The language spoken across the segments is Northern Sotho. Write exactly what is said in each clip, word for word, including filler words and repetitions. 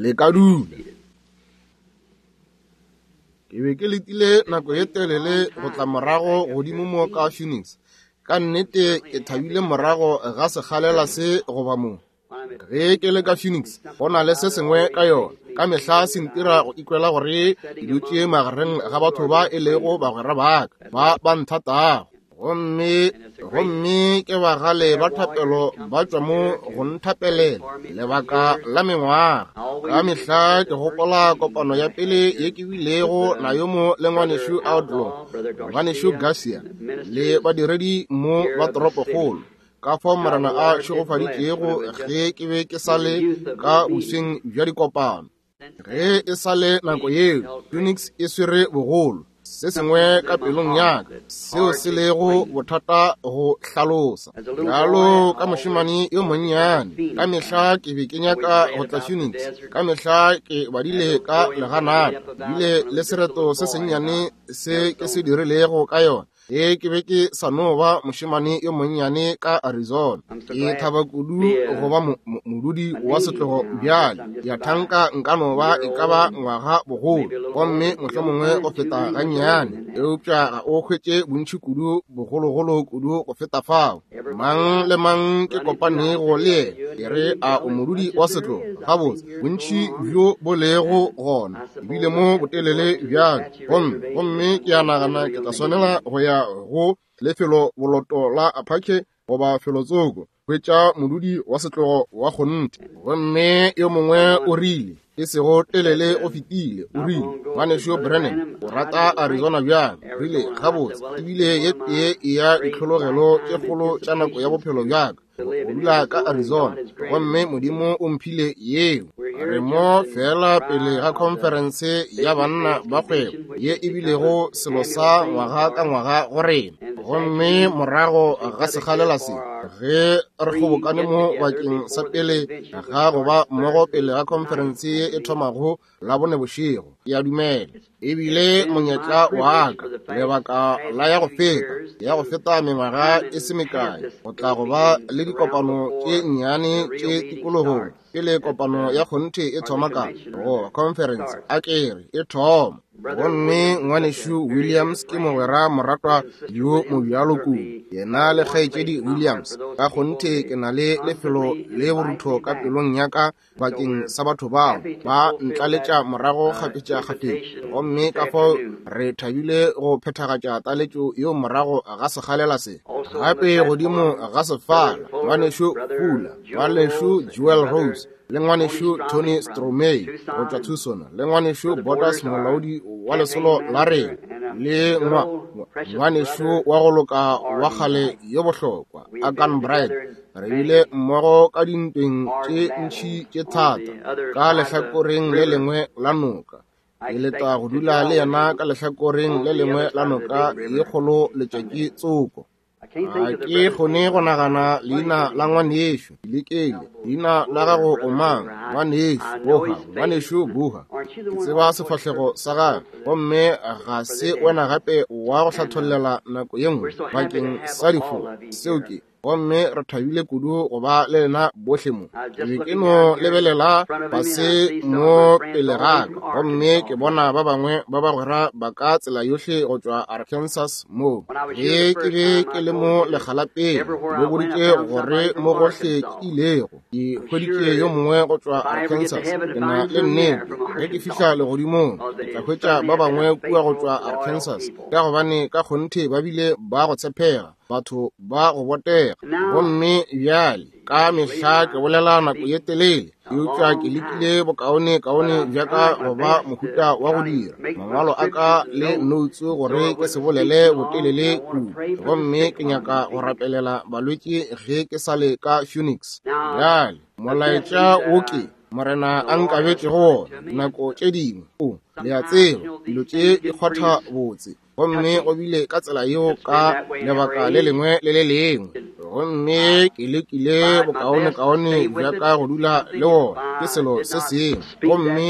Le ka dula. Ke be ke letile nako ye telele go tla morago godimo mo ka Phoenix. Ka nnete ke thabile morago ga sekgalela se goba mo. Ge ke le ka Phoenix, go na le se sengwe ka yona. Ka mehla se ntira go ikwela gore ke dutše magareng ga batho ba e lego bagwera ba ka, ba ba nthatago. Gomme gomme ke bagale ba thapelo ba tšwa mo go nthapelela lebaka la mengwaga. Ka mehla ke gopola kopano ya pele ye ke bilego nayo mo le ngwanešu Outlaw, ngwanešu Garcia le badiredi mo ba toropokgolo. Ka fao Morena a šegofaditšego ge ke be ke sa le ka bosweng bja dikopano. Ge e sa le nako yeo, Phoenix e swere bogolo. Se sengwe ka pelong ya ka seo se lego bothata go hlalosa. Bjalo ka mošemane yo monnyane, ka mehla ke be ke nyaka go tla Phoenix. Ka mehla ke badile ka leganata, ebile le sereto se sennyane se ke se dirilego ka yona. Ge ke be ke sa no ba mošemane yo monnyane ka Arizona. Ke thaba kudu go ba modudi wa setlogo bjale. Ke a thanka nka no ba e ka ba ngwaga bogolo, gomme mohlomongwe go feta gannyane, eupša ga o hwetše bontši kudu bogologolo kudu go feta fao. Mang le mang ke kopanego le yena, ke re a o modudi wa setlogo. Gabotse, bontši bjo bo lego gona, ebile mo botelele bjale, gomme gomme ke a nagana ke tla swanela go ya go lefelo boloto la Apache goba felotsoko, hwetša modudi wa setlogo wa kgonthe. Gomme yo mongwe o rile, e sego telele o fetile, o rile, ngwanešu Branham, o rata Arizona bjang? Rile, gabotse, ebile ye tee ya ditlhologelo tše kgolo tša nako ya bophelo bja ka, go dula ka Arizona, gomme Modimo o mphile yeo. Re mo fela pele ga khonferense ya banna ba kgwebo ye e bilego selo sa ngwaga ka ngwaga go rena. Gomme morago ga sekgalela se, ge re kgobokane mo bakeng sa pele ga go ba mmogo pele ga khonferense ye e thomago Labone bošego, ke a dumela ebile monyetla wa ka lebaka la ya go feta ya go feta mengwaga e se mekae go tla go ba le dikopano tše nnyane tše tikologong pele kopano ya kgonthe e thoma ka goba conference a kere e thoma. Gomme ngwanešu Williams ke mogwera moratwa yo mobjalo kudu, yena le kgaetšedi Williams. Ka kgonthe ke na le lefelo le borutho ka pelong ya ka bakeng sa batho bao ba ntlaletša morago kgafetša-kgafetša, gomme ka fao re thabile go phethagatša taletšo yeo morago ga sekgalela se. Gape godimo ga sefala, ngwanešu Fula, ngwanešu Jewel Rose le ngwanešu Tony Stromey go tšwa Tucson, le ngwanešu Borders molaodi wa lesolo la rena, le ngwanešu wa go loka wa kgale yo bohlokwa Agan Bright. Re bile mmogo ka dintweng tše ntši tše thata ka lehlakoreng le lengwe la noka. Ke leta go dula le yena ka lehlakoreng le lengwe la noka ye kgolo letšatši tsoko. Ga ke kgone go nagana leina la ngwanešu lekele. Leina la gago o mang? Ngwanešu Boha, ngwanešu Boha. Ke tseba sefahlego sa gagwe, gomme ga se wena gape wa go hlathollela nako ye nngwe bakeng sa difo. Seo ke. Gomme re thabile kudu go ba le lena bohle mo. Ke be ke no lebelela fase mo pele ga ka, gomme ke bona ba bangwe ba bagwera ba ka tsela yohle go tšwa Arkansas mo. Ge ke be ke le mo lekga la pele, ke boditše gore mo gohle ke ilego, ke hweditše yo mongwe go tšwa Arkansas. Ke na le nnete, ge ke fihla legodimong, ke tla hwetša ba bangwe kua go tšwa Arkansas, ka gobane ka kgonthe ba bile ba go tshepega, batho ba go botega. Gomme bjale ka mehla ke bolela nako ye telele, eupša ke lekile bokaone kaone bja ka go ba mohuta wa go dira mangwalo a ka le notes gore ke se bolele botelele kudu. Gomme ke nyaka go rapelela balwetši ge ke sa le ka Phoenix. Bjale molaetša wo ke Morena a nkabetšego wona dinako tše dingwe, o le a tseba dilo tše di kgwatha botse, gomme go bile ka tsela yeo ka lebaka le lengwe le le lengwe. Gomme ke lekile bokaone-kaone bja ka go dula le wona, ke selo se sengwe. Gomme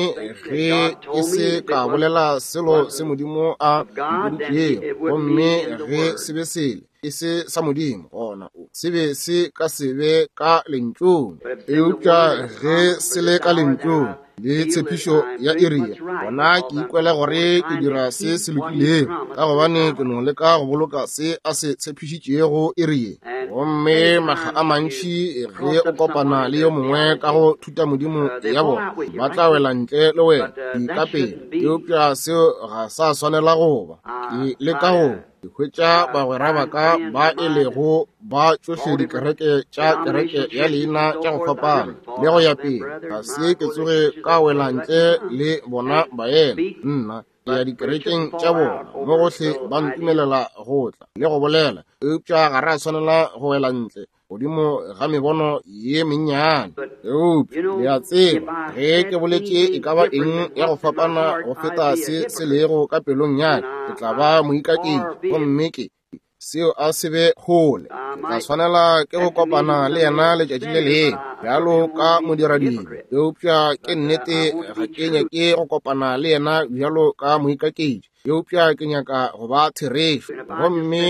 ge ke se ka bolela selo se Modimo a mpoditšego, gomme ge se be sele e se sa Modimo, gona se be se ka se be ka lentšung. Eupša ge se le ka lentšung, le tshepišo ya iri ye, gona ke ikwele gore ke dira se se lokilego, ka gobane ke no leka go boloka se a se tshepišitšego iri ye. Gomme makga a mantši ge o kopana le yo mongwe ka go thuta modimo ya bona, ba tla wela ntle le wena ka pele, eupša seo ga sa swanela go ba. Ke leka go hwetša bagwera ba ka ba e lego ba tšohle dikereke tša kereke ya leina tša go fapana le go ya pele, ga se ke tsoge ka wela ntle le bona baena. Nna ke ya dikerekeng tša bona mo gohle, ba ntumelela go tla le go bolela, eupša ga re a swanela go wela ntle godimo ga mebono ye mennyane. Eupša le a tseba, ge ke boletše e ka ba eng ya go fapana go feta se se lego ka pelong ya ka, ke tla ba moikaketši, gomme ke seo a se be kgole. Ke tla swanela ke go kopana le yena letšatši le lengwe bjalo ka modiradibe, eupša ke nnete ga ke nyake go kopana le yena bjalo ka moikaketši, eupša ke nyaka go ba therešo. Gomme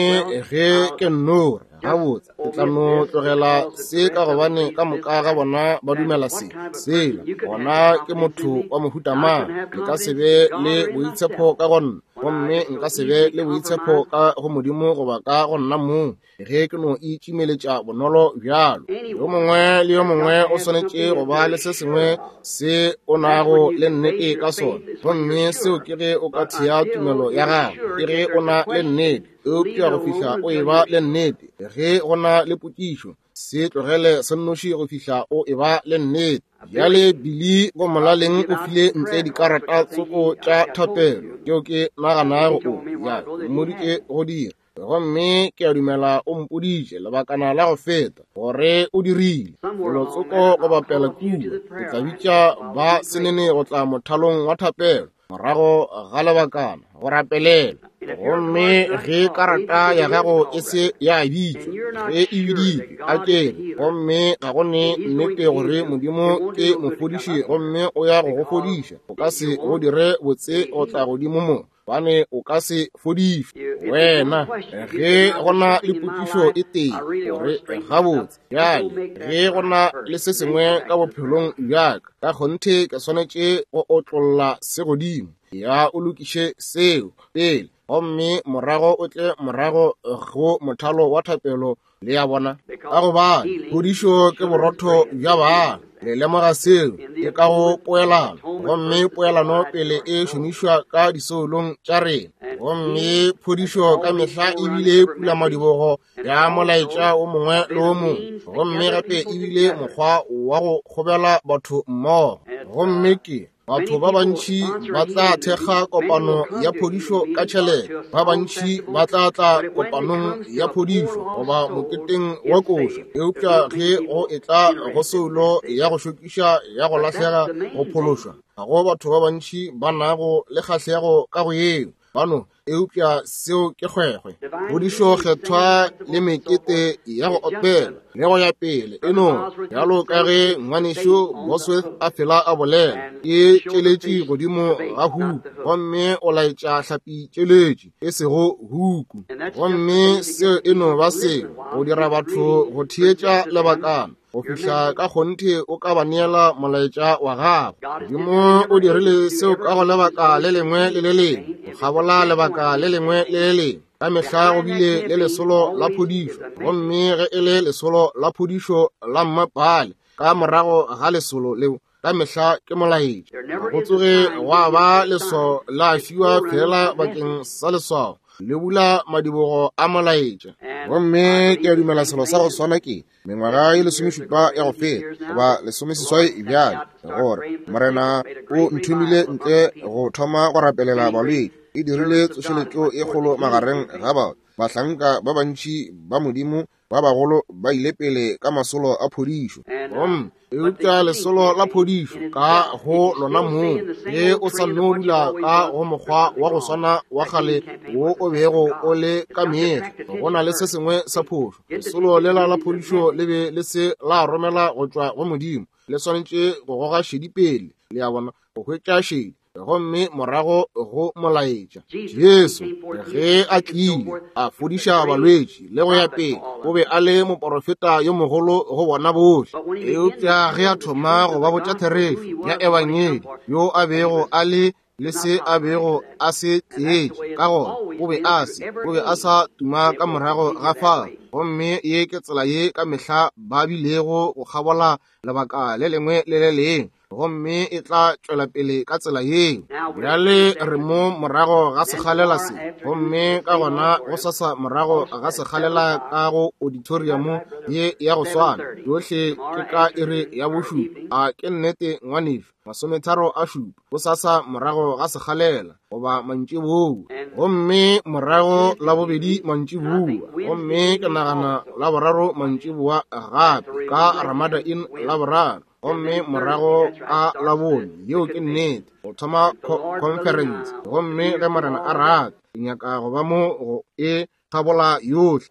ge ke nno re gabotse, ke tla no tlogela se ka gobane ka moka ga bona ba dumela se sela, gona ke motho wa mohuta mang? Nka se be le boitshepo ka go nna, gomme nka se be le boitshepo ka go Modimo goba ka go nna mong ge ke no itšimeletša bonolo bjalo. Yo mongwe le yo mongwe o swanetše go ba le se sengwe se o nago le nnete ka sona, gomme seo ke ge o ka thea tumelo ya gago, ke ge o na le nnete. Eupša go fihla o eba le nnete, ge go na le potšišo, se tlogele se nnoši go fihla o eba le nnete. Bjale Billy go molaleng o file ntle dikarata tsoko tša thapelo tšeo ke naganago o ya mmoditše go dira, gomme ke a dumela o mpoditše lebakana la go feta gore o dirile felo tsoko go bapela kua. Ke tla bitša ba senene go tla mothalong wa thapelo morago ga lebakana go rapelela. Gomme ge karata ya gago e se ya bitšwa, ge e biditšwe a kere, gomme ga go ne nnete gore Modimo ke mofodiši gomme o ya go go fodiša, o ka se go dire botse go tla godimo mo, bane o ka se fodišwe wena. Ge go na le potšišo e tee gore gabotse bjale, ge go na le se sengwe ka bophelong bja ka, ka kgonthe ke swanetše go otlolla se godimo, ya o lokiše seo pele, gomme morago o tle morago go mothalo wa thapelo. Le ya bona, ka gobane phodišo ke borotho bja bana. Le lemoga seo ke ka go poelano, gomme poelano pele e šomišwa ka disoulong tša rena. Gomme phodišo ka mehla ebile pulamadibogo ya molaetša o mongwe le o mongwe, gomme gape ebile mokgwa wa go kgobela batho mmogo. Gomme ke batho ba bantši ba tla thekga kopano ya phodišo ka tšhelete, ba bantši ba tla tla kopanong ya phodišo goba moketeng wa koša, eupša ge go etla go soulo ya go šokiša ya go lahlega go phološwa, ga go batho ba bantši ba nago le kgahlego ka go yeo bano, eupša seo ke kgwekgwe. Phodišo kgethwa le mekete ya go opela le go ya pele e no bjalo ka ge ngwanešu Bosworth a fela a bolela, ke tšeletši godimo ga huku, gomme o laetša hlapi tšeletši e sego huku. Gomme seo e no ba seo go dira batho go theetša lebakana go fihla ka kgonthe o ka ba neela molaetša wa gago. Modimo o dirile seo ka go lebaka le lengwe le le lengwe, go kgabola lebaka le lengwe le le lengwe. Ka mehla go bile le lesolo la phodišo, gomme ge e le lesolo la phodišo la mmapale, ka morago ga lesolo leo ka mehla ke molaetša. Go tsoge gwa ba leswao la fiwa fela bakeng sa leswao, le bula madibogo a molaetša. Gomme ke a dumela selo sa go swana ke mengwaga e lesomešupa ya go feta goba lesomeseswai bjale, gore Morena o nthomile ntle go thoma go rapelela balwetši. E dirile tsošeletšo e kgolo magareng ga batho. Bahlanka ba bantši ba Modimo ba bagolo ba ile pele ka masolo a phodišo. Gomme eupša lesolo la phodišo ka go lona mong, ge o sa no dula ka go mokgwa wa go swana wa kgale wo o bego o le ka mehla, go na le se sengwe sa phošo. Lesolo lela la phodišo le be le se la romela go tšwa go Modimo, le swanetše go goga šedi pele, le a bona, go hwetša šedi. gomme morago go molaetša. Jesu ge a tlile a fodiša balwetši le go ya pele, o be a le moporofeta yo mogolo go bona bohle. Eupša ge a thoma go ba botša therešo ya ebangedi, yo a bego a le le se a bego a se tletše, ka gona o be a se o be a sa tuma ka morago ga fao. Gomme ye ke tsela ye ka mehla ba bilego go kgabola lebaka le lengwe le le lengwe, gomme e tla tšwela pele ka tsela yeo. Bjale re mo morago ga sekgalela se, gomme ka gona go sasa morago ga sekgalela ka go auditorium ye ya go swana, yohle ke ka iri ya bošupa. A ke nnete ngwanešu? Masometharo a šupa, go sasa morago ga sekgalela goba mantšiboa, gomme morago la bobedi mantšiboa, gomme ke nagana la boraro mantšiboa gape ka Ramada Inn la boraro, gomme morago ka la bone. Yeo ke nnete, go thoma conference. Gomme ge Morena a rata, ke nyaka go ba mo go e kgabola yohle.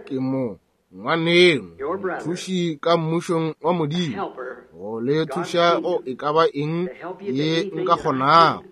Ke mo ngwaneno, mothuši ka mmušong wa Modimo, go le thuša go e ka ba eng ye nka kgonago.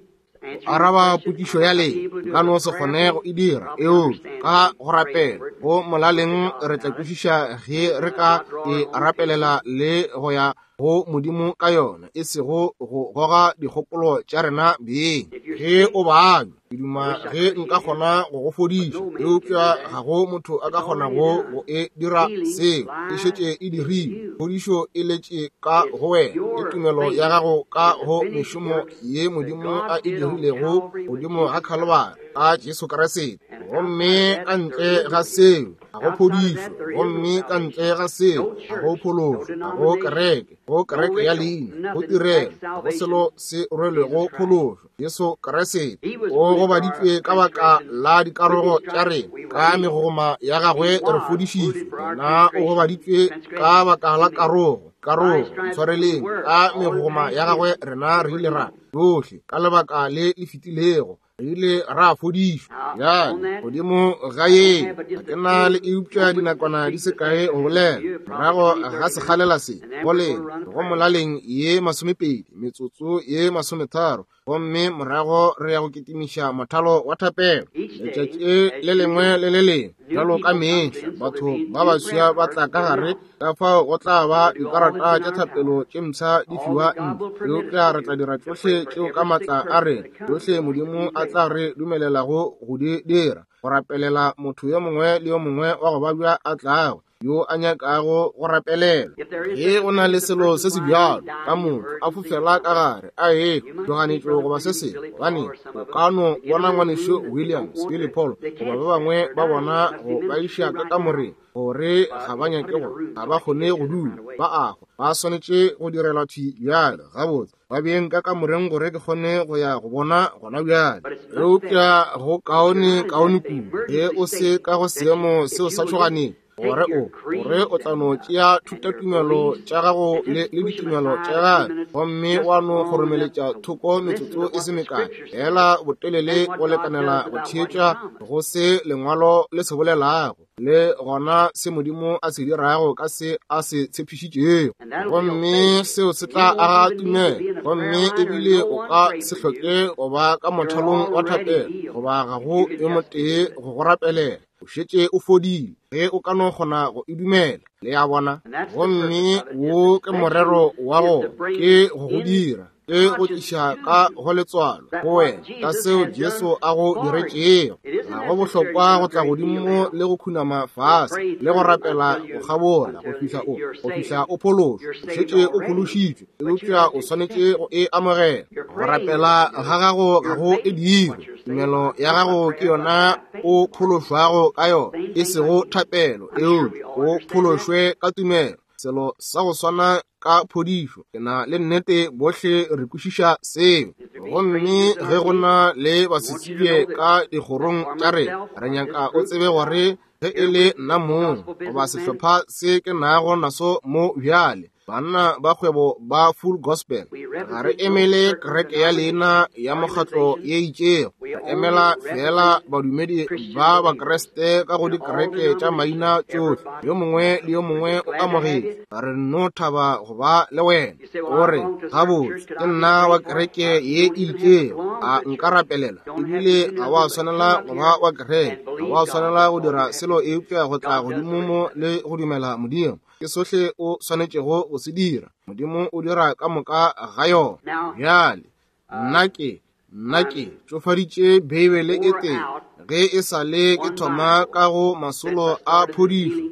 Araba potšišo ya lena, nka no se kgone go e dira, eupša ka go rapela go molaleng re tla kwešiša ge re ka e rapelela le go ya go Modimo ka yona, e sego go goga dikgopolo tša rena beng. Ge o babja, ke duma ge nka kgona go go fodiša, eupša ga go motho a ka kgonago go e dira seo. E šetše e dirilwe. Phodišo e letše ka go wena, ke tumelo ya gago ka go mešomo ye Modimo a e dirilego godimo ga Khalibari ka Jesu Kriste. Gomme ka ntle ga seo ga go phodišo, gomme ka ntle ga seo ga go phološo, ga go kereke, go kereke ya leina, go tirelo, ga go selo se rwelego phološo. Jesu Kriste o gobaditšwe ka baka la dikarogo tša rena, ka megogoma ya gagwe re fodišitšwe. Yena o gobaditšwe ka baka la karogo, karogo, ntshwareleng, ka megogoma ya gagwe rena re ile ra yohle ka lebaka le le fetilego re ile ra fodišwa. Bjale godimo ga ye ga ke na le eupša dinakwana di se kae go bolela morago ga sekgalela se go lena go molaleng ye masomepedi metsotso ye masometharo, gomme morago re ya go kitimiša mothalo wa thapelo. Letšatši le lengwe le le lengwe bjalo ka mehla batho ba baswa ba tla ka gare, ka fao go tla ba dikarata tša thapelo tše mpsha di fiwa ntle, eupša re tla dira tšohle tšeo ka maatla a rena, tšohle Modimo a tla re dumelelago go di dira, go rapelela motho yo mongwe le yo mongwe wa go babja a tlago yo a nyakago go rapelela. Ge go na le selo se se bjalo ka motho a fofela ka gare a e tloganetšo goba se sengwe, gobane o ka no bona ngwanešu Williams, Billy Paul goba ba bangwe ba bona go ba iša ka kamoreng gore ga ba nyake go, ga ba kgone go dula, ba a hwa, ba swanetše go direlwa thwi bjale. Gabotse, ba beng ka kamoreng gore ke kgone go ya go bona gona bjale. Eupša go kaone kaone kudu ge o se ka go seemo seo sa tšhoganeng, gore o gore o tla no tšea thutatumelo tša gago le le ditumelo tša gago, gomme wa no kgoromeletša thoko metsotso e se mekae fela botelele go lekanela go theetša go se lengwalo le se bolelago, le gona se Modimo a se dirago ka se a se tshepišitšego. Gomme seo se tla aga tumelo, gomme ebile o ka se hloke go ba ka mothalong wa thapelo goba ga go yo motee go go rapelela. O šetše o fodile ge o ka no kgona go e dumela. Le a bona? Gomme wo ke morero wa go, ke go go dira, ke go tliša ka go letswalo go wena ka seo Jesu a go diretšego. Ga go bohlokwa go tla godimo le go khunama fase le go rapela go kgabola go fihla o go fihla o phološwa. O šetše o phološitšwe, eupša o swanetše go e amogela. Go rapela ga gago ga go e dire. Tumelo ya gago ke yona o phološwago ka yona, e sego thapelo, eupša o phološwe ka tumelo. Selo sa go swana ka phodišo. Ke na le nnete bohle re kwešiša seo. Gomme ge go na le basetsebje ka dikgorong tša rena, re nyaka o tsebe gore ge e le nna mong goba sehlopha se ke nago naso mo bjale, banna ba kgwebo ba Full Gospel, ga re emele kereke ya leina ya mokgatlo ye itšego. Re emela fela badumedi ba Bakriste ka go dikereke tša maina tšohle. Yo mongwe le yo mongwe o amogetšwe. Re no thaba go ba le wena. O re, gabotse, ke nna wa kereke ye e itšego, a nka rapelela? Ebile ga wa swanela go ba wa kereke, ga wa swanela go dira selo eupša go tla godimo mo le go dumela Modimo. Ke sohle o swanetšego go se dira. Modimo o dira ka moka ga yona. Bjale, nna ke nna ke tšofaditše Beibele e tee ge e sa le ke thoma ka go masolo a phodišo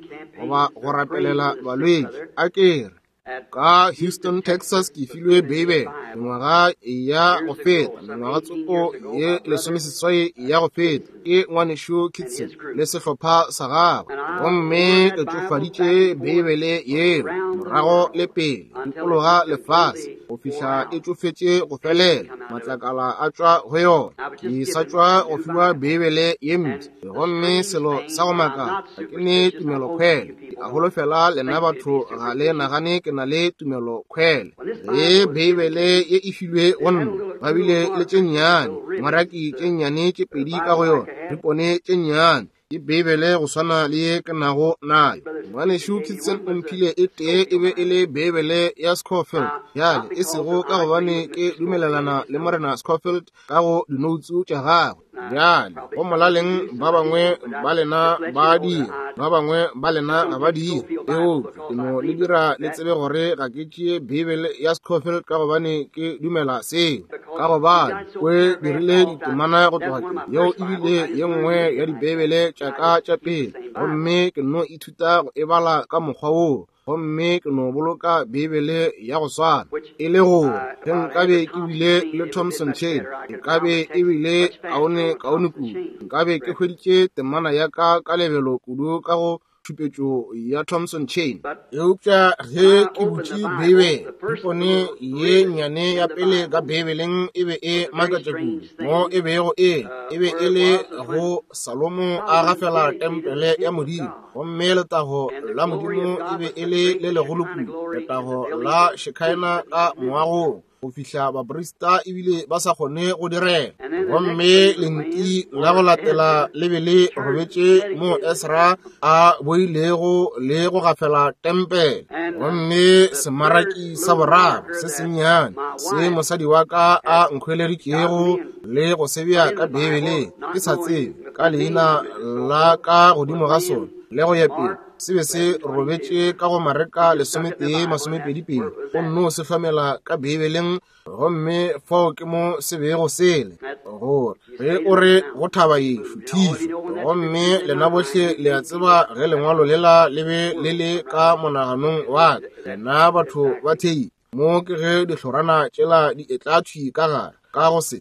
goba go rapelela balwetši. A ke re ka Houston, Texas, ke filwe Beibele mengwaga ya go feta, mengwaga tsoko ye lesomeseswai ya go feta, ke ngwanešu Kitson le sehlopha sa gagwe. Gomme ke tšofaditše Beibele yeo morago le pele dikologa lefase go fihla e tšofetše go felela, matlakala a tšwa go yona. Ke sa tšwa go fiwa Beibele ye mpsha, gomme selo sa go makala, ga ke ne tumelokhwele. Ke a holofela lena batho ga le nagane ke na le tumelokhwele. Ge Beibele ye e filwe go nna, ba bile le tše nnyane, maraki tše nnyane tše pedi ka go yona, dipone tše nnyane. Ke Beibele go swana le ye ke nago nayo. Ngwanešu Kitson o mphile e tee, e be e le Beibele ya Scofield. Bjale, e sego ka gobane ke dumelelana le Morena Scofield ka go dinoutsu tša gagwe. Bjale, go molaleng ba bangwe ba lena ba dira, ba bangwe ba lena ga ba dira. Eupša ke no le dira le tsebe gore ga ke tšee Beibele ya Scofield ka gobane ke dumela seo, ka gobane o e dirile ditemana go tloga ke yeo ebile ye nngwe ya dibeibele tša ka tša pele, gomme ke no ithuta go e bala ka mokgwa woo. Gomme ke no boloka Beibele ya go swana, e le gore ge nkabe ke bile le Thompson Chain, e ka be e bile kaone kaone kudu. Nkabe ke hweditše temana ya ka ka lebelo kudu ka go tšhupetšo ya Thompson Chain. Eupša ge ke butše Beibele, dipone ye nnyane ya pele ka Beibeleng e be e makatša kudu. Mo e bego e, e be e le go Salomo a gafela tempele ya Modimo, gomme letago la Modimo e be e le le legolo kudu, letago la Shekinah ka moagong, go fihla baprista ebile ba sa kgone go direla. Gomme lenti la go latela le be le robetše mo Esra a boilego le go gafela tempele. Gomme semaraki sa boraro se sennyane se mosadi wa ka a nkhweleditšego le go se bea ka Beibeleng, ke sa tsebe ka leina la ka godimo ga sona le go ya pele, se be se robetše ka go Mareka lesometee masomepedi pedi. O nno se hlomela ka Beibeleng, gomme fao ke mo se bego sele, gore ge o re go thaba ye šuthišwa. Gomme lena bohle le a tseba ge lengwalo lela le be le le ka monaganong wa ka, lena batho ba thei mo ke ge dihlorana tšela di etla thwi ka gare ka go se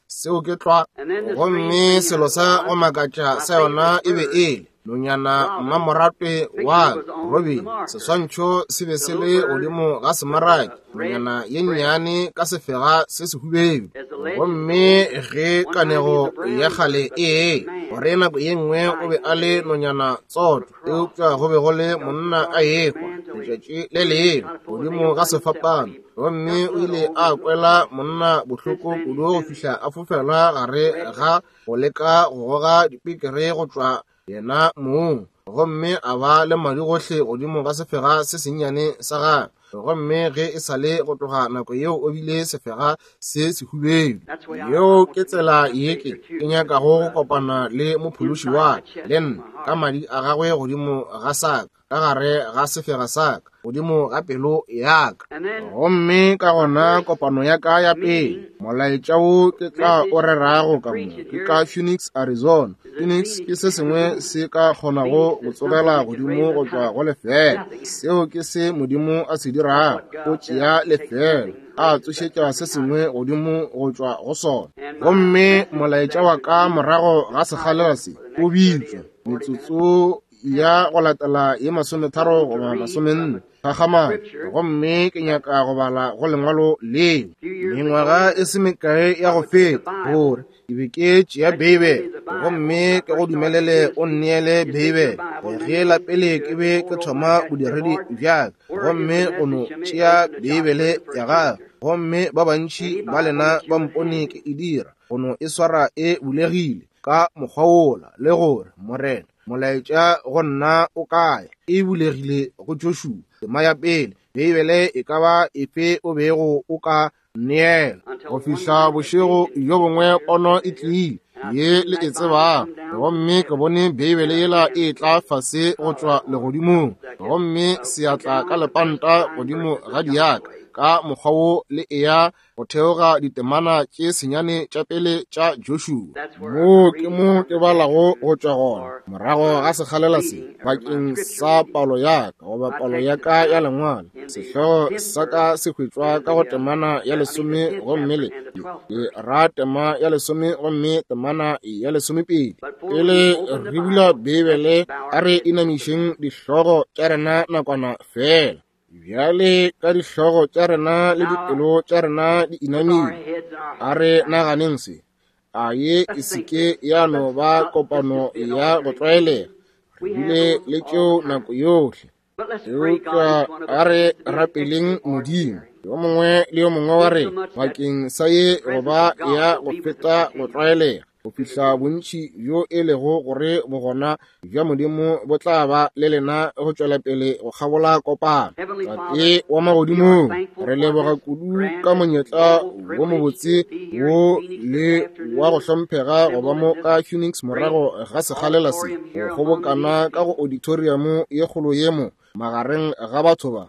seo ke tlwa. Gomme selo sa go makatša sa yona e be e le nonyana mmamoratwe wa Robin. Seswantšho se be se le godimo ga semaraki, nonyana ye nnyane ka sefega se sehubedu. Gomme ge kanego ya kgale e gore nako ye nngwe o be a le nonyana tsoto, eupša go be go le monna a ekwa letšatši le lengwe godimo ga sefapano, gomme o ile a kwela monna bohloko kudu go fihla a fofela gare ga go leka go goga dipekere go tšwa yena mong, gomme a ba le madi gohle godimo ga sefega se sennyane sa gagwe. Gomme ge e sa le go tloga nako yeo o bile sefega se sehubedu. Yeo ke tsela ye ke ke nyakago go kopana le mophološi wa ka, le nna, ka madi a gagwe godimo ga sa ka, ka gare ga sefega sa ka, godimo ga pelo ya ka. Gomme ka gona kopano ya ka ya pele, molaetša wo ke tla o rerago ka mo, ke ka Phoenix, Arizona. Phoenix ke se sengwe se ka kgonago go tsogela godimo go tšwa go lefela. Seo ke se Modimo a se dirago, o tšea lefela, a tsošetša se sengwe godimo go tšwa go sona. Gomme molaetša wa ka morago ga sekgalela se o bitšwa metsotso ya go latela ye masometharo goba masomenne kgakgamalo. Gomme ke nyaka go bala go lengwalo leo. Mengwaga e se mekae ya go feta, gore ke be ke tšea Beibele, gomme ke go dumelele o nneele Beibele. Ge la pele ke be ke thoma bodiredi bja ka, gomme go no tšea Beibele ya gago, Gomme ba bantši ba lena ba mpone ke e dira, go no e swara e bulegile ka mokgwa wola, le gore Morena, molaetša go nna o kae? E bulegile go Joshua, tema ya pele, Beibele e ka ba efe o bego o ka neela. Go fihla bošego bjo bongwe pono e tlile, ye le e tsebago, gomme ke bone Beibele yela e tla fase go tšwa legodimong, gomme seatla ka lepanta godimo ga diaka ka mokgwa wo le eya go theoga ditemana tše senyane tša pele tša Joshua. Moo ke mo ke balago go tšwa gona morago ga sekgalela se bakeng sa palo ya ka goba palo ya ka ya lengwalo. Sehlogo sa ka se hwetšwa ka go temana ya lesome gomme le ke ra tema ya lesome gomme temana ya lesomepedi. Pele re bula Beibele, a re inamišeng dihlogo tša rena nakwana fela. Bjale ka dihlogo tša rena le dipelo tša rena di inamile, a re naganeng se. A ye e se ke ya no ba kopano ya go tlwaelega, re bile le tšeo nako yohle. Eupša a re rapeleng Modimo yo mongwe le yo mongwe wa rena bakeng sa ye go ba ya go feta go tlwaelega, go fihla bontši bjo e lego gore bogona bja Modimo bo tla ba le lena go tšwela pele go kgabola kopano. Tate wa magodimong, re leboga kudu ka monyetla wo mobotse wo le wa go hlomphega go ba mo ka Phoenix morago ga sekgalela se, go kgobokana ka go auditorium ye kgolo ye mo magareng ga batho ba.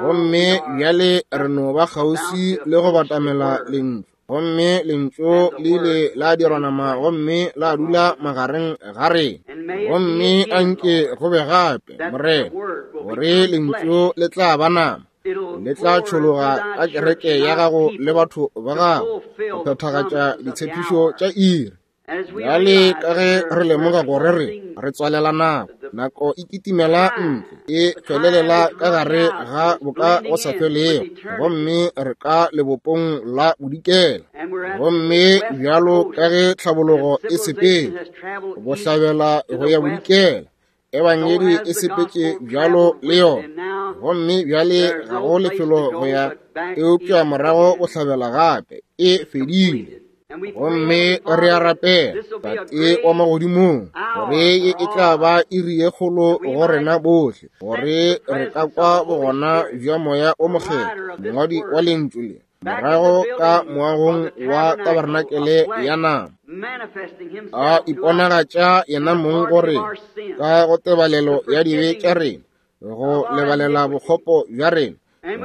Gomme bjale re no ba kgauswi le go batamela lentšu, gomme lentšu le ile la dirwa nama gomme la dula magareng ga rena. Gomme anke go be gape, Morena, gore lentšu le tla ba nama, le tla tšhologa ka kereke ya gago le batho ba gago go phethagatša ditshepišo tša iri. Bjale ka ge re lemoga gore re re tswalela nako, nako e kitimela ntle, e felelela ka gare ga boka go sa felego, gomme re ka lebopong la bodikela. Gomme bjalo ka ge tlhabologo e sepetse bohlabela go ya bodikela, ebangedi e sepetše bjalo le yona, gomme bjale ga go lefelo go ya eupša morago bohlabela gape, e fedile. Gomme re a rapela, Tate wa magodimong, gore ye e tla ba iri ye kgolo go rena bohle, gore re ka kwa bogona bja Moya o Mokgethwa, mongwadi wa lentšu le, morago ka moagong wa tabernakelé ya nama, a iponagatša yena mong gore ka go tebalelo ya dibe tša rena, go lebalela bokgopo bja rena,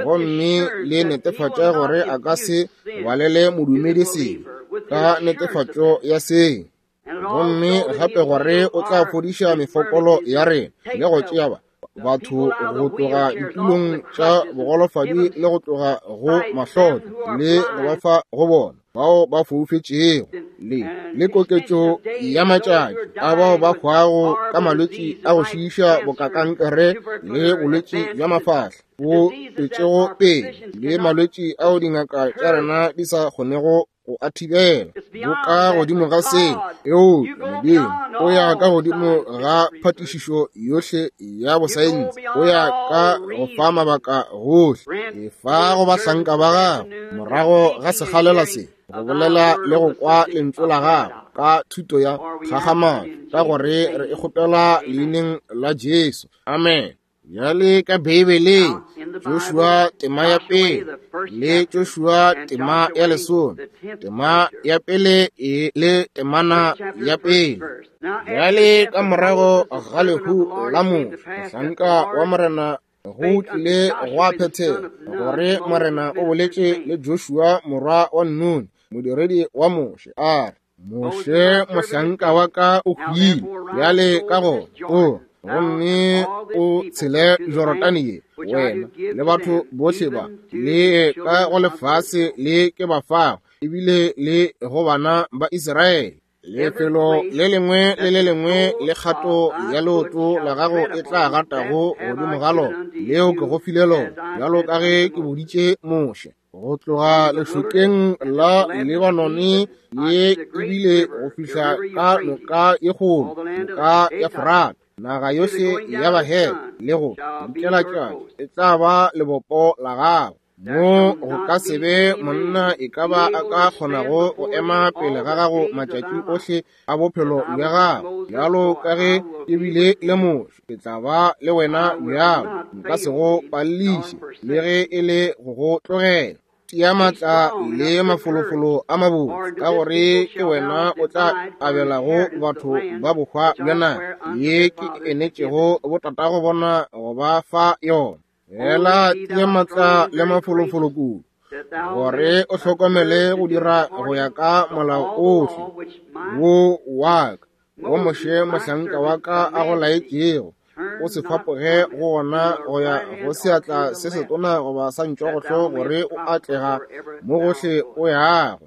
gomme le netefatša gore a ka se balele modumedi sebe ka netefatšo ya seo, gomme gape gore o tla fodiša mefokolo ya rena le go tšea ba batho go tloga ditulong tša bogolofadi le go tloga go mahlotlo le go ba fa go bona bao ba foufetšego, le le koketšo ya matšatši a bao ba hwago ka malwetši a go šiiša boka kankere le bolwetši bja mafahla bo tšwetšego pele, le malwetši ao dingaka tša rena di sa kgonego go a thibela. Bo ka godimo ga seo, eupša Modimo o ya ka godimo ga phatišišo yohle ya bosaense, o ya ka go fa mabaka gohle, e fa go bahlanka ba gago morago ga sekgalela se, go bolela le go kwa lentšu la gago ka thuto ya kgakgamatso, ka gore re e kgopela leineng la Jesu. Amen. Bjale ka Beibeleng, Joshua tema ya pele le Joshua tema ya lesome, tema ya pele e le temana ya pele. Bjale ka morago ga lehu la Moshe, mohlanka wa Morena, go tlile gwa phethega gore Morena o boletše le Joshua morwa wa Nuni, modiredi wa Moshe, a re, Moshe mohlanka wa ka o hwile, bjale ka gona o gomme o tshele Jorodane ye, wena le batho bohle ba le ka go lefase le ke ba fago, ebile le go bana ba Israele. Lefelo le lengwe le le lengwe le kgato ya leoto la gago e tla gatago godimo ga lona, leo ke go file lona, bjalo ka ge ke boditše Moshe, go tloga lešokeng la Lebanone ye ebile go fihla ka noka ye kgolo, noka ya Frata, naga yohle ya Bahete le go dikela tšatši e tla ba lebopo la gago. Mo go ka se be monna e ka ba a ka kgonago go ema pele ga gago matšatši ohle a bophelo bja gago. Bjalo ka ge ke bile le Moshe, ke tla ba le wena bjalo, nka se go palliše le ge e le go go tlogela. Tia matla le mafolofolo a mabotse, ka gore ke wena o tla abelago batho ba bohwa bja naga ye ke enetšego botatago bona go ba fa yona. Fela tia matla le mafolofolo kudu, gore o hlokomele go dira go ya ka molao ohle wo wa ka, wo Moshe mohlanka wa ka a go laetšego. O se fapoge go ona go ya go seatla se setona goba sa ntšogohlo, gore o atlega mo gohle o yago.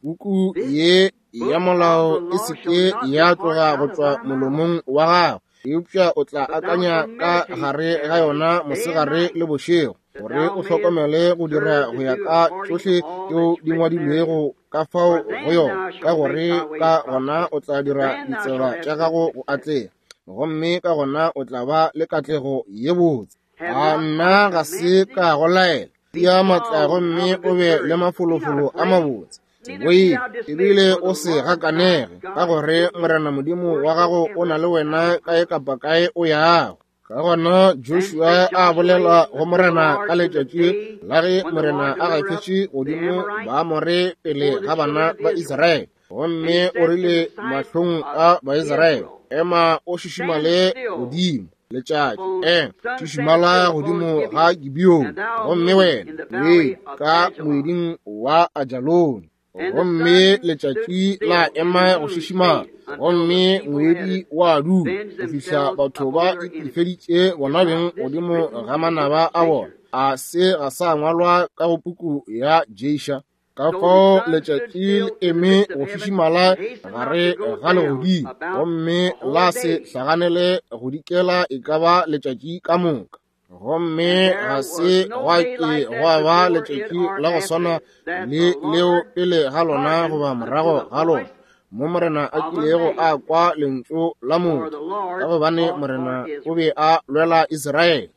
Puku ye ya molao e se ke ya tloga go tšwa molomong wa gago, eupša o tla akanya ka gare ga yona mosegare le bošego, gore o hlokomele go dira go ya ka tšohle tšeo di ngwadilwego ka fao go yona, ka gore ka gona o tla dira ditsela tša gago go atlega, gomme ka gona o tla ba le katlego ye botse. A nna ga se ka go laela? Tia matla gomme o be le mafolofolo a mabotse. Boife ebile o se gakanege, ka gore Morena Modimo wa gago o na le wena kae kapa kae o yago. Ka gona Joshua a bolela go Morena ka letšatši la ge Morena a gafetše godimo Baamore pele ga bana ba Israele, gomme o rile mahlong a Baisraele, ema o šišimale godimo letšatši, ema šišimala godimo ga Gibeoni, gomme wena we ka moeding wa Ajaloni. Gomme letšatši la ema go šišimala, gomme ngwedi wa dula go fihla batho ba itefeditše bona beng godimo ga manaba a bona. A se ga sa ngwalwa ka go puku ya Jesha? Ka fao letšatši le eme go šišimala gare ga legodimo, gomme la se hlaganele go dikela e ka ba letšatši ka moka. Gomme ga se gwa ke gwa ba letšatši la go swana le leo pele ga lona goba morago ga lona, mo Morena a kilego a kwa lentšu la motho, ka gobane Morena o be a lwela Israele.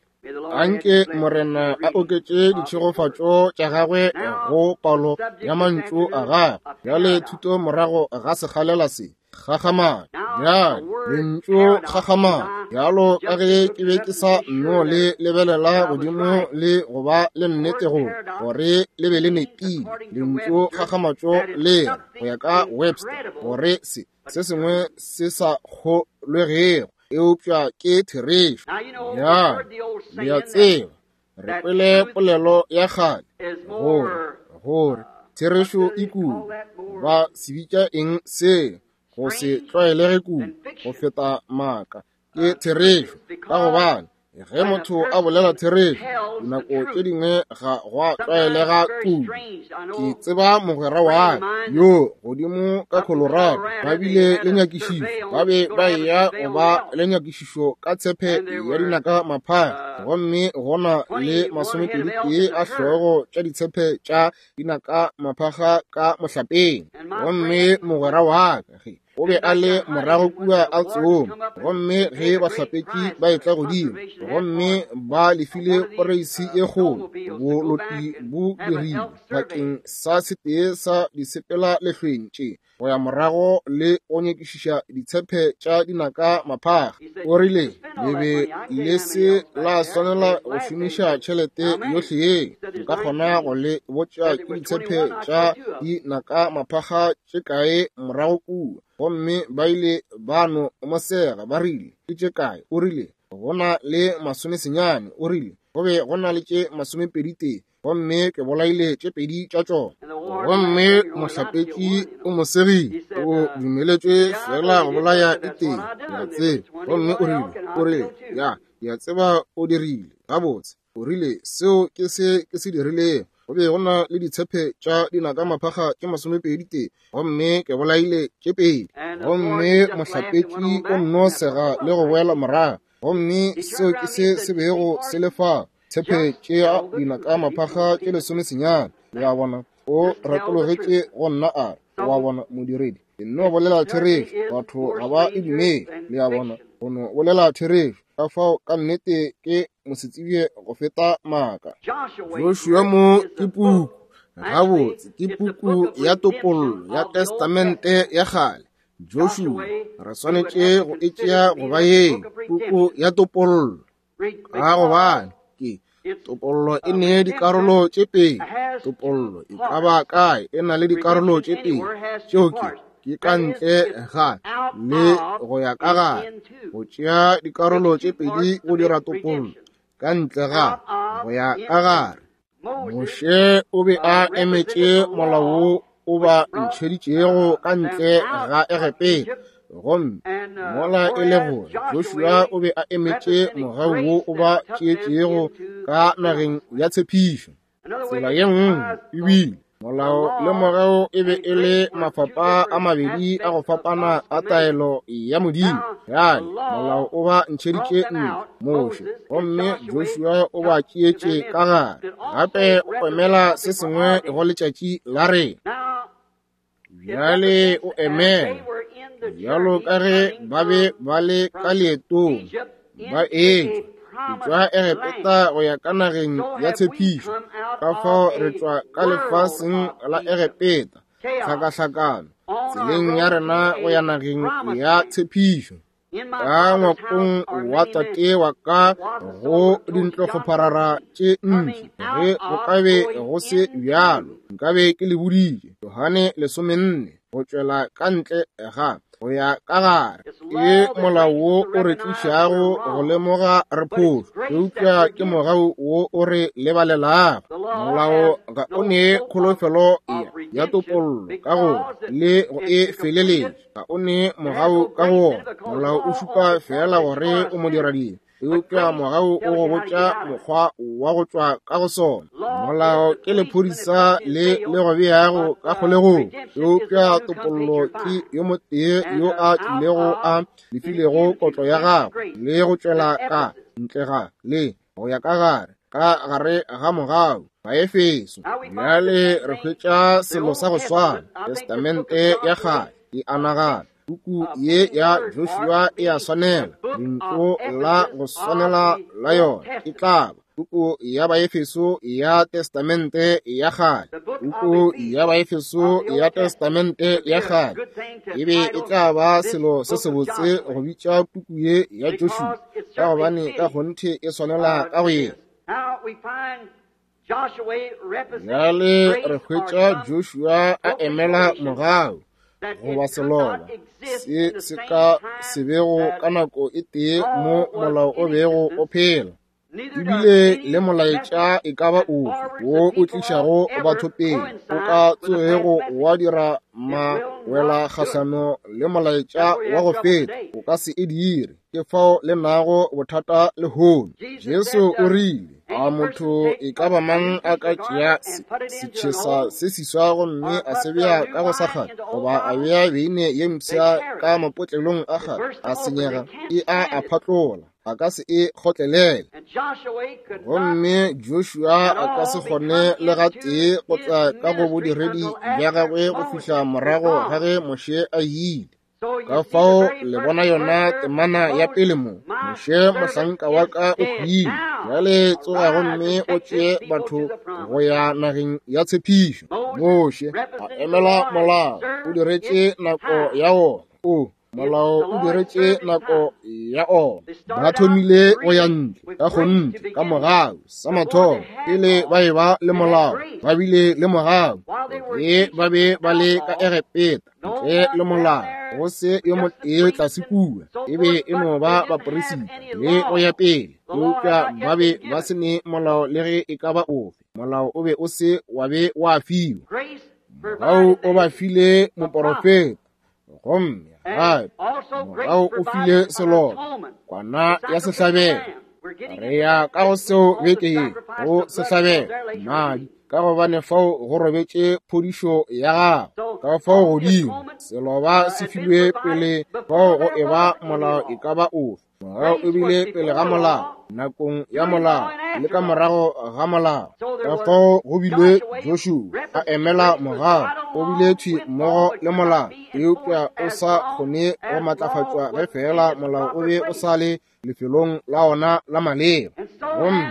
Anke Morena a oketše ditšhegofatšo tša gagwe go palo ya mantšu a gagwe. Bjale thuto morago ga sekgalela se, kgakgamalo. Bjale lentšu kgakgamalo, bjalo ka ge ke be ke sa nno le lebelela godimo le go ba le nnete gore gore le be le nepile, lentšu kgakgamatšo le re go ya ka Webster gore se se sengwe se sa kgolwegego, eupša ke therešo. Bjale le a tseba, re kwele polelo ya kgale gore gore therešo e kudu. Ba se bitša eng seo? Go se tlwaelege kudu go feta maaka. Ke therešo, ka gobane ge motho a bolela therešo, dinako tše dingwe ga gwa tlwaelega kudu. Ke tseba mogwera wa ka yo godimo ka Colorado, ba bile le nyakišišo, ba be ba eya go ba le nyakišišo ka tshepe ya dinaka maphara, gomme gona le masomepedi tee a hlogo tša ditshepe tša dinaka maphara ka mohlapeng. Gomme mogwera wa ka ge o be a le morago kua a tsoma, gomme ge bahlapetši ba etla godimo, gomme ba lefile poreisi e kgolo, boloti bo dirile bakeng sa setee sa disepela lehlweng tše go ya morago le go nyakišiša ditshepe tša dinaka maphara. O rile le be le se la swanela go šomiša tšhelete yohle ye, nka kgona go le botša ke ditshepe tša dinaka maphara tše kae morago kua. Gomme ba ile ba no mo sega, ba rile ke tše kae? O rile go na le masomesenyane. O rile go be go na le tše masomepedi tee, gomme ke bolaile tše pedi tša tšona. Gomme mohlapetši o mo segile, o dumeletšwe fela go bolaya e tee, le a tseba. Gomme o rile o rile ya ke a tseba o dirile gabotse. O rile seo ke se ke se dirilego. Go be go na le ditshepe tša dinaka maphakga tše masomepedi tee, gomme ke bolaile tše pedi. Gomme mohlapetši o nno sega le go boela morago, gomme seo ke se se bego se le fa tshepe tša dinaka maphakga tše lesomesenyane. Le a bona, o retologetše go nna a re, wa bona modiredi, ke nno bolela therešo, batho ga ba e dumele. Le a bona, go no bolela therešo. Ka fao ka nnete ke mosetsebje go feta maaka. Joshua mo ke puku, gabotse ke puku ya topollo ya Testamente ya kgale. Joshua re swanetše go e tšea go ba ye puku ya topollo, ka gobane ke topollo e ne dikarolo tše pedi. Topollo e ka ba kae e na le dikarolo tše pedi, tšeo ke ke ka ntle ga le go ya ka gare. Go tšea dikarolo tše pedi go dira topollo, ka ntle ga go ya ka gare. Moshe o be a emetše molao wo o ba ntšheditšego ka ntle ga Egepeta, gomme mola e le gore Joshua o be a emetše mogau wo o ba tšeetšego ka nageng ya tshepišo. Tsela ye nngwe ebile molao le mogau e be e le mafapa a mabedi a go fapana a taelo ya Modimo. Bjale molao o ba ntšheditše ntle Moshe, gomme Joshua o ba tšeetše ka gare. Gape o emela se sengwe go letšatši la rena. Bjale o emela bjalo ka ge ba be ba le ka leetong ba etšwa go tšwa Egepeta go ya ka nageng ya tshepišo. Ka fao re tšwa ka lefaseng la Egepeta, hlakahlakano tseleng ya rena go ya nageng ya tshepišo. Ka ngwakong wa tate wa ka go dintlokgoparara tše ntši, ge go ka be go se bjalo nkabe ke le boditše. Johane lesomenne, go tšwela ka ntle ga go ya ka gare ke molao wo o re tlišago go lemoga re phošo, eupša ke mogau wo o re lebalelago. Molao ga o nee kholofelo ya topollo ka gore le go e feleletša, ga o nee mogau ka go wona. Molao o šupa fela gore o modiradibe, eupša mogau o go botša mokgwa wa go tšwa ka go sona. Molao ke lephodisa le le go beago ka kgolegong, eupša topollo ke yo motee yo a tlilego a lefilego kotlo ya gagwe le go tšwela ka ntle ga le go ya ka gare ka gare ga mogau. Baefeso. Bjale re hwetša selo sa go swana. Testamente ya kgale e a nagana puku ye ya Joshua e a swanela, lentšu la go swanela la yona e tla ba puku ya Baefeso ya Testamente ya kgale. Puku ya Baefeso ya Testamente ya kgale e be e tla ba selo se sebotse go bitša puku ye ya Joshua, ka gobane ka kgonthe e swanela ka go yena. Bjale re hwetša Joshua a emela mogau goba seloba se se ka se bego ka nako e tee mo molao o bego o phela, ebile le molaetša e ka ba ofe wo o tlišago batho pele o ka tsoego wa dira mawela kgahlano le molaetša wa go feta, o ka se e dire. Ke fao le nago bothata lehono. Jesu o rile, a motho e ka ba mang a ka tšea setšhesa se seswa gomme a se bea ka go sa kgale, goba a bea beine ye mpsha ka mapotlelong a kgale, a senyega, e a a phatlola, a ka se e kgotlelele. Gomme Joshua a ka se kgone le gatee go tla ka go bodiredi bja gagwe go fihla morago ga ge Moshe a ile. Ka fao le bona yona temana ya pele mo, Moshe mohlanka wa ka o hwile, bjale tsoga gomme o tšee batho go ya nageng ya tshepišo. Moshe a emela molao, o diretše nako ya wona. O molao o diretše nako ya ona. Ba thomile go ya ntle ka kgonthe ka mogau sa mathomo, pele ba eba le molao ba bile le mogau. Ge ba be ba le ka Egepeta ntle le molao, go se yo motee tlase kua, e be e no ba baperisita le go ya pele, eupša ba be ba se ne molao le ge e ka ba ofe. Molao o be o se wa be wa fiwa. Mogau o ba file moporofeta, gomme gape mogau o file seloba, kwana ya sehlabelo. Re ya ka go seo beke ye, go sehlabelo madi, ka gobane fao go robetše phodišo ya gago. Ka fao godimo seloba se filwe pele fao go eba molao e ka ba ofe. Mogau o bile pele ga molao, nakong ya molao, le ka morago ga molao. Ka fao go bile Joshua a emela mogau, o bile thwi mmogo le molao, eupša o sa kgone go matlafatšwa ge fela molao o be o sa le lefelong la ona la maleba. Gomme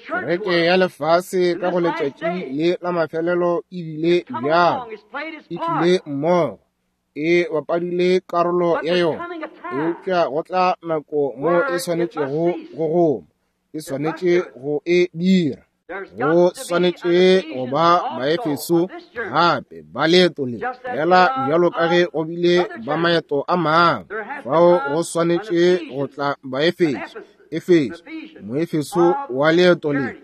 kereke ya lefase ka go letšatši le la mafelelo e bile bjalo, e tlile mmogo, e bapadile karolo ya yona, eupša go tla nako mo e swanetšego go goma, e swanetše go e dira. Go swanetše go ba Baefeso gape ba leeto le, fela bjalo ka ge go bile ba maeto a mangwe. Fao go swanetše go tla Baefeso, Efeso, Moefeso wa leeto le.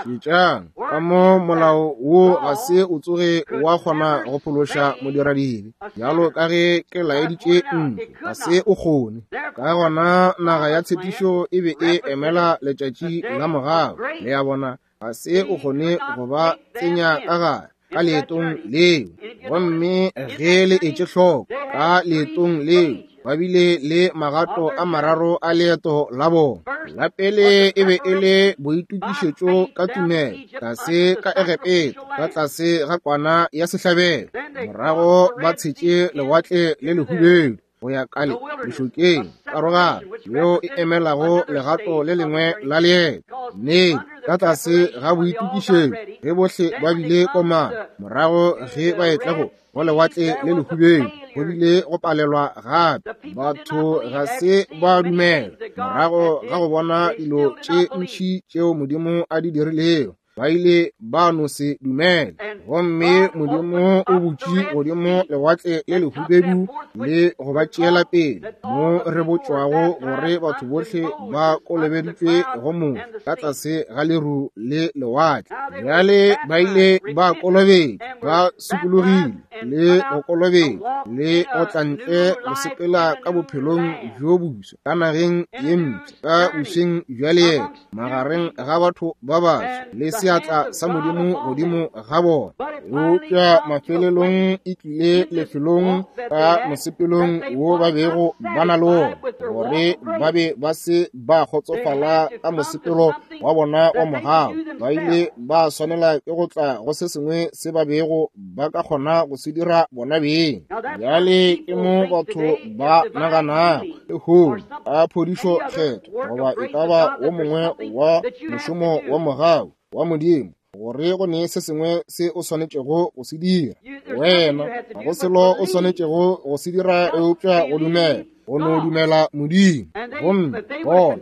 Šetšang ka mo molao wo ga se o tsoge wa kgona go phološa modiradibe, bjalo ka ge ke laeditše ntle, ga se o kgone. Ka gona naga ya tshepišo e be e emela letšatši la mogau, le a bona, ga se o kgone go ba tsenya ka gare ka leetong leo. Gomme ge le etše hloko ka leetong leo, ba bile le magato a mararo a leeto la bona. La pele e be e le boitokišetšo ka tumelo, tlase ka Egepeta, ka tlase ga kwana ya sehlabelo. Morago ba tshetše lewatle le lehubedu go ya ka le lešokeng, karogano yeo e emelago legato le lengwe la leeto. Nnete, ka tlase ga boitokišetšo ge bohle ba bile komana, morago ge ba etla go go lewatle le lehubedu, go bile go palelwa gape. Batho ga se ba dumela. Morago ga go bona dilo tše ntši tšeo Modimo a di dirilego, ba ile ba no se dumele. Gomme Modimo o butše godimo lewatle le lehubedu le go ba tšeela pele, mo re botšwago gore batho bohle ba kolobeditšwe go Moshe ka tlase ga leru le lewatle. Bjale ba ile ba kolobetšwa, ba sokologile le go kolobetšwa le go tla ntle go sepela ka bophelong bjo boswa ka nageng ye mpsha, ka bošeng bja leeto magareng ga batho ba baso le seatla sa Modimo godimo ga bona. Eupša mafelelong e tlile lefelong ka mosepelong wo ba bego ba na le wona, gore ba be ba se ba kgotsofala ka mosepelo wa bona wa mogau. Ba ile ba swanela ke go tla go se sengwe se ba bego ba ka kgona go se dira bona beng. Bjale ke mo batho ba naganago lehono ka phodišo kgetho goba e ka ba wo mongwe wa mošomo wa mogau wa Modimo, gore go ne se sengwe se o swanetšego go se dira. Wena ga go selo o swanetšego go se dira eupša go dumela, go no dumela Modimo. Gomme bona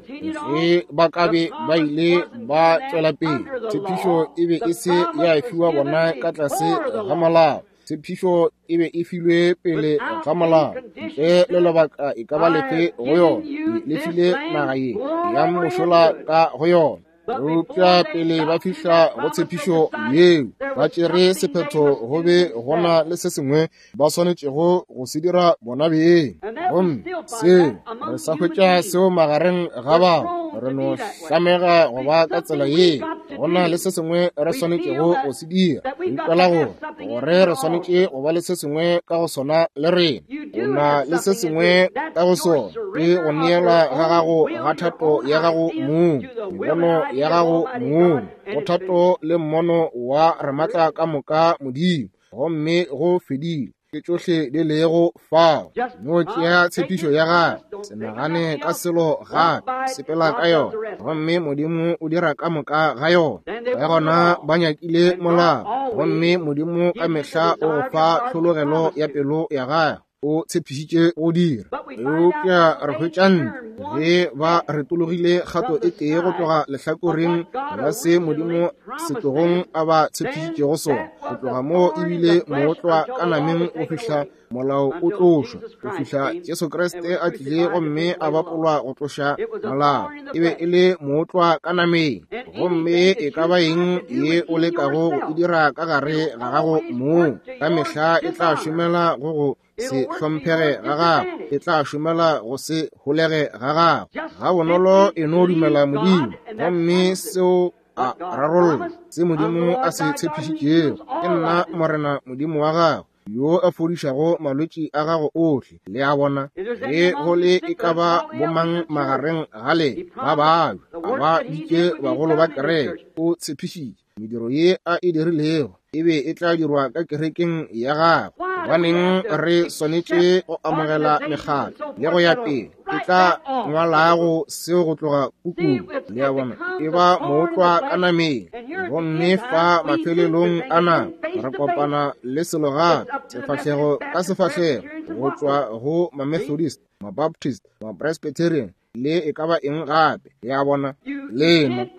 ge ba ka be ba ile ba tšwela pele, tshepišo e be e se ya fiwa bona ka tlase ga molao. Tshepišo e be e filwe pele ga molao, ntle le lebaka e ka ba lefe go yona. Le file naga ye ya mošola ka go yona. Eupša pele ba fihla go tshepišo yeo, ba tšere sephetho go be go na le se sengwe ba swanetšego go se dira bona beng. Gomme seo re sa hwetša seo magareng ga bao, re no hlamega go ba ka tsela ye. Go na le se sengwe re swanetšego go se dira. Re ikwela gore gore re swanetše go ba le se sengwe ka go sona le rena. O na le se sengwe ka go sona ke go neela ga gago ga thato ya gago mong, mebono ya gago mong, go thato le mmono wa Ramatla ka moka Modimo. Gomme go fedile, ke tšohle di lego fao. No tšea tshepišo ya gagwe, se nagane ka selo gape, sepela ka yona, gomme Modimo o dira ka moka ga yona. Ka gona ba nyakile molao, gomme Modimo ka mehla o go fa tlhologelo ya pelo ya gagwe. O tshepišitše go dira. Eupša re hwetša ntle ge ba retologile kgato e tee go tloga lehlakoreng la se Modimo setlogong a ba tshepišitšego sona. Go tloga moo ebile mootlwa ka nameng go fihla molao o tlošwa, go fihla Jesu Kriste a tlile gomme a bapolwa go tloša molao. E be e le mootlwa ka nameng. Gomme e ka ba eng ye o lekago go e dira ka gare ga gago mong, ka mehla e tla šomela go go se hlomphege ga gago, e tla šomela go se holege ga gago. Ga bonolo e no dumela Modimo, gomme seo a rarolla se Modimo a se tshepišitšego. Ke nna Morena Modimo wa gago, yo a fodišago malwetši a gago ohle. Le a bona, ge go le e ka ba bomang magareng ga le ba babja, a ba bitše bagolo ba kereke. O tshepišitše mediro ye a e dirilego e be e tla dirwa ka kerekeng ya gagwe. Gobaneng re swanetše go amogela mekgatlo le go ya pele e tla ngwalago seo go tloga pukung? Le a bona, e ba mootlwa ka nameng. Gomme fa mafelelong a nako re kopana le selo gape, sefahlego ka sefahlego, go tšwa go ma-Methodist, ma-Baptist, ma-Presbyterian le e ka ba eng gape. Le a bona, lena le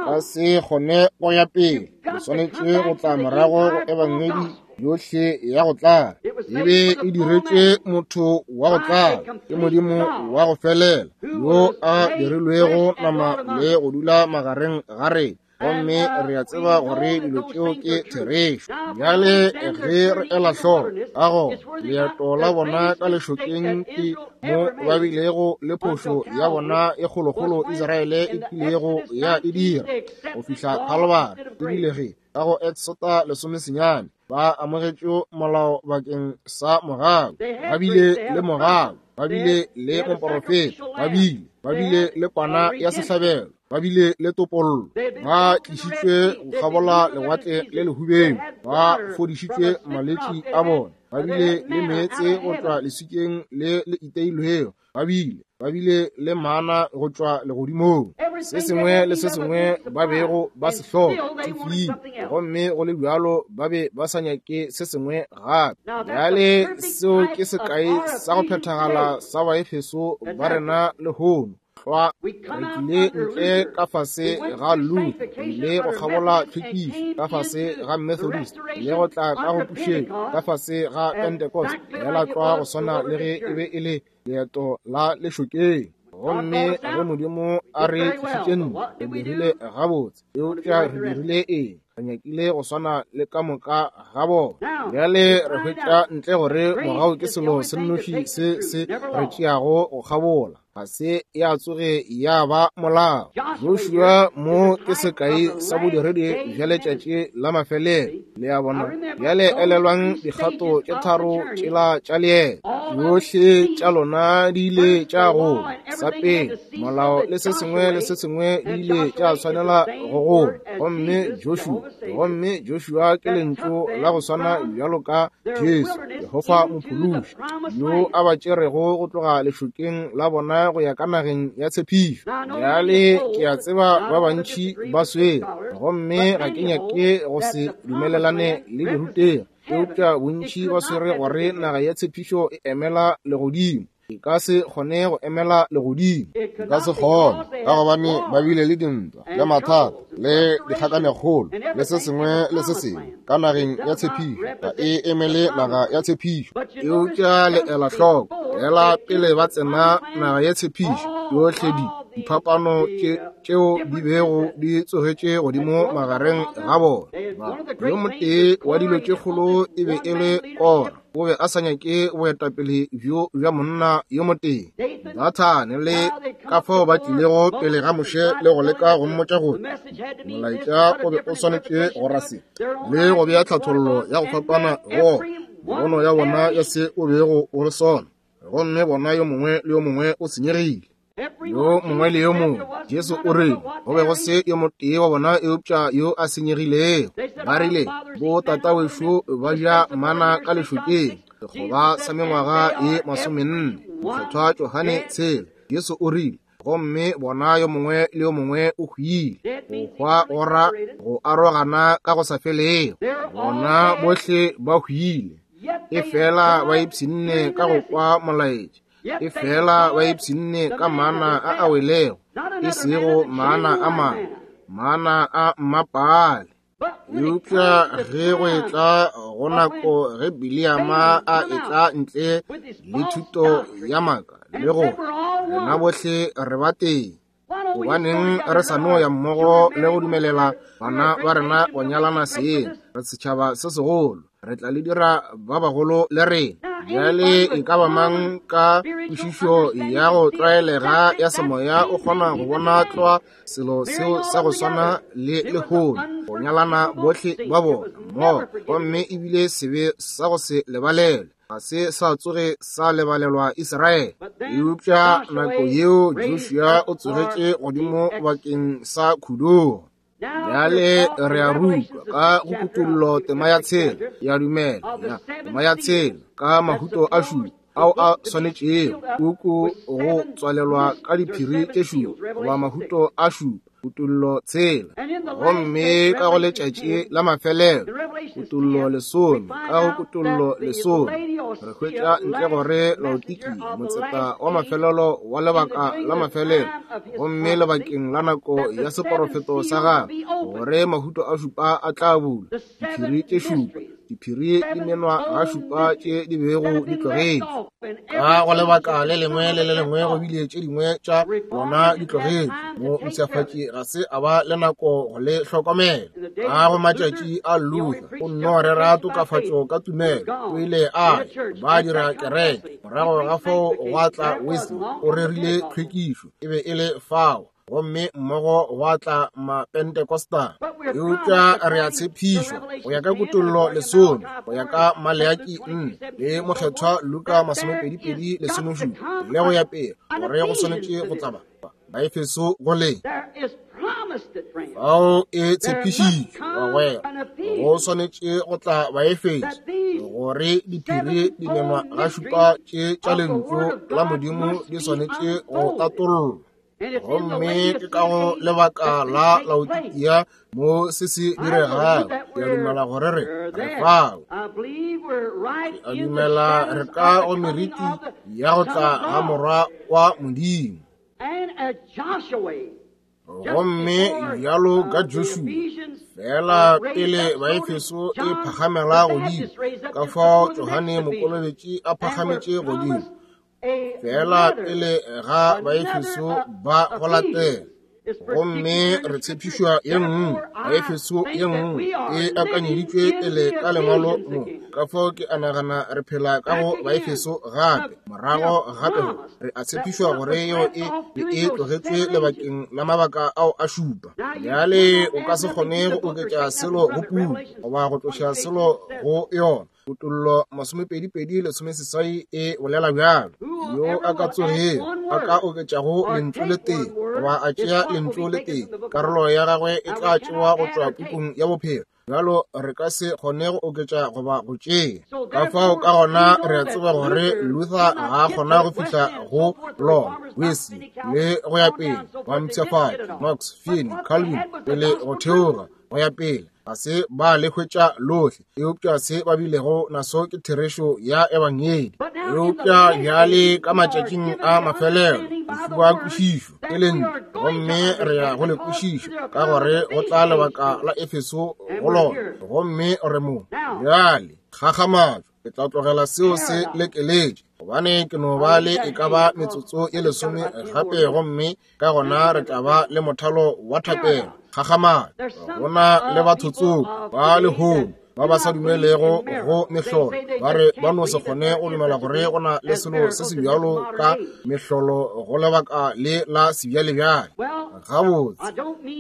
ka se kgone go ya pele. Le swanetše go tla morago go ebangedi yohle ya go tlala. E be e diretše motho wa go tlala, ke Modimo wa go felela yo a dirilwego nama le go dula magareng ga rena. Gomme re a tseba gore dilo tšeo ke therešo. Bjale ge re ela hloko ka go leeto la bona ka lešokeng, ke mo ba bilego le phošo ya bona e kgolokgolo Israele e kilego ya e dira go fihla Kalvari. Ebile ge ka go Exota lesomesenyane ba amogetše molao bakeng sa mogau, ba bile le mogau, ba bile le moporofeta, ba bile ba bile le kwana ya sehlabelo, ba bile le topollo, ba tlišitšwe go kgabola lewatle le lehubeng, ba fodišitšwe malwetši a bona, ba bile le meetse go tšwa leswikeng le le iteilwego, ba bile ba bile le mana go tšwa legodimong. Se sengwe le se sengwe ba bego ba se hloka se filwe, gomme go le bjalo ba be ba sa nyake se sengwe gape. Bjale seo ke sekai sa go phethagala sa Baefeso ba rena lehono. Tlwa re tlile ntle ka fase ga Luther, re ile go kgabola tlhwekišo ka fase ga Methodist, le go tla ka go pušetšo ka fase ga Pentecost, fela tlwa go swana le ge e be e le leeto la lešokeng. Gomme ge Modimo a re tlišitše ntle, re dirile gabotse, eupša re dirile eng? Re nyakile go swana le ka moka ga bona. Bjale re hwetša ntle gore mogau ke selo se nnoši se se re tšeago go kgabola, ga se ya tsoge ya ba molao. Joshua mo ke sekai sa bodiredi bja letšatši la mafelelo. Le a bona, bjale elelwang dikgato tše tharo tšela tša leeto, tšohle tša lona di ile tša gola. Sa pele, molao le se sengwe le se sengwe di ile tša tshwanela go gola. Gomme Joshua, gomme Joshua ke lentšu la go swana bjalo ka Jesu, Jehofa Mophološi, yo a ba tšerego go tloga lešokeng la bona go ya ka nageng ya tshepišo. Bjale ke a tseba ba bantši ba swere, gomme ga ke nyake go se dumelelane le dirutegi, eupša bontši ba swere gore naga ya tshepišo e emela legodimo. E ka se kgone go emela legodimo, e ka se kgone, ka gobane ba bile le dintwa le mathata le dikgakanegolo le se sengwe le se sengwe ka nageng ya tshepišo. Ga e emele naga ya tshepišo. Eupša le ela hloko, fela pele ba tsena naga ya tshepišo, yohle di diphapano tšeo di bego di tsogetše godimo magareng ga bona. Yo motee wa dilo tše kgolo e be e le Kora. O be a sa nyake boetapele bjo bja monna yo motee. Dathane le ka fao ba tlilego pele ga Moshe le go leka go mmotša gore molaetša o be o swanetše go ra se, le go bea tlhathollo ya go fapana go pono ya bona ya se o bego o le sona. Gomme bona yo mongwe le yo mongwe o senyegile, yo mongwe le yo mongwe. Jesu o rile go be go se yo motee wa bona eupša yo a senyegilego. Ba rile bo tatawešo ba ja mana ka lešokeng sekgoba sa mengwaga e masomenne, mokgethwa Johane tshela. Jesu o rile gomme bona yo mongwe le yo mongwe o hwile, go hwa gora go arogana ka go sa felego. Bona bohle ba hwile, e fela ba ipshinne ka go kwa molaetša, e fela ba ipshinne ka mana a a welego, e sego mana a mangwe, mana a mmapaale. Eupša ge go etla go nako ge Biliama a etla ntle le thuto ya maaka le go rena bohle re ba teng, gobaneng re sa no ya mmogo le go dumelela bana ba rena go nyalana seng? Re setšhaba se segolo, re tla le dira ba bagolo le rena. Bjale e ka ba mang ka kwešišo ya go tlwaelega ya semoya o kgona go bona tlwa selo seo sa go swana le lehono, go nyalana bohle ba bona mmogo, gomme ebile sebe sa go se lebalelwe ga se sa tsoge sa lebalelwa Israele. Eupša nako yeo Joshua o tsogetše godimo bakeng sa khudugo. Bjale re a rutwa ka go Kutollo tema ya tshela, ya dumela ya tema ya tshela ka mahuto a šupa ao a swanetšego puku go tswalelwa ka diphiri tše šupa goba mahuto a šupa, Kutollo tshela. Gomme ka go letšatši la mafelelo, Kutollo lesome, ka go Kutollo lesome re hwetša ntle gore Laodikia, motseta wa mafelelo wa lebaka la mafelelo, gomme lebakeng la nako ya seporofeto sa gagwe, gore mahuto a šupa a tla bulwa, diphiri tše šupa, diphiri di menwa ga šupa tše di bego di tlogetšwe. Ka go lebaka le lengwe le le lengwe go bile tše dingwe tša bona di tlogetšwe. Mo mpshafatši ga se a ba le nako go le hlokomela. Ka go matšatši a Luther, o nno rera tokafatšo ka tumelo, o ile a ba dira kereke. Morago ga fao gwa tla Wesley, o rerile tlhwekišo, e be e le fao, gomme mmogo gwa tla Mapentecostal. Eupša re a tshepišwa go ya ka Kutollo lesome, go ya ka Maleaki nne le Mokgethwa Luka masomepedipedi lesomešupa le go ya pele, gore go swanetše go tla ba Baefeso go le fao e tshepišitšwe bagwera, go swanetše go tla Baefeso gore diphiri di menwa ga šupa tše tša lentšu la Modimo di swanetše go tatollwa. Gomme ke ka go lebaka la Laodikia mo se se diregago. Ke a dumela gore re re fao. Ke a dumela re ka go meriti ya go tla ga Morwa wa Modimo. Gomme bjalo ka Joshua, fela pele Baefeso e phagamela godimo, ka fao Johane Mokolobetši a phagametše godimo, fela pele ga Baefeso ba go latela. Gomme re tshepišwa ye nngwe, Baefeso ye nngwe e akanyeditšwe pele ka lengwalo mo. Ka fao ke a nagana re phela ka go Baefeso gape, morago gape re a tshepišwa gore yeo e be e tlogetšwe lebakeng la mabaka ao a šupa. Bjale o ka se kgone go oketša selo go puku goba go tloša selo go yona. Kutollo masomepedipedi lesomeseswai e bolela bjalo. Yo a ka tsogego a ka oketšago lentšu le tee goba a tšea lentšu le tee, karolo ya gagwe e tla tšewa go tšwa pukung ya bophelo. Bjalo re ka se kgone go oketša goba go tšea. Ka fao ka gona re a tseba gore Luther ga a kgona go fihla go lona, Wesley le go ya pele, ba mpshafatši, Knox, Finney, Calvin, pele go theoga go ya pele, ga se ba le hwetša lohle, eupša se ba bilego naso ke therešo ya ebangedi. Eupša bjale ka matšatšing a mafelelo ba kwešišo ke lentšu, gomme re ya go le kwešiša ka gore go tla lebaka la Efeso go lona, gomme re mo. Bjale kgakgamatšo, ke tla tlogela seo se lekeletše, gobane ke no ba le e ka ba metsotso ye lesome gape, gomme ka gona re tla ba le mothalo wa thapelo. Kgakgamatšo, go na le batho tsoko ba lehono ba ba sa dumelego go mehlolo, ba re ba no se kgone go dumela gore go na le selo se se bjalo ka mehlolo go lebaka le la sebjalebjale. Gabotse,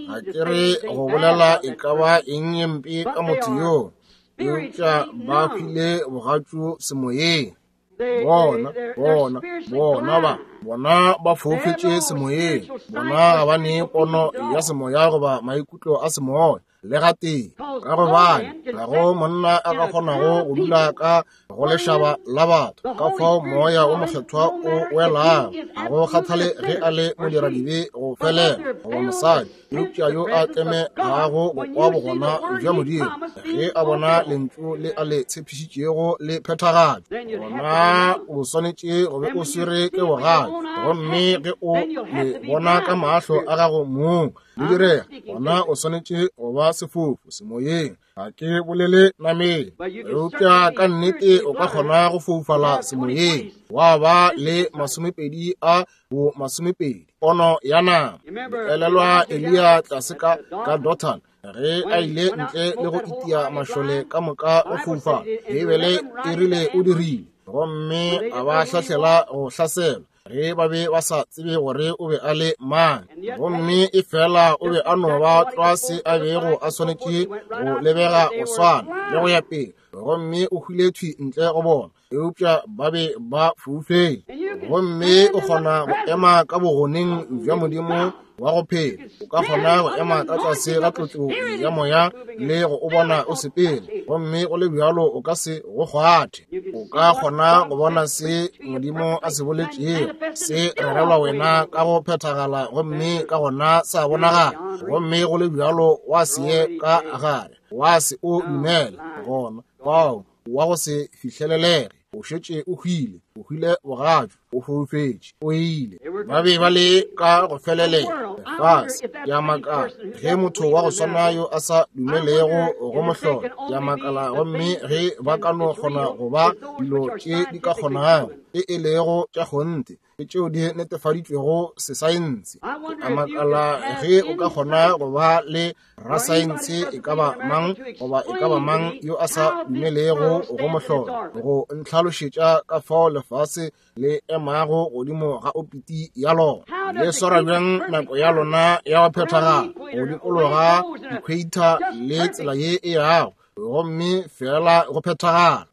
ga ke re go bolela e ka ba eng ye mpe ka motho yoo, eupša ba hwile bogatšu semoyeng. Bona, bona, bona ba, bona ba foufetše semoyeng. Bona ga ba ne pono ya semoya goba maikutlo a semoya le gatee, ka gobane ga go monna a ka kgonago go dula ka go lešaba la batho. Ka fao moya o mokgethwa o welago, ga go kgathale ge a le modiradibe go felela goba mosadi, eupša yo a tlemegago go kwa bogona bja Modimo ge a bona lentšu le a le tshepišitšego le phethagatšwa, gona o swanetše go be o swere ke bogale. Gomme ge o le bona ka mahlo a gago mong le direga, gona o swanetše go ba sefofu semoyeng. Ga ke bolele nameng, eupša ka nnete o ka kgona go foufala semoyeng, wa ba le masomepedi a bo masomepedi pono ya nama. Elelwa Eliya tlase ka ka Dothan, ge a ile ntle le go itia mašole ka moka go foufala. Beibele e rile o dirile. Gomme a ba hlahlela go hlasela ge ba be ba sa tsebe gore o be a le mang. Gomme e fela o be a no ba tlwa se a bego a swanetše go lebega go swana le go ya pele. Gomme o hwile thwi ntle go bona, eupša ba be ba foufetše. Gomme o kgona go ema ka bogoneng bja Modimo wa go phela. O ka kgona go ema ka tlase ga tlotšo ya moya le go o bona o sepele, gomme go le bjalo o ka se go kgwathe. O ka kgona go bona se Modimo a se boletšego se rerelwa wena ka go phethagala, gomme ka gona sa bonagala, gomme go le bjalo wa se ye ka gare, wa se o dumela. Gona fao wa go se fihlelelege, o šetše o hwile, o hwile bogatšu, o foufetše, o ile. Ba be ba le ka go felelela lefase. Ke a makala ge motho wa go swana yo a sa dumelego go mohlolo, ke a makala gomme ge ba ka no kgona go ba dilo tše di ka kgonago e e lego tša kgonthe le tšeo di netefaditšwego sesaense. Ke a makala ge o ka kgona go ba le rasaense e ka ba mang goba e ka ba mang yo a sa dumelego go mohlolo go ntlhalošetša ka fao lefase le emago godimo ga opiti ya lona, le swara bjang nako ya lona ya go phethagala go dikologa equator le tsela ye e yago, gomme fela go phethagala.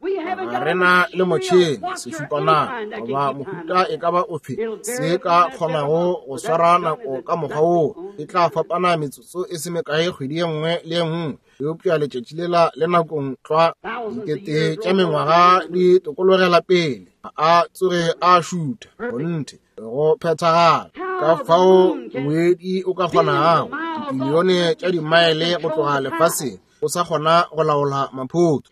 Ga re na le motšhene, sešupanako goba mohuta e ka ba ofe se ka kgonago go swara nako ka mokgwa woo. E tla fapana metsotso e se mekae kgwedi ye nngwe le ye nngwe, eupša letšatši lela le nakong tlwa dikete tša mengwaga di tokologela pele, ga a tsoge a šutha. Kgonthe go phethagala. Ka fao ngwedi o ka kgonago dibilione tša dimaele go tloga lefaseng o sa kgona go laola maphoto.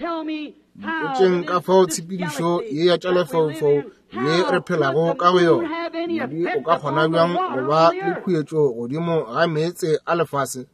Mpotšeng ka fao tshepedišo ye ya tša lefaufau ye re phelago ka go yona, ngwedi o ka kgona bjang go ba le khuetšo godimo ga meetse a lefase?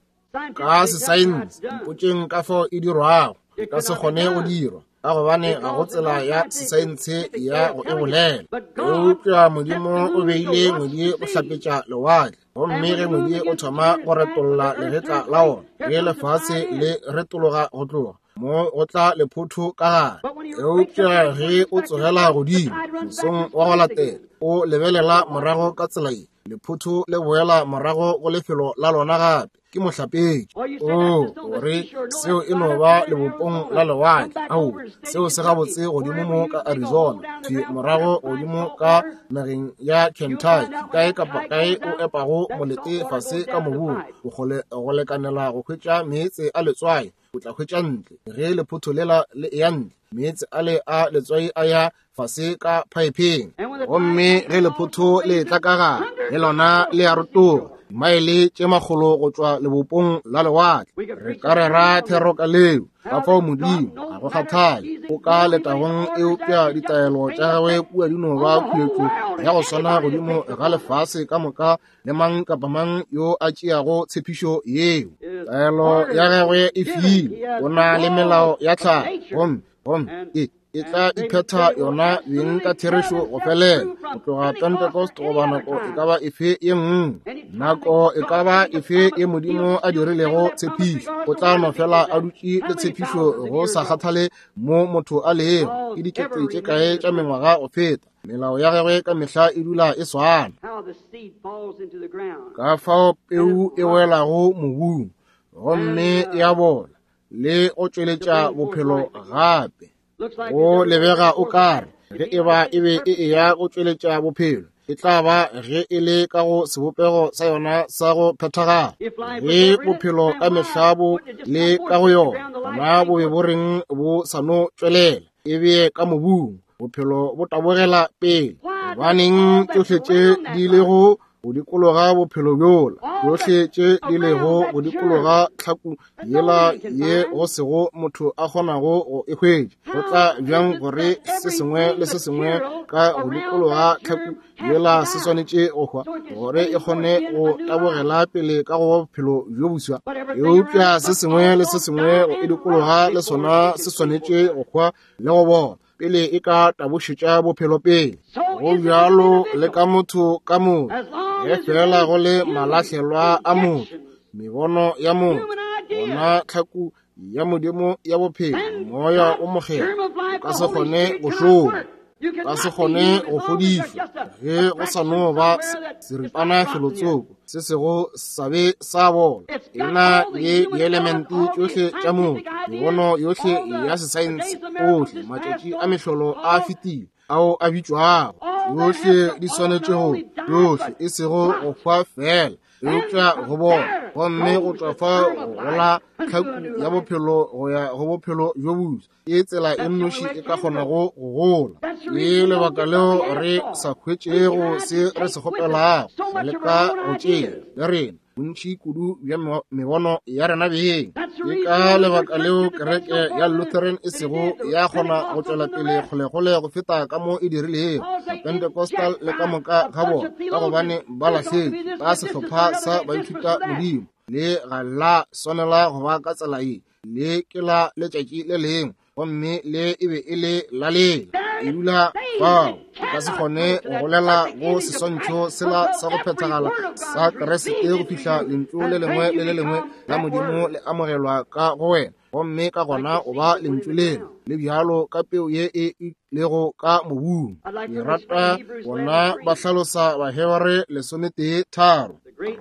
Ka sesaense, mpotšeng ka fao e dirwago. E ka se kgone go dirwa, ka gobane ga go tsela ya sesaense ya go e bolela. Eupša Modimo o beile ngwedi go hlapetša lewatle, gomme ge ngwedi o thoma go retolla legetla la ona, ge lefase le retologa go tloga mo go tla lephotho ka gare. Eupša ge o tsogela godimo mosong wa go latela, o lebelela morago ka tsela ye, lephotho le boela morago go lefelo la lona gape. Ke mohlapetši. O gore seo e no ba lebopong la lewatle. Ao, seo se gabotse godimo mo ka Arizona, thwi morago godimo ka nageng ya Kentucky, kae kapa kae o epago molete fase ka mobung, bokgole go lekanela go hwetša meetse a letswai, o tla hwetša ntle. Ge lephotho lela le eya ntle, meetse ale a letswai a ya fase ka phaepheng, gomme ge lephotho le tla ka gare, le lona le a rotoga dimaele tše makgolo go tšwa lebopong la lewatle. Re ka rera thero ka leo. Ka fao Modimo ga go kgathale o ka letagong, eupša ditaelo tša gagwe kua di no ba khuetšo ya go swana godimo ga lefase ka moka le mang kapa mang yo a tšeago tshepišo yeo. Taelo ya gagwe e filwe, o na le melao ya tlhago, gomme gomme e e tla iphetha yona beng ka therešo go felela go tloga Pentecost goba nako e ka ba efe ye nngwe. Nako e ka ba efe ye Modimo a dirilego tshepišo, o tla no fela a dutše le tshepišo go sa kgathale mo motho a lego. Ke dikete tše kae tša mengwaga go feta, melao ya gagwe ka mehla e dula e swana. Ka fao peu e welago mobung gomme ya bola le go tšweletša bophelo gape. Go lebega o kare ge e ba e be e eya go tšweletša bophelo, e tla ba ge e le ka go sebopego sa yona sa go phethagala. Ge bophelo ka mehla bo le ka go yona, gona bo be bo reng bo sa no tšwelela, e bee ka mobung, bophelo bo tabogela pele. Gobaneng tšohle tše di lego go dikologa bophelo bjola, tšohle tše di lego go dikologa tlhaku yela ye go sego motho a kgonago go e hwetša, go tla bjang gore se sengwe le se sengwe ka go dikologa tlhaku yela se swanetše go hwa gore e kgone go tabogela pele ka go bophelo bjo boswa? Eupša se sengwe le se sengwe go e dikologa le sona se swanetše go hwa le go bona pele e ka tabošetša bophelo pele. Go bjalo le ka motho ka motho, ge fela go le malahlelwa a motho, mebono ya motho, gona tlhaku ya Modimo ya bophelo, moya o mokgethwa, o ka se kgone go šoma. Ka se kgone go fodišwa ge go sa no ba seripana felotsoko se sego sa be sa bola. E na le dielemente tšohle tša motho, mebono yohle ya sesaense, ohle matšatši a mehlolo a fetile ao a bitšwago. Yohle di swanetše go, yohle e sego go hwa fela, eupša go bona, gomme go tšwa fa go gola tlhaku ya bophelo go ya go bophelo bjo boswa. Ke tsela e nnoši e ka kgonago go gola. Ke lebaka leo re sa hwetšego se re se kgopelago, re leka go tšea le rena bontši kudu bja mebono ya rena beng. Ke ka lebaka leo kereke ya Lutheran e sego ya kgona go tšwela pele kgolekgole go feta ka mo e dirilego Pentecostal le ka moka ga bona, ka gobane ba lahletše ka sehlopha sa baithuta modimo. Le ga la swanela go ba ka tsela ye, le ke la letšatši le lengwe, gomme le e be e le la lela. E dula fao, o ka se kgone go golela go seswantšho sela sa go phethagala sa Kriste go fihla lentšu le lengwe le le lengwe la Modimo le amogelwa ka go wena, gomme ka gona o ba lentšu leo le bjalo ka peu ye e lego ka mobung. Ke rata bona ba hlalosa Bahebere lesometee tharo.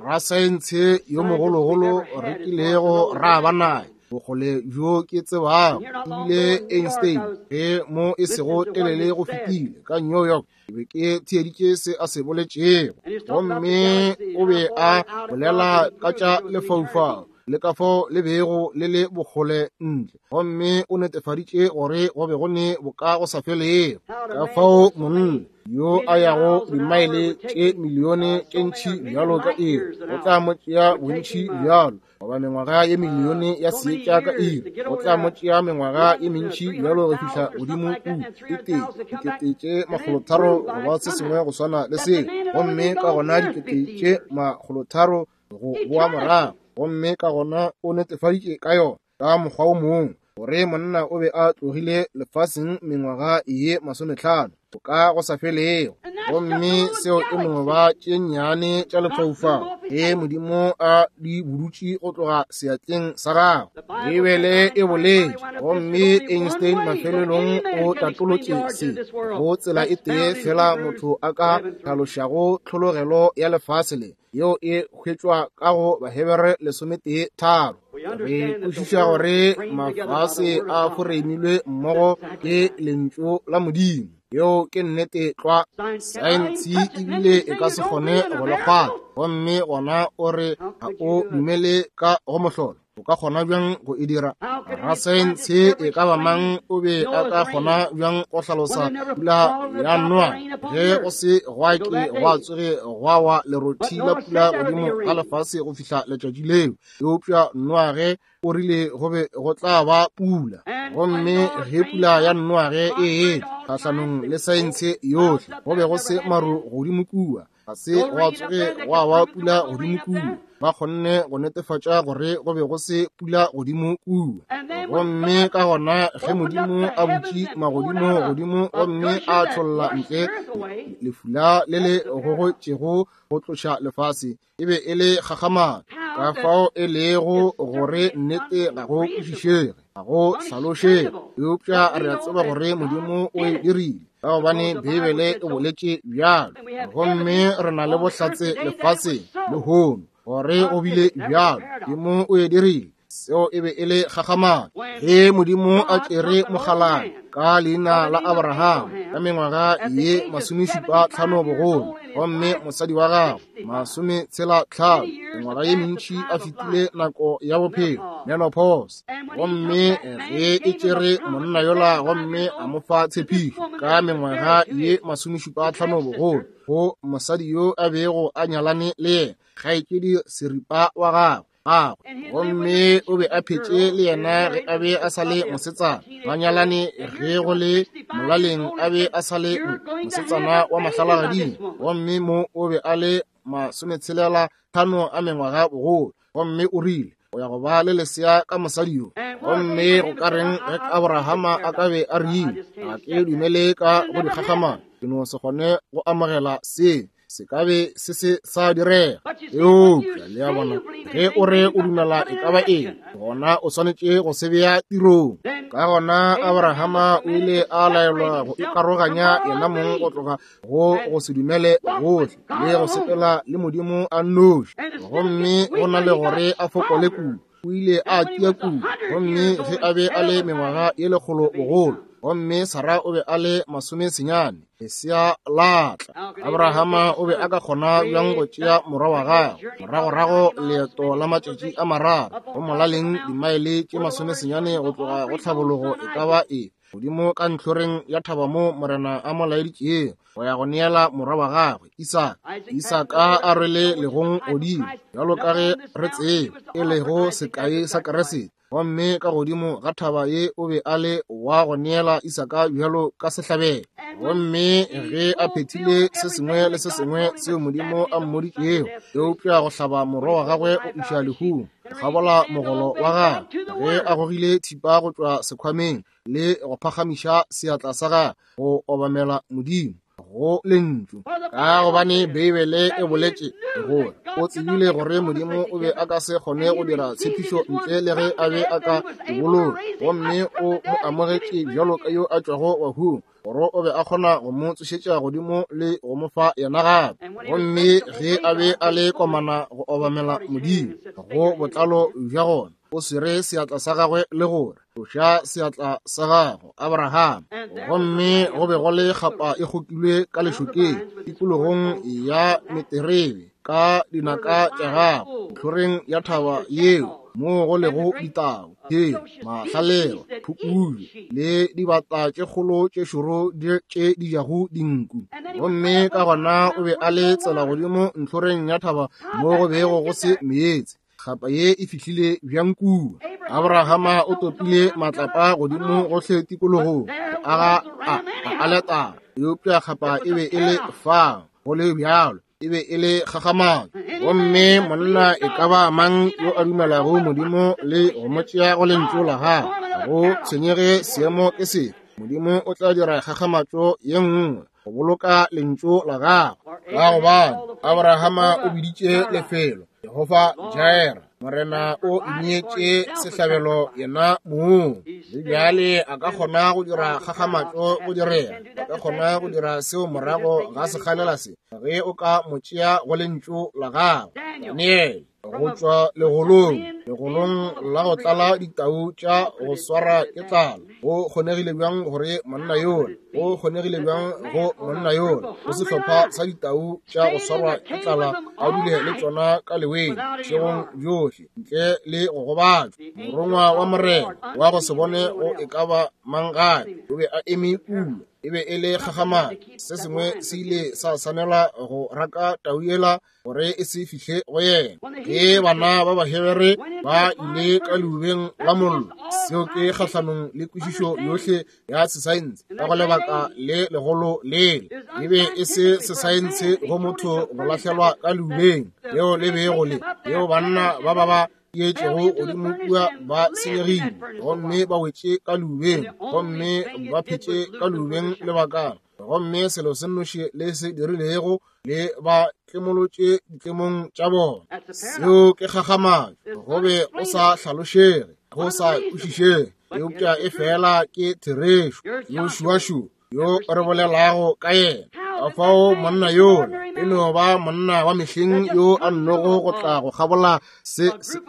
Rasaense yo mogologolo re kilego ra ba naye, bokgole bjo ke tsebago, ebile Einstein, ge mo e sego telele go fetile ka New York, ke be ke theeditše se a se boletšego, gomme o be a bolela ka tša lefaufau le ka fao le bego le le bokgole ntle, gomme o netefaditše gore go be go ne boka go sa felego. Ka fao monna yo a yago dimaele tše milione tše ntši bjalo ka iri, go tla mo tšea bontši bjalo, goba mengwaga ye milione ya seetša ka iri, go tla mo tšea mengwaga ye mentši bjalo go fihla godimo kua, e tee dikete tše makgolotharo goba se sengwe go swana le seo, gomme ka gona dikete tše makgolotharo go boa morago. Gomme ka gona o netefaditše ka yona ka mokgwa o mongwe gore monna o be a tlogile lefaseng mengwaga ye masometlhano ka go sa felego. Gomme seo e no ba tše nnyane tša lefaufau ge Modimo a di budutše go tloga seatleng sa gagwe. Beibele e boletše, gomme Einstein mafelelong o tatolotše se go tsela e tee fela motho a ka hlalošago tlhologelo ya lefase le, yeo e hwetšwa ka go Bahebere lesometee tharo. Re kwešiša gore mafase a foreimilwe mmogo ke lentšu la Modimo. Yeo ke nnete tlwa. Saense ebile e ka se kgone go le kgwatha, gomme gona o re ga o dumele ka go mohlolo. O ka kgona bjang go e dira? Rasaense e ka ba mang o be a ka kgona bjang go hlalosa pula ya Noa ge go se gwa ke gwa tsoge gwa wa lerothi la pula godimo ga lefase go fihla letšatši leo? Eupša Noa ge o rile go be go tla ba pula, gomme ge pula ya Noa ge e etla kgahlanong le saense yohle, go be go se maru godimo kua, ga se gwa tsoge gwa wa pula godimo kua. Ba kgonne go netefatša gore go be go se pula godimo kua. Gomme ka gona ge Modimo a butše magodimo godimo gomme a tšholla ntle lefula le le gogotšego go tloša lefase, e be e le kgakgamatšo. Ka fao e lego gore nnete ga go kwešišege, ga go hlalošege, eupša re a tseba gore Modimo o e dirile, ka gobane Beibele e boletše bjalo. Gomme re na le bohlatse lefaseng lehono gore go bile bjalo. Modimo o e dirile. Seo e be e le kgakgamatšo. Ge Modimo a tšere mokgalabje ka leina la Abraham ka mengwaga ye masomešupa tlhano bogolo, gomme mosadi wa gagwe masometshela tlhano, mengwaga ye mentši a fetile nako ya bophelo, menopause, gomme ge e tšere monna yola gomme a mo fa tshepišo ka mengwaga ye masomešupa tlhano bogolo go mosadi yo a bego a nyalane le yena, kgaetšedi seripa wa gagwe gagwe, gomme o be a phetše le yena ge a be a sa le mosetsana, ba nyalane ge go le molaleng a be a sa le mosetsana wa mahlalagading, gomme mo o be a le masometshelela tlhano a mengwaga bogolo, gomme o rile o ya go ba le lesea ka mosadi yo. Gomme go ka reng ge Abrahama a ka be a rile, ga ke dumele ka go dikgakgamatšo, ke no se kgone go amogela se. Se ka be se se sa direga. Eupša le a bona, ge o re o dumela e ka ba eng, gona o swanetše go se bea tirong. Ka gona Abrahama o ile a laelwa go ikaroganya yena mong go tloga go go se dumele gohle le go sepela le Modimo a nnoši. Gomme go na le gore a fokole kudu, o ile a tia kudu. Gomme ge a be a le mengwaga ye lekgolo bogolo, gomme Sara o be a le masomesenyane, lesea la tla. Abrahama o be a ka kgona bjang go tšea morwa wa gagwe moragorago leeto la matšatši a mararo, go molaleng dimaele tše masomesenyane go tloga go tlhabologo e ka ba e godimo ka ntlhoreng ya thaba mo Morena a mo laeditšego go ya go neela morwa wa gagwe Isaka. Isaka a rwele legong godimo, bjalo ka ge re tseba, e lego sekai sa Kriste. Gomme ka godimo ga thaba ye o be a le wa go neela Isaka bjalo ka sehlabelo. Gomme ge a phethile se sengwe le se sengwe seo Modimo a mmoditšego, eupša go hlaba morwa wa gagwe o iša lehung, go kgabola mogolo wa gagwe, ge a gogile thipa go tšwa sekhwameng le go phagamiša seatla sa gagwe go obamela Modimo go lentšu, ka gobane Beibele e boletše gore o tsebile gore Modimo o be a ka se kgone go dira tshepišo ntle le ge a be a ka e boloka. Gomme o mo amogetše bjalo ka yo a tšwago bahung, gore o be a kgona go mo tsošetša godimo le go mo fa yena gape. Gomme ge a be a le komana go obamela Modimo go botlalo bja gona, o swere seatla sa gagwe le gore, tloša seatla sa gago, Abraham. Gomme go be go le kgapa e kgokilwe ka lešokeng, tikologong ya meterebe, ka dinaka tša gagwe, ntlhoreng ya thaba yeo moo go lego ditau, tšeo, mahlalelo, phukubje le dibata tše kgolo tše šoro tše di jago dinku. Gomme ka gona o be a le tsela godimo ntlhoreng ya thaba mo go bego go se meetse. Kgapa ye e fihlile bjang kua? Abrahama o topile matlapa godimo gohle tikologong go aga a aletara, eupša kgapa e be e le fao go le bjalo, e be e le kgakgamatšo. Gomme monna e ka ba mang yo a dumelago Modimo le go mo tšea go lentšu la gagwe, go tshwenyege seemo ke sefe, Modimo o tla dira kgakgamatšo ye nngwe go boloka lentšu la gagwe. Ka gobane Abrahama o biditše lefelo Jehofa Jireh, Morena o ineetše sehlabelo yena mong. Le bjale a ka kgona go dira kgakgamatšo go direga, a ka kgona go dira seo morago ga sekgalela se, ge o ka mo tšea go lentšu la gagwe. Daniel go tšwa legolong, legolong la go tlala ditau tša go swara ke tlala. Go kgonegile bjang gore monna yola, go kgonegile bjang go monna yola go sehlopha sa ditau tša go swarwa ke tlala a dule le tšona ka leweng bošegong bjohle ntle le go gobatšwa? Morongwa wa Morena wa go se bone go e ka ba mang gape o be a eme kua. E be e le kgakgamatšo. Se sengwe se ile sa swanela go raka tau yela gore e se fihle go yena. Ge bana ba Bahebere ba ile ka leubeng la mollo, seo ke kgahlanong le kwešišo yohle ya sesaense ka go lebaka le legolo lele. E be e se sesaense go motho go lahlelwa ka leubeng leo le bego le leo banna ba ba ba tietšego godimo kua ba senyegile, gomme ba wetše ka leubeng, gomme ba phetše ka leubeng lebakana. Gomme selo se nnoši le se dirilego, le ba tlemolotše ditlemong tša bona. Seo ke kgakgamatšo, go be go sa hlalošege, go sa kwešišege, eupša e fela ke therešo. Joshua yo re bolelago ka yena, ka fao monna yola e no ba monna wa mehleng yo a nnogo go tla go kgabola se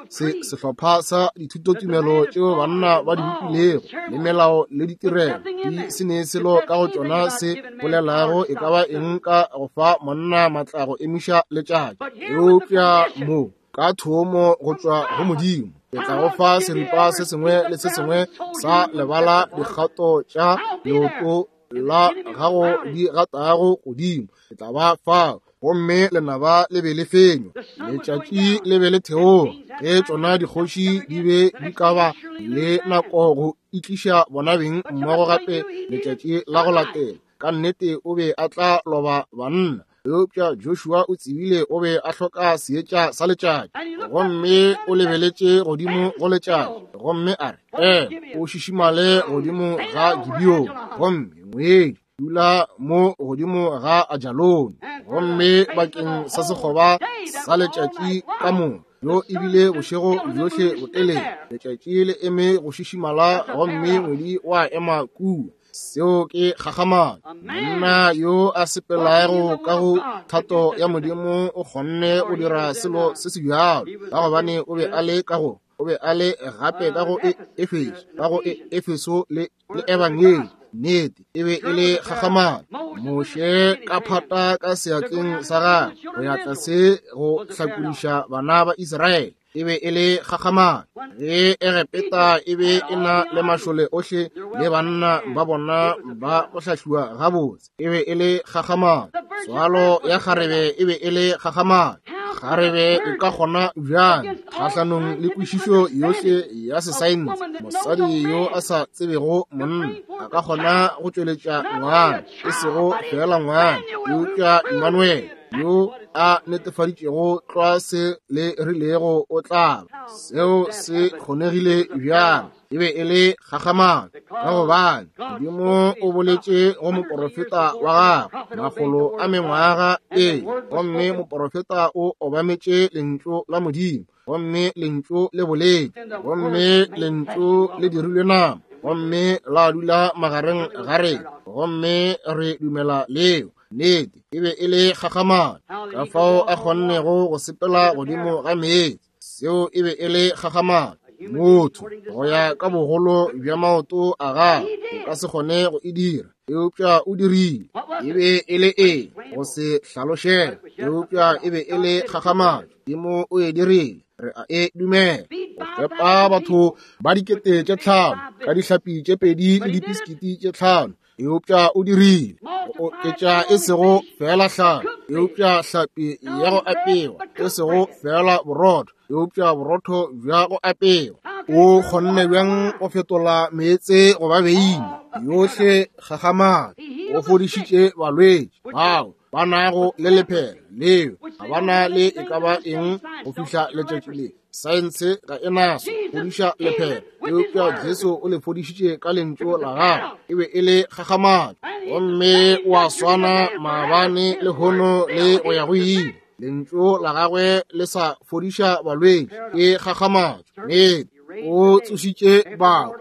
se sehlopha sa dithutotumelo tšeo banna ba di bopilego, le melao le ditirelo di se ne selo ka go tšona se bolelago e ka ba eng ka go fa monna matla go emiša letšatši. Eupša mo ka thomo go tšwa go Modimo, ke tla go fa seripa se sengwe le se sengwe sa lebala dikgato tša leoto la gago di gatago godimo, ke tla ba fao. Gomme lenaba le be le fenywa, letšatši le be le theoga, ge tšona dikgoši di be di ka ba le nako go itliša bona beng mmogo gape letšatši la go latela. Ka nnete o be a tla loba banna, eupša Joshua o tsebile o be a hloka seetša sa letšatši. Gomme o lebeletše godimo go letšatši, gomme a re, "Ee, o šišimale godimo ga Gibeon." Gomme ngwedi dula mo godimo ga Ajalone. Gomme bakeng sa sekgoba sa letšatši ka moka, yo ebile bošego bjohle botelele, letšatši le eme go šišimala gomme ngwedi wa ema kua. Seo ke kgakgamatšo. Monna yo a sepelago ka go thato ya Modimo o kgonne go dira selo se se bjalo, ka gobane o be a le ka go o be a le gape ka go Efeso, ka go Efeso le le Ebangedi. Nnete e be e le kgakgamatšo. Moshe ka phata ka seatleng sa gagwe go ya tlase go hlakodiša bana ba Israele, e be e le kgakgamatšo. Ge Egepeta e be e na le mašole ohle le banna ba bona ba go hlahliwa gabotse, e be e le kgakgamatšo. Tswalo ya kgarebe e be e le kgakgamatšo. Kgarebe e ka kgona bjang kgahlanong le kwešišo yohle ya sesaense? Mosadi yo a sa tsebego monna a ka kgona go tšweletša ngwana, e sego fela ngwana, eupša Emmanuel yo a netefaditšego tlwa se le rilego o tla ba. Seo se kgonegile bjang? E be e le kgakgamatšo, ka gobane Modimo o boletše go moporofeta wa gagwe makgolo a mengwaga pele, gomme moporofeta o obametše lentšu la Modimo, gomme lentšu le boletše, gomme lentšu le dirilwe nama, gomme la dula magareng ga rena, gomme re dumela leo. Nnete e be e le kgakgamatšo, ka fao a kgonnego go sepela godimo ga meetse. Seo e be e le kgakgamatšo. Motho go ya ka bogolo bja maoto a gagwe o ka se kgone go e dira, eupša o dirile. E be e le eng? Go se hlalošege, eupša e be e le kgakgamatšo. Modimo o e dirile, re a e dumela. Go fepa batho ba dikete tše tlhano ka dihlapi tše pedi le dipiskiti tše tlhano, eupša o dirile. Go oketša e sego fela hlapi, eupša hlapi ya go apewa, e sego fela borotho, eupša borotho bja go apewa. O kgonne bjang go fetola meetse go ba beine? Yohle kgakgamatšo. O fodišitše balwetši bao ba nago le lephera leo ga ba na le e ka ba eng go fihla letšatši le. Saense ga e naso fodiša lephera, eupša Jesu o le fodišitše ka lentšu la gagwe. E be e le kgakgamatšo. Gomme o a swana maabane lehono le go ya go ile. Lentšu la gagwe le sa fodiša balwetši, ke kgakgamatšo. Nnete o tsošitše bahu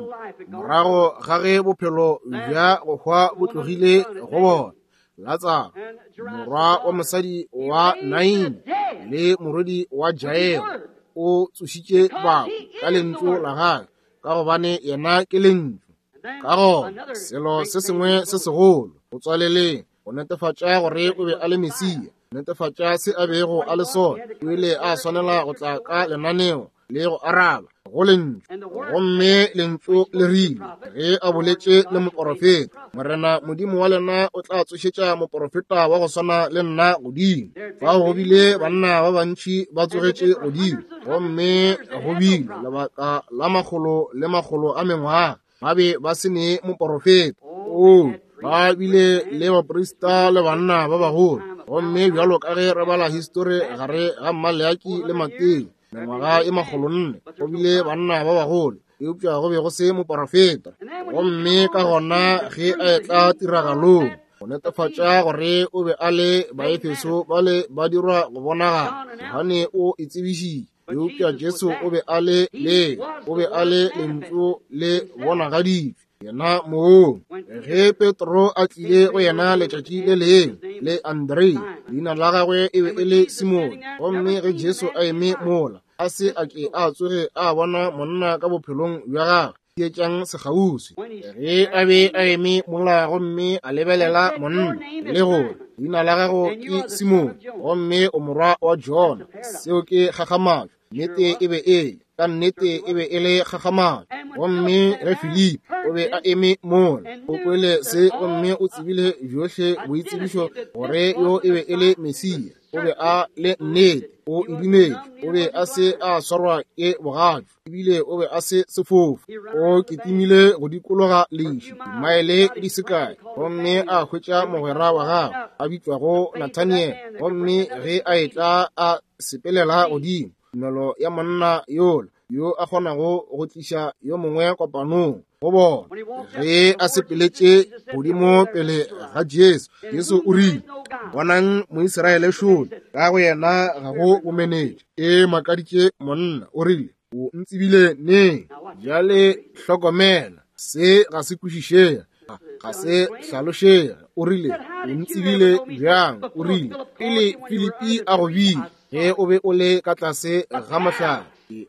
morago ga ge bophelo bja go hwa bo tlogile go bona. Latsaro, morwa wa mosadi wa Naini le morwedi wa Jairo, o tsošitše bahu ka lentšu la gagwe, ka gobane yena ke lentšu. Ka gona selo se sengwe se segolo go tswaleleng go netefatša gore o be a le Mesia, netefatša se a bego a le sona, o ile a swanela go tla ka lenaneo le go araba go lentšu. Gomme lentšu le rile ge a boletše le moporofeta, Morena Modimo wa lena o tla tsošetša moporofeta wa go swana le nna godimo. Fao go bile banna ba bantši ba tsogetše godimo, gomme go bile lebaka la makgolo le makgolo a mengwaga ba be ba se ne moporofeta. O ba bile le baprista le banna ba bagolo, gomme bjalo ka ge re bala histori gare ga Maleaki le Mateo, mengwaga e makgolo nne, go bile banna ba bagolo, eupša go be go se moporofeta. Gomme ka gona ge a etla tiragalong go netefatša gore o be a le Baefeso ba le ba dirwa go bonagala, Johane o e tsebišitše, eupša Jesu o be a le le o be a le lentšu le bonagaditšwe yena moo. Ge Petro a tlile go yena letšatši le lengwe le Andre, leina la gagwe e be e le Simone, gomme ge Jesu a eme mola, a se a ke a tsoge a bona monna ka bophelong bja gagwe. Theetšang sekgauswi. Ge a be a eme mola gomme a lebelela monna, le gore leina la gago ke Simone gomme o morwa wa Jona, seo ke kgakgamatšo. Nnete e be e le, ka nnete e be e le kgakgamatšo. Gomme ge Filipi o be a eme mola, o kwele se gomme o tsebile bjohle boitsebišo gore yo e be e le Mesia. O be a le nnete, o e dumetše. O be a se a swarwa ke bogatšu, ebile o be a se sefofu. O kitimile go dikologa leši dimaele di se kae, gomme a hwetša mogwera wa gagwe a bitšwago Nathaniel. Gomme ge a etla a sepelela godimo, tumelo ya monna yola yo a kgonago go tliša yo mongwe kopanong go bona. Ge a sepeletše godimo pele ga Jesu. Jesu o rile, bonang Moisraele šole, ka go yena ga go bomenetša. E makaditše monna, o rile, o ntsebile neng? Bjale hlokomela, se ga se kwešišege, ga se hlalošege. O rile, o ntsebile bjang? O rile, pele Filipi a go bile, ge o be o le ka tlase ga mohlare,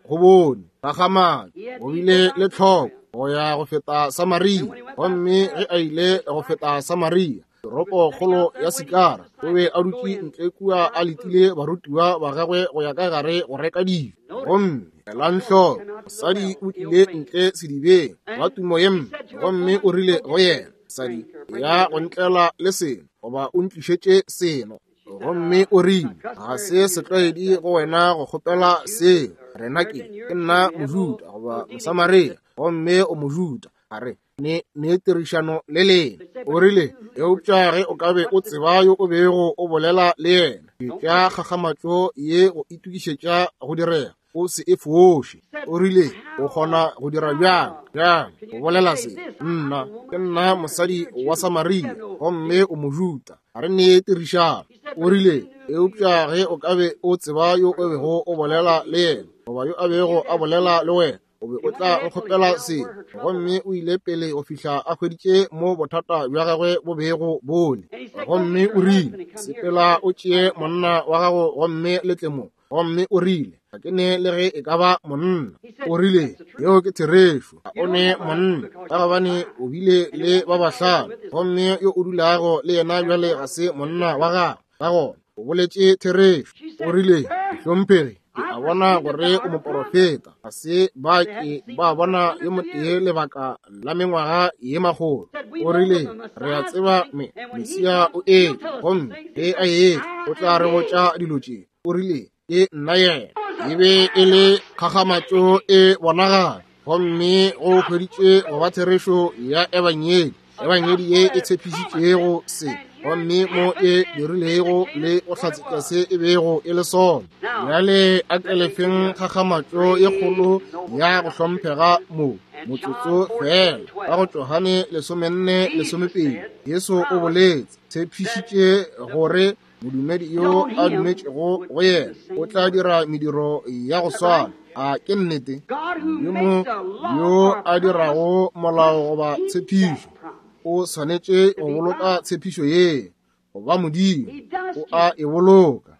go bone gakgamatšo, o bile le tlhoko go ya go feta Samaria. Gomme ge a ile go feta Samaria, toropokgolo ya Sikara, o be a dutše ntle kua a letile barutiwa ba gagwe go ya ka gare go reka dijo. Gomme elang hloko, mosadi o tlile ntle sedibeng wa tumo ye mpe, gomme o rile go yena, mosadi, ya go ntlela le seno, goba o ntlišetše seno. Gomme o rile, ga se setlwaedi go wena go kgopela seo, rena ke, ke nna Mojuda goba Mosamaria, gomme o Mojuda. A re ne ne tirišano le lena. O rile, eupša ge o ka be o tseba yo o bego o bolela le yena, tša kgakgamatšo ye go itokišetša go direga, o se e foše. O rile, o kgona go dira bjang bjang o bolela se? Nna ke nna mosadi wa Samaria, gomme o Mojuda, a re ne tirišano. O rile, eupša ge o ka be o tseba yo o bego o bolela le yena, goba yo a bego a bolela le wena, o be o tla nkgopela se. Gomme o ile pele go fihla a hweditše mo bothata bja gagwe bo bego bole. Gomme o rile, sepela o tšee monna wa gago gomme le tle mo. Gomme o rile, ga ke ne le ge e ka ba monna. O rile, yeo ke therešo, ga o ne monna, ka gobane o bile le ba bahlano, gomme yo o dulago le yena bjale ga se monna wa gago. Ka gona o boletše therešo. O rile, hlomphegi, ke a bona gore o moporofeta. Ga se ba ke ba bona yo motee lebaka la mengwaga ye makgolo. O rile, re a tseba me Mesia o etla, gomme ge a etla o tla re botša dilo tše. O rile, ke nna yena. E be e le kgakgamatšo e bonagala, gomme go hweditše go ba therešo ya ebangedi, ebangedi ye e tshepišitšego se, gomme mo e dirilego le go hlatsetša se e bego e le sona. Bjale a ke lefeng kgakgamatšo ye kgolo ya go hlomphega mo motsotso fela. Ka go Johane lesomenne lesomepedi, Jesu o boletse, tshepišitše gore modumedi yo a dumetšego go yena o tla dira mediro ya go swana. A ke nnete? Modimo yo a dirago molao goba tshepišo o swanetše go boloka tshepišo ye, goba Modimo o a e boloka.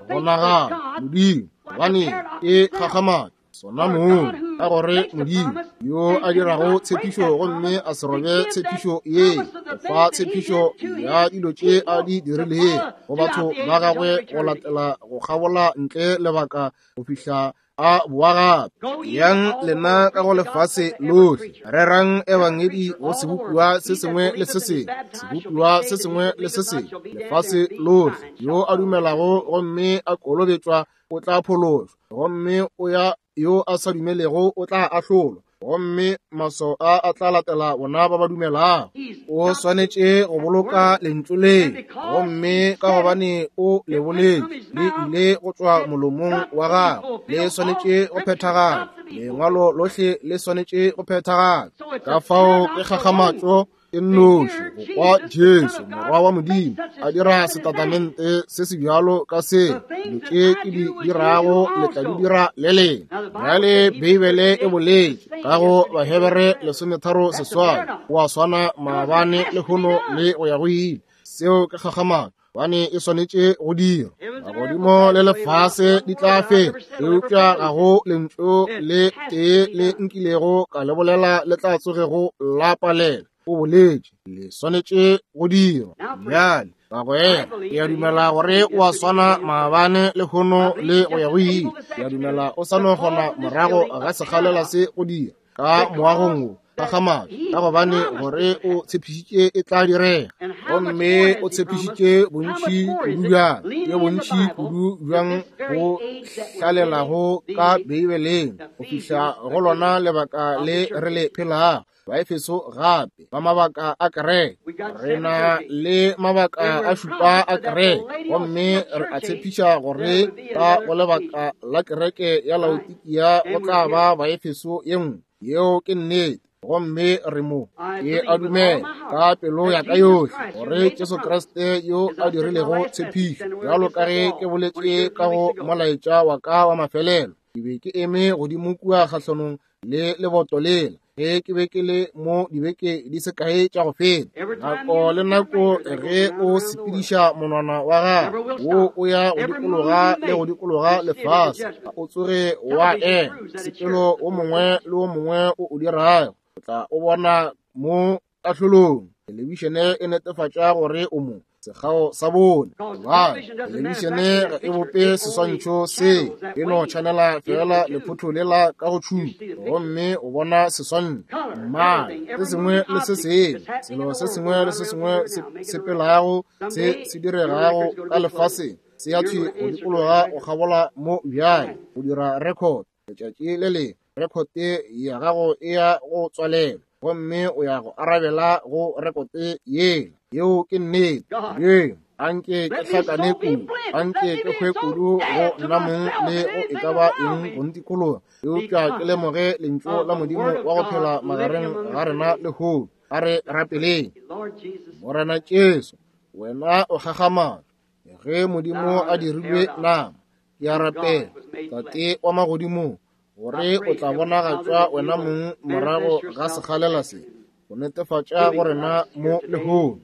Go nagana Modimo, gobane ke kgakgamatšo sona mong, ka gore Modimo yo a dirago tshepišo gomme a se robe tshepišo ye, o fa tshepišo ya dilo tše a di dirilego go batho ba gagwe go latela go kgabola ntle lebaka go fihla a boa gape. Yang lena ka go lefase lohle, rerang ebangedi go sebopiwa se sengwe le se sengwe, sebopiwa se sengwe le se sengwe, lefase lohle. Yo a dumelago gomme a kolobetšwa o tla phološwa, gomme o ya yo a sa dumelego o tla ahlolwa, gomme maswao a a tla latela bona ba ba dumelago. O swanetše go boloka lentšu le, gomme ka gobane o le boletše, le ile go tšwa molomong wa gagwe, le swanetše go phethagala. Lengwalo lohle le swanetše go phethagala. Ka fao ke kgakgamatšo e nnoši go kwa Jesu morwa wa Modimo a dira setatamente se se bjalo ka se, dilo tše ke di dirago le tla di dira le lena. Bjale Beibele e boletše ka go Bahebere lesometharo seswai, o a swana maabane lehono le go ya go ile. Seo ke kgakgamatšo, gobane e swanetše go dirwa. Magodimo le lefase di tla feta, eupša ga go lentšu le tee le nkilego ka le bolela le tla tsogego la palela. O boletše, le swanetše go dirwa. Bjale bagwera, ke a dumela gore o a swana maabane lehono le go ya go ile. Ke a dumela o sa no kgona morago ga sekgalela se go dira ka moagong wo kgakgamatšo, ka gobane gore o tshepišitše e tla direga, gomme o tshepišitše bontši kudu bjang, ke bontši kudu bjang go hlalelago ka Beibeleng go fihla go lona lebaka le re le phelago. Baefeso gape ba mabaka a kereke, re na le mabaka a šupa a kereke, gomme re a tshepiša gore ka go lebaka la kereke ya Laodikia go tla ba Baefeso ye nngwe. Yeo ke nnete. Gomme re mo. Ke a dumela ka pelo ya ka yohle gore Jesu Kriste yo a dirilego tshepišo, bjalo ka ge ke boletše ka go molaetša wa ka wa mafelelo. Ke be ke eme godimo kua kgahlanong le leboto lela ge ke be ke le mo dibeke di se kae tša go feta. Nako le nako ge o sepediša monwana wa gago wo o ya go dikologa le go dikologa lefase, o tsoge wa ema. Sepelo o mongwe le o mongwe o o dirago o tla o bona mo kahlolong. Thelebišene e netefatša gore o mo sekgao sa bone. Gobane thelebišene ga e bope seswantšho se, e no tšhanela fela lephotho lela ka go tšhupa, gomme o bona seswantšho. Mmala, se sengwe le se sengwe, selo se sengwe le se sengwe se sepelago se se diregago ka lefaseng se ya thwi go dikologa go kgabola mo bjale go dira record. Letšatši le lengwe rekote ya gago e ya go tswalelwa, gomme o ya go arabela go rekote yela. Yeo ke nnete. Modimo, anke ke hlakane kudu, anke ke hwe kudu go nna mong le go e ka ba eng go ntikologa, eupša ke lemoge lentšu la Modimo wa go phela magareng ga rena lehono. A re rapeleng. Morena Jesu, wena o kgakgamatšo ge Modimo a dirilwe nama. Ke a rapela, Tate wa magodimong, gore o tla bonagatšwa wena mong morago ga sekgalela se, go netefatša go rena mo lehono.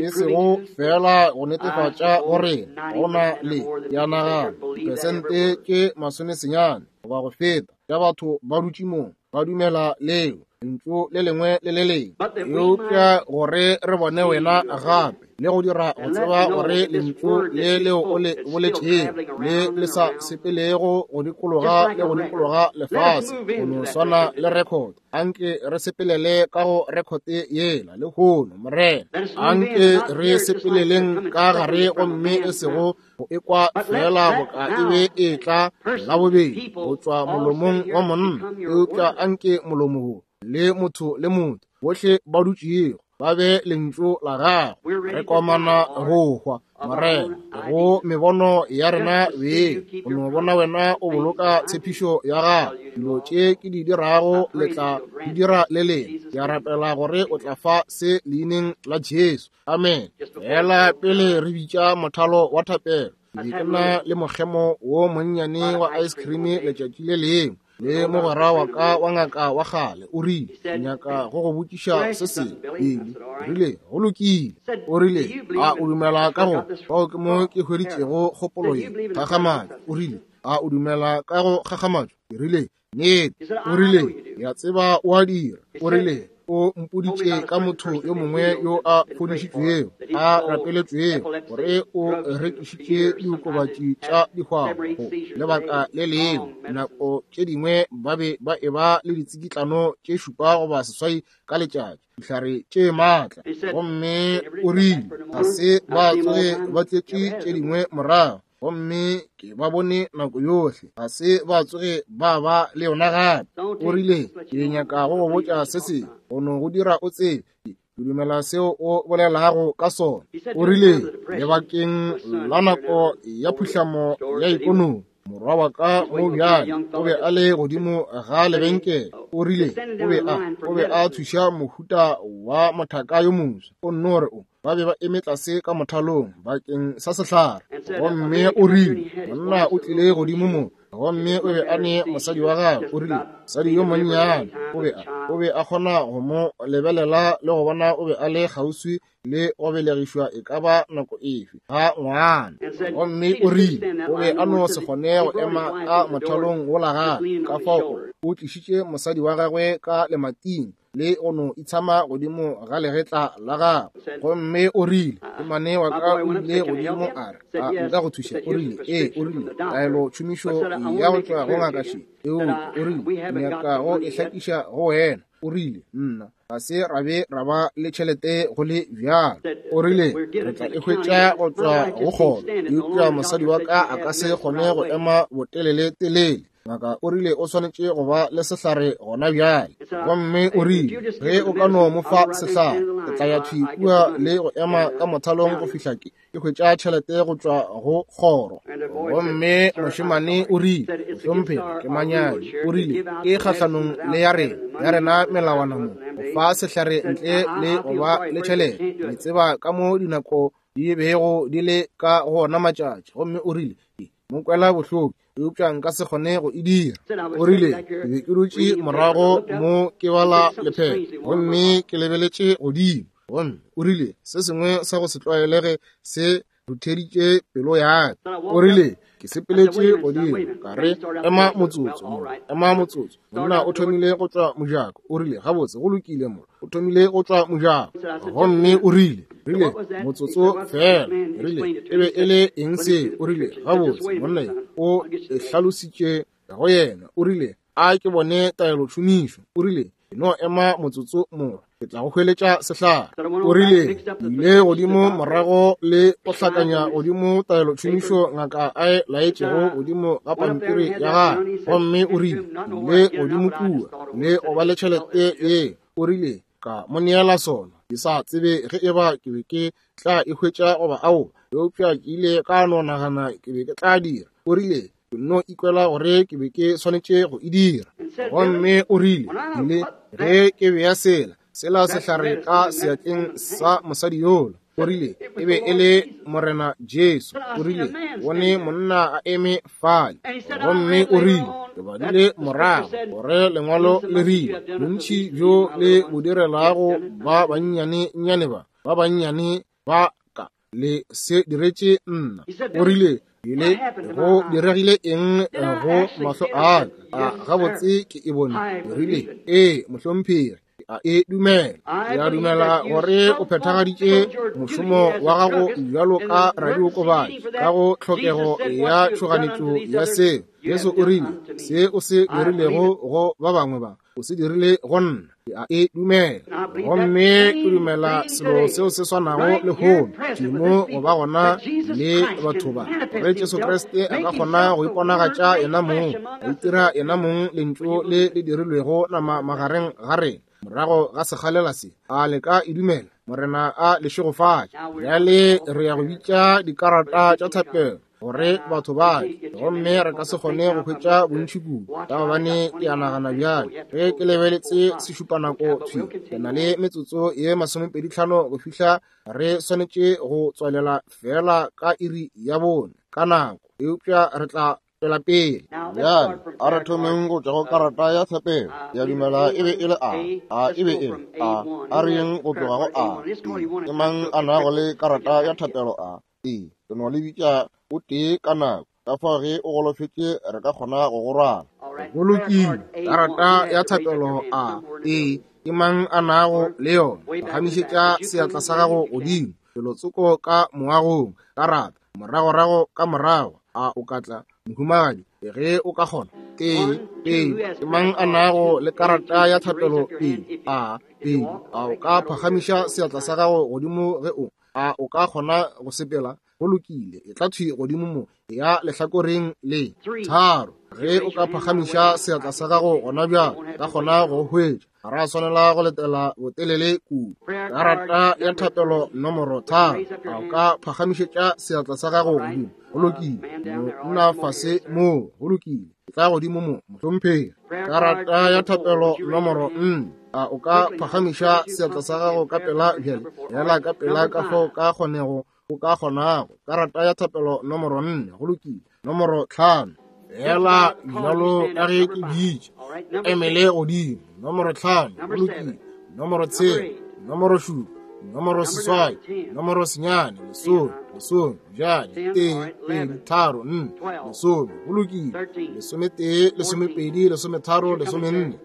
E sego fela go netefatša go rena, go na le, ke a nagana, diperesente tše masomesenyane goba go feta tša batho ba dutše mo ba dumela leo lentšu le lengwe le le lengwe, eupša gore re bone wena gape le go dira go tseba gore lentšu le leo o le boletšego le le sa sepelego go dikologa le go dikologa lefase go no swana le record. Anke re sepelele ka go rekote yela lehono, Morena. Anke re sepeleleng ka gare gomme e sego go ekwa fela boka e be e tla la bobedi go tšwa molomong wa monna, eupša anke molomo wo le motho le motho bohle ba dutšego ba be lentšu la gago. Re komana go hwa, Morena, go mebono ya rena beng, go no bona wena o boloka tshepišo ya gago. Dilo tše ke di dirago le tla di dira le lena. Ke a rapela gore o tla fa se leineng la Jesu. Amen. Fela pele re bitša mothalo wa thapelo, ke be ke na le mokgemo wo monnyane wa ice cream letšatši le lengwe le mogwera wa ka wa ngaka wa kgale. O rile, ke nyaka go go botšiša se sengwe, Billy. O rile, go lokile. O rile, a o dumela ka go fao ke mo ke hweditšego kgopolo ye kgakgamatšo? O rile, a o dumela ka go kgakgamatšo? Ke rile, nnete. O rile, ke a tseba o a dira. O rile, o mpoditše ka motho yo mongwe yo a fodišitšwego, a rapeletšwego, gore o rekišitše diokobatši tša dihwabo go lebaka le lengwe. Nako tše dingwe ba be ba eba le ditsikitlano tše šupa goba seswai ka letšatši, dihlare tše maatla. Gomme o rile ga se ba tsoge ba tletše tše dingwe morago, gomme ke ba bone nako yohle, ga se ba tsoge ba ba le yona gape. O rile, ke nyaka go go botša se sengwe, go no go dira o tsebe ke dumela seo o bolelago ka sona. O rile, lebakeng la nako ya phuhlamo ya ikonomi, morwa wa ka mo bjale o be a le godimo ga lebenkele. O rile o be a o be a thuša mohuta wa mothaka yo moswa. O nno re o ba be ba eme tlase ka mothalong bakeng sa sehlare. Gomme o rile monna o tlile godimo mo, gomme o be a ne mosadi wa gagwe. O rile mosadi yo monnyane o be a o be a kgona go mo lebelela le go bona o be a le kgauswi le go belegišwa e ka ba nako efe ga ngwana. Gomme o rile o be a no se kgone go ema ka mothalong wola gape, ka fao o tlišitše mosadi wa gagwe ka lemating le go no itshama godimo ga legetla la gagwe. Gomme o rile mane wa ka o ile godimo a re, a nka go thuša? O rile ee. O rile taelo tšhomišo ya go tšwa go ngaka še, eupša o rile nyaka go e hlakiša go wena. O rile nna ga se ra be ra ba le tšhelete go le bjalo. O rile re tla e hwetša go tšwa go kgoro, eupša mosadi wa ka a ka se kgone go ema botelele telele. Ngaka o rile o swanetše go ba le sehlare gona bjale. Gomme o rile, ge o ka no mo fa sehlare, ke tla ya thwi kua le go ema ka mothalong go fihla ke ke hwetša tšhelete go tšwa go kgoro. Gomme mošemane o rile, mohlomphegi, ke manyami. O rile, ke kgahlanong le ya rena, ya rena melawana mo, go fa sehlare ntle le go ba le tšhelete. Le tseba ka mo dinako di bego di le ka gona matšatši. Gomme o rile, mo kwela bohloko, eupša nka se kgone go e dira. O rile, ke be ke dutše morago mo ke bala lephephe, gomme ke lebeletše godimo. Gomme o rile, se sengwe sa go se tlwaelege se rutheditše pelo ya ka. O rile, ke sepeletše godimo, ka re, ema motsotso, ema motsotso. Monna o thomile go tšwa mojako. O rile, gabotse, go lokile mo. O thomile go tšwa mojako. Gomme o rile, rile, motsotso fela. Rile, e be e le eng se? O rile, gabotse, monna o e hlalositše go yena. O rile, a ke bone taelotšhomišo. O rile, no ema motsotso mo, ke tla go hweletša sehlare. O rile, ile godimo morago le go hlakanya godimo taelotšhomišo ngaka a e laetšego godimo ga pampiri ya gagwe. Gomme o rile, ile godimo kua le go ba le tšhelete ye. O rile, ka mo neela sona. Ke sa tsebe ge eba ke be ke tla e hwetša goba ao, eupša ke ile ka no nagana ke be ke tla dira. O rile, ke no ikwela gore ke be ke swanetše go e dira. Gomme o rile, ile ge ke bea sela sela sehlare ka seatleng sa mosadi yola. O rile, e be e le Morena Jesu. O rile, bone monna a eme fale. Gomme o rile, ke badile morago gore lengwalo le rile, bontši bjo le bo direlago ba bannyane nnyane ba, ba bannyane ba ka, le se diretše nna. O rile, ile go diregile eng go mahlo a ka? A gabotse ke e bone. O rile, ee, mohlomphegi, a e dumela. Ke a dumela gore o phethagaditše mošomo wa gago bjalo ka radiokobatši ka go tlhokego ya tšhoganetšo ya seo. Jesu o rile, se o se dirilego go ba bangwe ba, o se dirile go nna. Ke a e dumela. Gomme ke dumela selo seo se swanago lehono, tšhimo go ba gona le batho ba, gore Jesu Kriste a ka kgona go iponagatša yena mong, a itira yena mong lentšu le le dirilwego nama magareng ga rena. Morago ga sekgalela se, a le ka e dumela? Morena a le šegofatše. Bjale re ya go bitša dikarata tša thapelo gore batho ba tle, gomme re ka se kgone go hwetša bontši kudu, ka gobane ke a nagana bjale ge ke lebeletse sešupanako thwi, ke na le metsotso ye masomepedi tlhano go fihla re swanetše go tswalela fela ka iri ya bone ka nako, eupša re tla tswela pele. Bjale a re thomeng go tšwa go karata ya thapelo. Ke a dumela e be e le A. A e be e le A. A re yeng go tloga go A. E. Ke mang a nago le karata ya thapelo A? E. Ke no le bitša o tee ka nako. Ka fao ge o golofetše re ka kgona go go rwala. Go lokile. Karata ya thapelo A. E. Ke mang a nago le yona? Phagamišetša seatla sa gago godimo. Felotsoko ka moagong. Karata. Moragorago ka morago. A o ka tla, mohumagadi, ge o ka kgona? Tee, pedi. Ke mang a nago le karata ya thapelo pedi? A, pedi. A o ka phagamiša seatla sa gago godimo ge o, a o ka kgona go sepela? Go lokile, e tla thwi godimo mo, ya lehlakoreng le. Tharo. Ge o ka phagamiša seatla sa gago gona bjale, ka kgona go hwetša. Ga ra swanela go letela botelele kudu. Karata ya thapelo nomoro tharo. A o ka phagamišetša seatla sa gago godimo? Go lokile, monna fase mo. Go lokile, e tla godimo mo, mohlomphegi. Karata ya thapelo nomoro nne. A o ka phagamiša seatla sa gago ka pela bjale? Fela ka pela ka fao ka kgonego o ka kgonago. Karata ya thapelo nomoro nne. Go lokile. Nomoro tlhano. Fela bjalo ka ge ke bitše, emele godimo. Nomoro tlhano. Go lokile. Nomoro tshela. Nomoro šupa. Nomoro seswai. Nomoro senyane. Lesome. Lesome. Bjale tee, pedi, tharo, nne. Lesome. Go lokile. Lesometee, lesomepedi, lesometharo, lesomenne.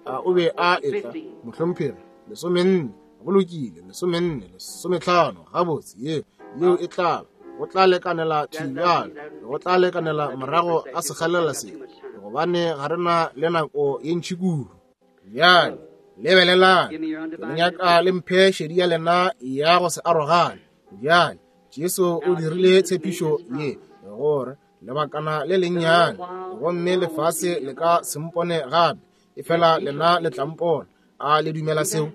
A o be a etla, mohlomphegi? Lesomenne. Go lokile. Lesomenne, lesometlhano. Gabotse, ye yeo e tla go tla lekanela thwi bjale, go tla lekanela morago ga sekgalela se, gobane ga re na le nako ye ntši kudu. Bjale lebelelang, ke le nyaka le mphe šedi ya lena ya go se arogane. Bjale Jesu o dirile tshepišo ye gore Lebakana le lennyane, gomme lefase le ka se mpone gape, efela lena le tla mpona. A le dumela seo?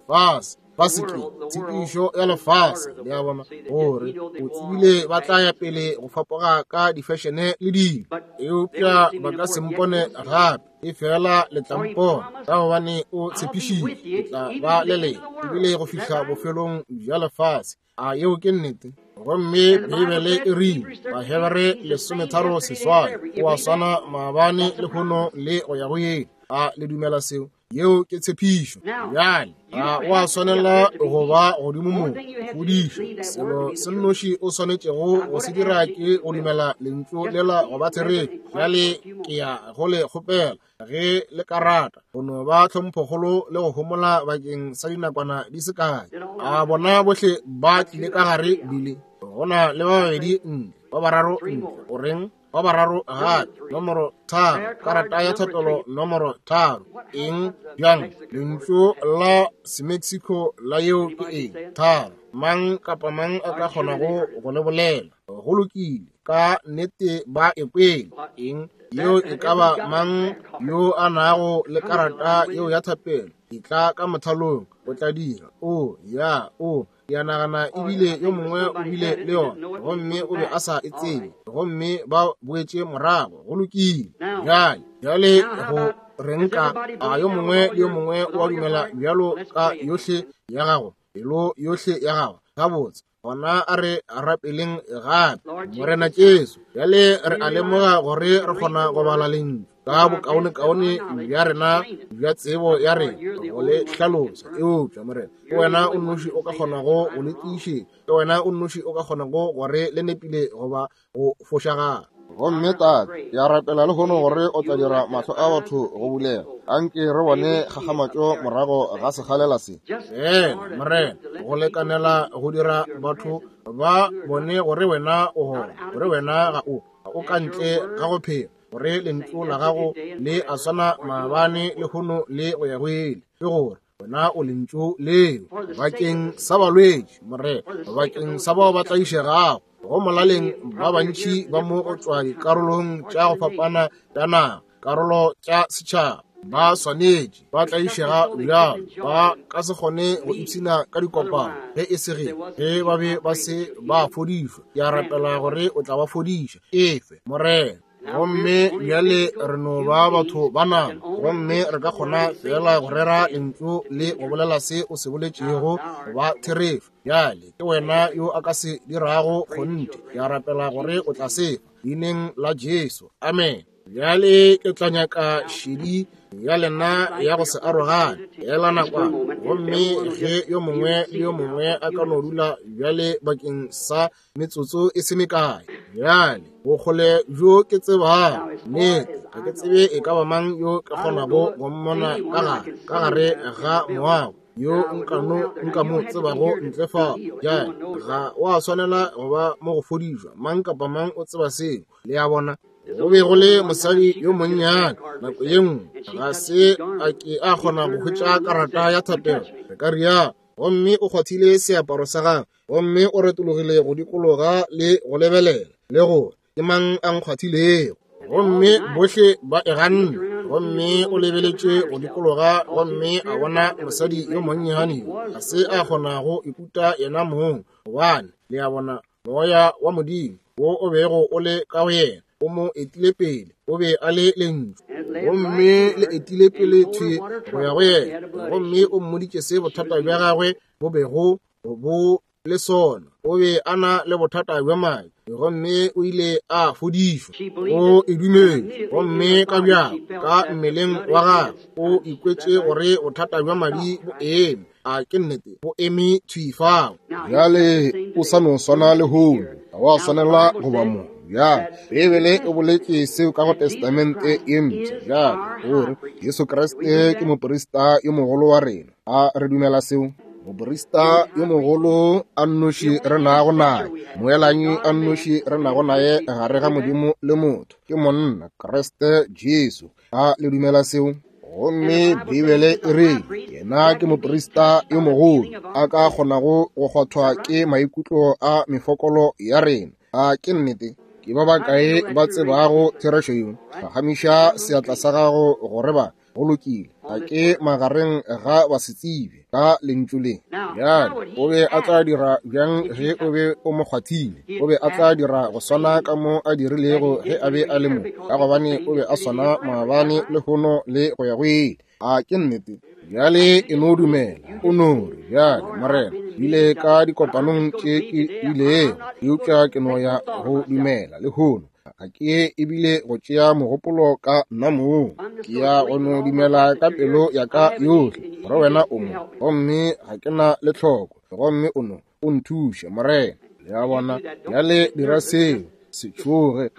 Fase, fase ke tshepišo ya lefase, le a bona, gore o tsebile ba tla ya pele go fapoga ka difešene le dilo, eupša ba ka se mpone gape, efela le tla mpona, ka gobane o tshepišitše ke tla ba le lena ebile go fihla bofelong bja lefase. A yeo ke nnete? Gomme Beibele e rile, Bahebere lesometharo seswai, o a swana maabane lehono le go ya go yele. A le dumela seo? Yeo ke tshepišo. Bjale ga o a swanela go ba godimo mo fodišo. Selo se nnoši o swanetšego go se dira ke go dumela lentšu lela go ba therešo. Bjale ke ya go le kgopela ge le ka rata go no ba tlhomphokgolo le go homola bakeng sa dinakwana di se kae. A bona bohle ba tlile ka gare bile go na le ba babedi ntle, ba bararo ntle, o reng? Ba bararo gape, nomoro tharo, karata ya thapelo nomoro tharo. Eng bjang? Lentšu la Semexico la yeo ke eng? Tharo. Mang kapa mang a ka kgonago go le bolela. Go lokile, ka nnete ba e kwele. Eng? Yeo e ka ba mang yo a nago le karata yeo ya thapelo, e tla ka mothalong, o tla dira. O, ya, o, ke a nagana ebile yo mongwe o bile le yona, gomme o be a sa e tsebe, gomme ba boetše morago. Go lokile. Bjale, bjale go reng ka a yo mongwe le yo mongwe o a dumela bjalo ka yohle ya gago, pelo yohle ya gago? Gabotse, gona a re rapeleng gape. Morena Jesu, bjale re a lemoga gore re kgona go bala lentšu ka bokaonekaone bja rena bja tsebo ya rena go le hlalosa, eupša Morena, ke wena o nnoši o ka kgonago go le tiišetša, ke wena o nnoši o ka kgonago gore le nepile goba go fošagala. Gomme Tate, ke a rapela lehono gore o tla dira mahlo a batho go bulega. Anke re bone kgakgamatšo morago ga sekgalela se. Fela, Morena, go lekanela go dira batho ba bone gore wena o gona, gore wena ga o, ga o ka ntle ga go phela, gore lentšu la gago le a swana maabane lehono le go ya go ile, ke gore wena o lentšu leo bakeng sa balwetši, Morena, bakeng sa bao ba tlaišegago. Go molaleng ba bantši ba mo go tšwa dikarolong tša go fapana tša naga, karolo tša setšhaba, ba swanetše ba tlaišega bjalo, ba ka se kgone go ipshina ka dikopano ge e se ge ge ba be ba se ba fodišwa. Ke a rapela gore o tla ba fodiša. Efe, Morena. Gomme bjale re no ba batho ba nama, gomme re ka kgona fela go rera lentšu le go bolela se o se boletšego go ba therešo. Bjale ke wena yo a ka se dirago kgonthe. Ke a rapela gore o tla se fa leineng la Jesu. Amen. Bjale ke tla nyaka šedi ya lena ya go se arogane ela nakwana, gomme ge yo mongwe le yo mongwe a ka no dula bjale bakeng sa metsotso e se mekae. Bjale bokgole bjo ke tsebago nnete, ga ke tsebe e ka ba mang yo ke kgonago go mmona ka gare ka gare ga moago yo nka no nka mo tsebago ntle fa. Bjale ga wa swanela go ba mo go fodišwa, mang kapa mang o tseba seo, le a bona. Go be go le mosadi yo monnyane nako ye nngwe, ga se a ke a kgona go hwetša karata ya thapelo, re ka rialo, gomme o kgwathile seaparo sa gagwe, gomme o retologile go dikologa le go lebelela le gore ke mang a nkgwathilego, gomme bohle ba e ganne. Gomme o lebeletše go dikologa gomme a bona mosadi yo monnyane yo ga se a kgona go ikuta yena mong, gobane le a bona moya wa Modimo wo o bego o le ka go yena o mo etile pele, o be a le lentšu, gomme le etile pele thwi go ya go yena, gomme o mmoditše se bothata bja gagwe bo bego bo le sona. O be a na le bothata bja madi, gomme o ile a fodišwa. O e dumetše, gomme ka bjako ka mmeleng wa gagwe o ikwetše gore bothata bja madi bo eme. A ke nnete, bo eme thwi fao. Bjale o sa no swana lehono, ga wa swanela go ba mo. Bjale Beibele e boletše seo ka go Testamente ye Mpsha, bjale gore Jesu Kriste ke moprista yo mogolo wa rena. A re dumela seo? Moprista yo mogolo a nnoši re nago naye, moelanyi a nnoši re nago naye gare ga Modimo le motho, ke monna Kriste Jesu. A le dumela seo? Gomme Beibele e re yena ke moprista yo mogolo a ka kgonago go kgwathwa ke maikutlo a mefokolo ya rena. A ke nnete? Ke ba bakae ba tsebago therešo yeo? Phagamiša seatla sa gago gore ba go lokile. Ga ke magareng ga basetsebje ka lentšu le. Bjale o be a tla dira bjang ge o be o mo kgwathile? O be a tla dira go swana ka mo a dirilego ge a be a le mo, ka gobane o be a swana maabane, lehono le go ya go ile. A ke nnete? Bjale e no dumela, o no re, bjale Morena, bile ka dikopanong tše ke ilego, eupša ke no ya go dumela lehono. Ga ke ebile go tšea mogopolo ka nna mong. Ke ya go no dumela ka pelo ya ka yohle gore wena o mo, gomme ga ke na le tlhoko, gomme o no o nthuše, Morena. Le a bona? Bjale dira seo, se tšhoge,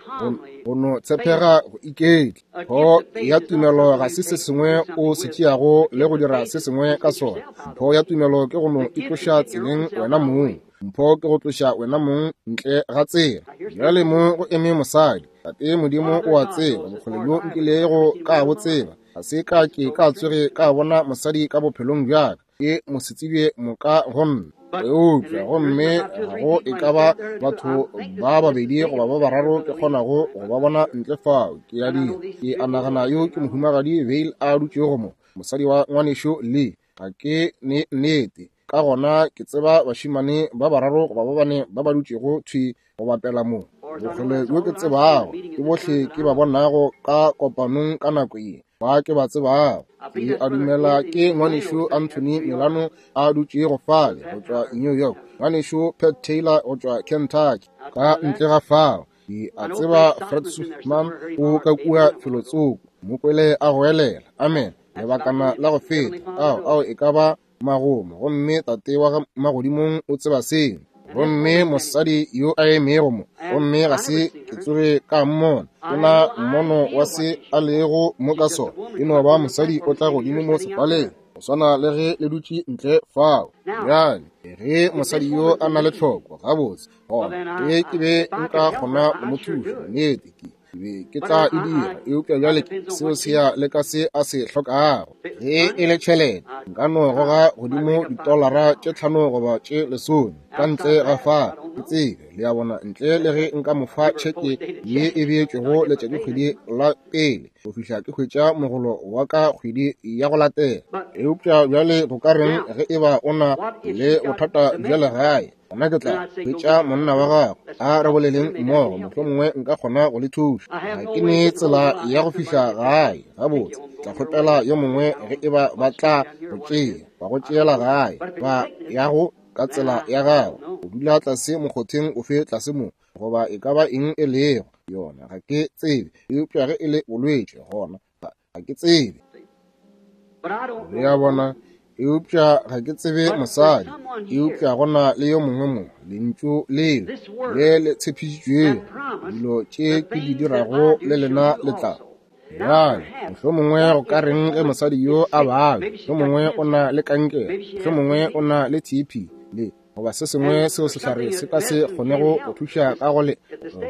go no tshepega go iketla. Mpho ya tumelo ga se se sengwe o se tšeago le go dira se sengwe ka sona. Mpho ya tumelo ke go no itloša tseleng wena mong. Mpho ke go tloša wena mong ntle ga tsela. Bjale mo go eme mosadi. Tate Modimo o a tseba bokgole bjo nkilego ka bo tseba. Ga se ka ke ka tsoge ka bona mosadi ka bophelong bja ka. Ke mosetsebje moka go nna. Eupša gomme ga go e ka ba batho ba babedi goba ba bararo ke kgonago go ba bona ntle fao. Ke a dira. Ke a nagana yo ke mohumagadi Vail a dutšego mo, mosadi wa ngwanešo Lee. Ga ke ne nnete. Ka gona ke tseba bašemane ba bararo goba ba bane ba ba dutšego thwi go bapela mo. Bokgole bjo ke tsebago ke bohle ke ba bonago ka kopanong ka nako ye, ba ke ba tsebago. Ke a dumela ke ngwanešo Anthony Milano a dutšego fale go tšwa New York, ngwanešo Pat Taylor go tšwa Kentucky. Ka ntle ga fao, ke a tseba Fred Swiftman o ka kua felotsoko, mo kwele a goelela amen lebakana la go feta. Ao, ao e ka ba magomo, gomme tate wa magodimong o tseba seo. Gomme mosadi yo a emego mo, gomme ga se ke tsoge ka mmona, ke na mmono wa se a lego mo ka sona. E no ba mosadi o tla godimo mo sefaleng, go swana le ge le dutše ntle fao. Bjale ge mosadi yo a na le tlhoko, gabotse, gona ge ke be nka kgona go mo thuša, nnete ke be ke tla e dira. Eupša bjale seo se ya le ka se a se hlokago. Ge e le tšhelete, nka no goga godimo ditolara tše tlhano goba tše lesome ka ntle ga fa, ke tsebe, le a bona, ntle le ge nka mo fa tšheke ye e beetšwego letšatšikgwedi la pele go fihla ke hwetša mogolo wa ka kgwedi ya go latela. Eupša bjale go ka reng ge e ba o na le bothata bja legae? Gona ke tla hwetša monna wa gago, a re boleleng mmogo, mohlomongwe nka kgona go le thuša. Ga ke ne tsela ya go fihla gae gabotse, tla kgopela yo mongwe ge e ba ba tla go tšea, ba go tšeela gae, ba ya go ka tsela ya gago, o dula tlase mokgotheng ofe tlase mo, goba e ka ba eng e lego yona, ga ke tsebe. Eupša ge e le bolwetši, gona ga ke tsebe. Le a bona? Eupša ga ke tsebe mosadi, eupša go na le yo mongwe mo, lentšu leo le le tshepišitšwego, dilo tše ke di dirago le lena le tla. Bjale mohlomongwe go ka reng ge mosadi yo a babja, mohlomongwe o na le kankere, mohlomongwe o na le T B le goba se sengwe seo sehlare se ka se kgonego go thuša ka go le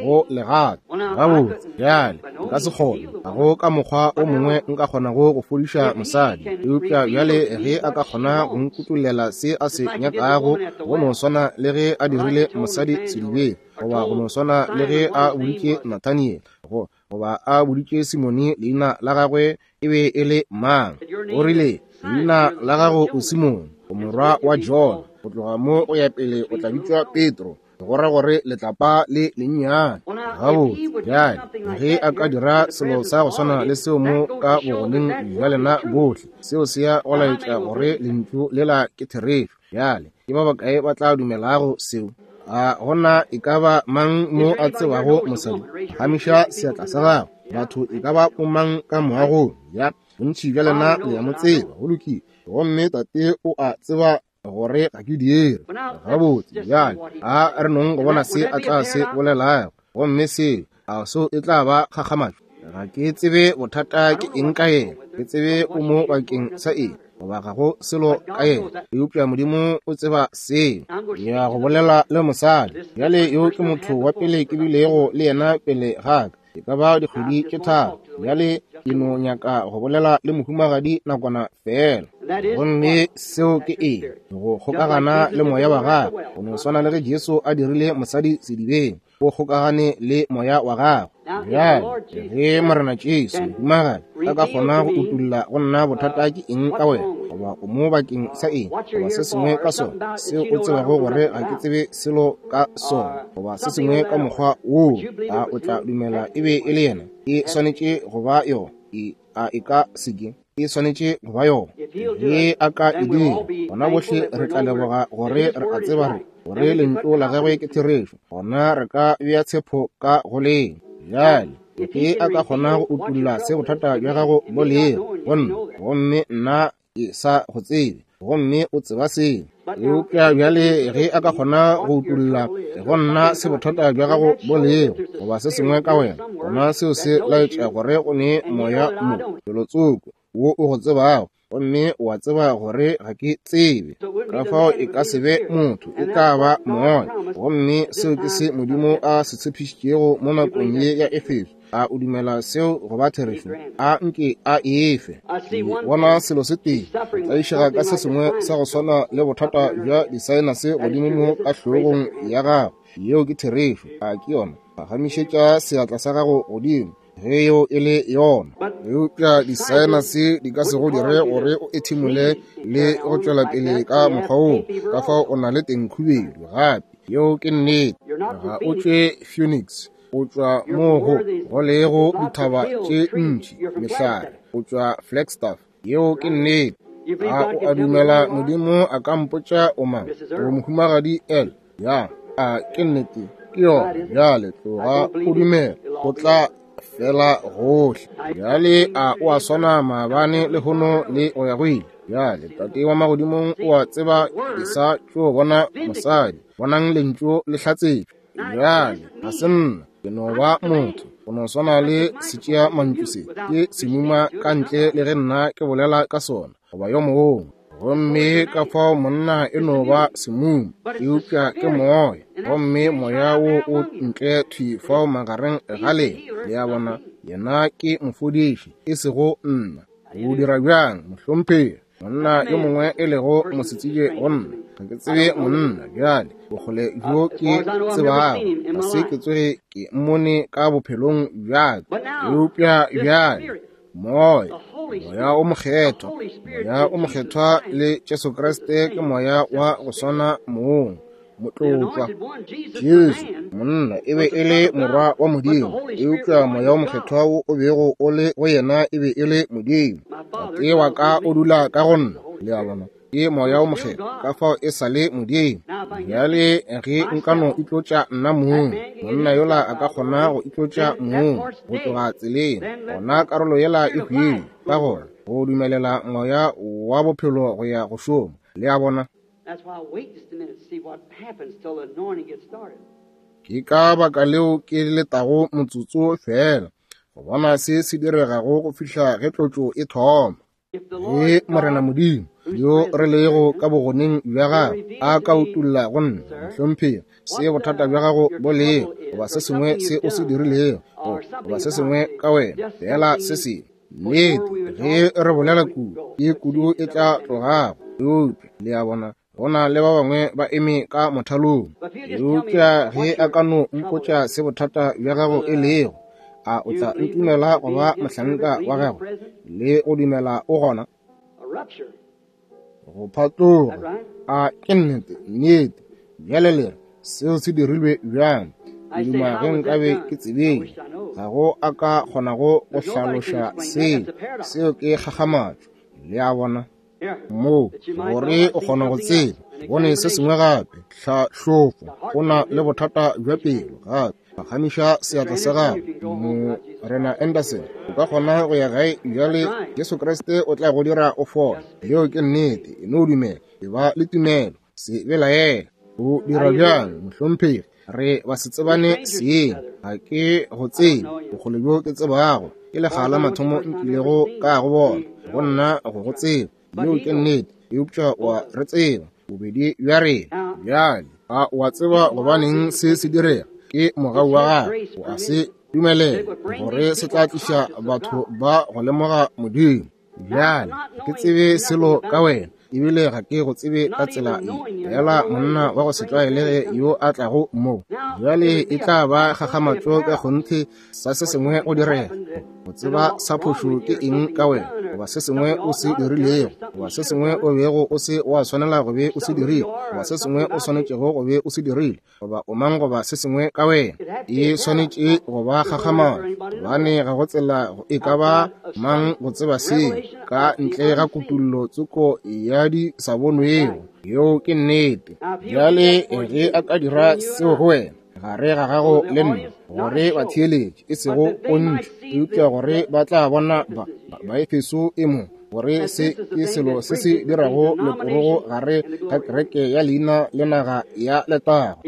go legato. Gabotse, bjale nka se kgone, ga go ka mokgwa o mongwe nka kgonago go fodiša mosadi. Eupša bjale ge a ka kgona go nkutollela se a se nyakago, go no swana le ge a dirile mosadi sedibeng, goba go no swana le ge a boditše Nathaniel, go goba a boditše Simone leina la gagwe e be e le mang. O rile, leina la gago o Simone, o morwa wa Jona, go tloga mo go ya pele o tla bitšwa Petro, go ra gore letlapa le lennyane. Gabotse, bjale ge a ka dira selo sa go swana le seo mo ka bogoneng bja lena bohle, seo se ya go laetša gore lentšu lela ke therešo. Bjale ke ba bakae ba tla dumelago seo? A gona e ka ba mang mo a tsebago mosadi? Phagamiša seatla sa gago. Batho e ka ba bomang ka moagong? Ya, bontši bja lena le ya mo tseba. Go lokile. Gomme tate o a tseba gore ga ke dire. Gabotse, bjale a re nong go bona se a tla se bolelago. Gomme seo, a seo e tla ba kgakgamatšo? Ga ke tsebe bothata ke eng ka yena, ke tsebe o mo bakeng sa eng, goba ga go selo ka yena, eupša Modimo o tseba seo. Ke ya go bolela le mosadi. Bjale yo ke motho wa pele ke bilego le yena pele ga ka, e ka ba dikgwedi tše tharo. Bjale ke no nyaka go bolela le mohumagadi nakwana fela. Gomme seo ke eng? Go kgokagana le moya wa gagwe, go no swana le ge Jesu a dirile mosadi sedibeng. O kgokagane le moya wa gago. Bjale ge Morena Jesu mohumagadi a ka kgona go utulla go nna bothata ke eng ka wena, goba o mo bakeng sa eng, goba se sengwe ka sona seo o tsebago gore ga ke tsebe selo ka sona, goba se sengwe ka mokgwa woo, a o tla dumela e be e le yena? E swanetše go ba yona. E a e ka se ke? E swanetše go ba yona. Ge a ka e dira, gona bohle re tla leboga gore re a tseba re gore lentšu la gagwe ke therešo, gona re ka bea tshepo ka go leng. Bjale ge a ka kgona go utulla se bothata bja gago bo lego go nna, gomme nna ke sa go tsebe, gomme o tseba seo. Eupša bjale ge a ka kgona go utulla go nna se bothata bja gago bo lego, goba se sengwe ka wena, gona seo se laetša gore go ne moya mo felotsoko wo o go tsebago, gomme o a tseba gore ga ke tsebe. Ka fao e ka se be motho, e tla ba moya. Gomme seo ke se Modimo a se tshepišitšego mo nakong ye ya Efeso. A o dumela seo go ba therešo? A nke a efe. Ke bona selo se tee, tlaišega ka se sengwe sa go swana le bothata bja disaenase godimo mo ka hlogong ya gago. Yeo ke therešo. A ke yona? Phagamišetša seatla sa gago godimo ge yeo e le yona. Eupša disaenase di ka se go dire gore o ethimole le go tšwela pele ka mokgwa woo. Ka fao o na le tengkhubedu gape. Yeo ke nnete. Ga o tšwe Phoenix, o tšwa mo go go lego dithaba tše ntši mehlare, o tšwa Flagstaff. Yeo ke nnete. A o a dumela Modimo a ka mpotša o mang? O mohumagadi L. Ya, a ke nnete? Ke yona. Bjale tloga o dumela, o tla fela gohle. Bjale a o a swana maabane lehono le go ya go ile? Bjale Tate wa magodimong o a tseba ke sa tšo bona mosadi. Bonang lentšu le hlatsetšwe. Bjale ga se nna, ke no ba motho, go no swana le setšea mantšu se ke semuma ka ntle le ge nna ke bolela ka sona goba yo mongwe. Gomme ka fao monna e no ba semuma, eupša ke moya, gomme moya wo o ntle thwi fao magareng ga lena. Le a bona, yena ke mofodiši, e sego nna. O dira bjang, mohlomphegi? Monna yo mongwe e lego mosetsebje go nna, ga ke tsebe monna. Bjale bokgole bjo ke tsebago, ga se ke tsoge ke mmone ka bophelong bja ka. Eupša bjale moya, moya o mokgethwa, moya o mokgethwa le Jesu Kriste ke moya wa go swana mong. Motlotlwa Jesu monna e be e le morwa wa Modimo, eupša moya o mokgethwa wo o bego o le go yena e be e le Modimo. Tate wa ka o dula ka go nna. Le a bona, ke moya o mokgethwa, ka fao e sa le Modimo. Bjale ge nka no itlotša nna mong, monna yola a ka kgona go itlotša mong go tloga tseleng, gona karolo yela e hwile. Ka gona go dumelela moya wa bophelo go ya go šoma. Le a bona? Ke ka baka leo ke letago motsotso fela go bona se se diregago go fihla ge tlotšo e thoma. Ge Morena Modimo yo re lego ka bogoneng bja gagwe a ka utulla go nna, mohlomphegi, se bothata bja gago bo lego, goba se sengwe se o se dirilego, goba se sengwe ka wena, fela se sengwe. Nnete, ge re bolela kudu, ke kudu e tla tlogago. Eupša le a bona, go na le ba bangwe ba eme ka mothalong. Eupša ge a ka no mpotša se bothata bja gago e lego, a o tla ntumela go ba mohlanka wa gagwe le go dumela o gona? Go phatloga. A ke nnete? Nnete. Bjale le re, seo se dirilwe bjang? Ke duma ge nkabe ke tsebile. Ga go a ka kgonago go hlaloša seo. Seo ke kgakgamatšo. Le a bona? Moo gore o kgona go tseba. Bone se sengwe gape, tlhahlofo, go na le bothata bja pelo gape. Phagamiša seatla sa gago, Morena Anderson, o ka kgona go ya gae bjale. Jesu Kriste o tla go dira o fole. Yeo ke nnete. E no dumela, e ba le tumelo, se belaela. O dira bjang, mohlomphegi? Re ba se tsebane seeng, ga ke go tsebe. Bokgole bjo ke tsebago ke lekga la mathomo nkilego ka go bona, go nna go go tseba. Yeo ke nnete. Eupša wa re tseba bobedi bja rena. Bjale a o a tseba gobaneng se se direga? Ke mogau wa gagwe, o a se dumelela gore se tla tliša batho ba go lemoga Modimo. Bjale ke tsebe selo ka wena, Ebile ga ke go tsebe ka tsela ye, fela monna wa go se tlwaelege yo a tlago mo. Bjale e tla ba kgakgamatšo ka kgonthe sa se sengwe go direga, go tseba sa phošo ke eng ka wena, goba se sengwe o se dirilego, goba se sengwe o bego o se wa swanela go be o se dirile, goba se sengwe o swanetšego go be o se dirile, goba o mang goba se sengwe ka wena. E swanetše go ba kgakgamatšo, gobane ga go tsela e ka ba mang go tseba seo ka ntle ga kutullo tsoko ya di sa bonwego. Yeo ke nnete. Bjale ge a ka dira seo go wena, gare ga gago le nna, gore ba theeletše, e sego pontšho, eupša gore ba tla bona ba ba Efeso e mo, gore se ke selo se se dirago leporogo gare ga kereke ya leina le naga ya letago.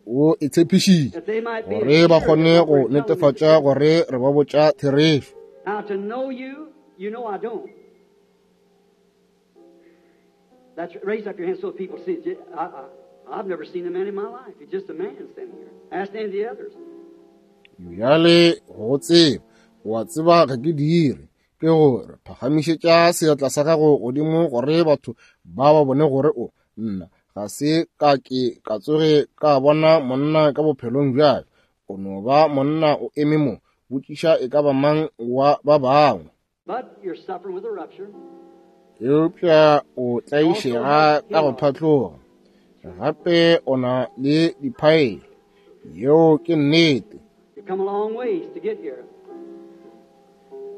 O e tshepišitše gore ba kgone go netefatša gore re ba botša therešo. Now to know you, you know I don't. That's, raise up your hand so people see it. I, I, I've never seen a man in my life. He's just a man standing here. Ask any of the others. Bjale go tseba, wa tseba ga ke dire, ke gore phagamišetša seatla sa gago godimo gore batho ba ba bone gore o nna ga se ka ke ka tsoge ka bona monna ka bophelong bjale. O no ba monna o eme mo, botšiša e ka ba mang wa ba bangwe. But you're suffering with a rupture. Eupša o tlaišega ka go phatloga. Gape o na le diphaele. Yeo ke nnete. You've come a long ways to get here.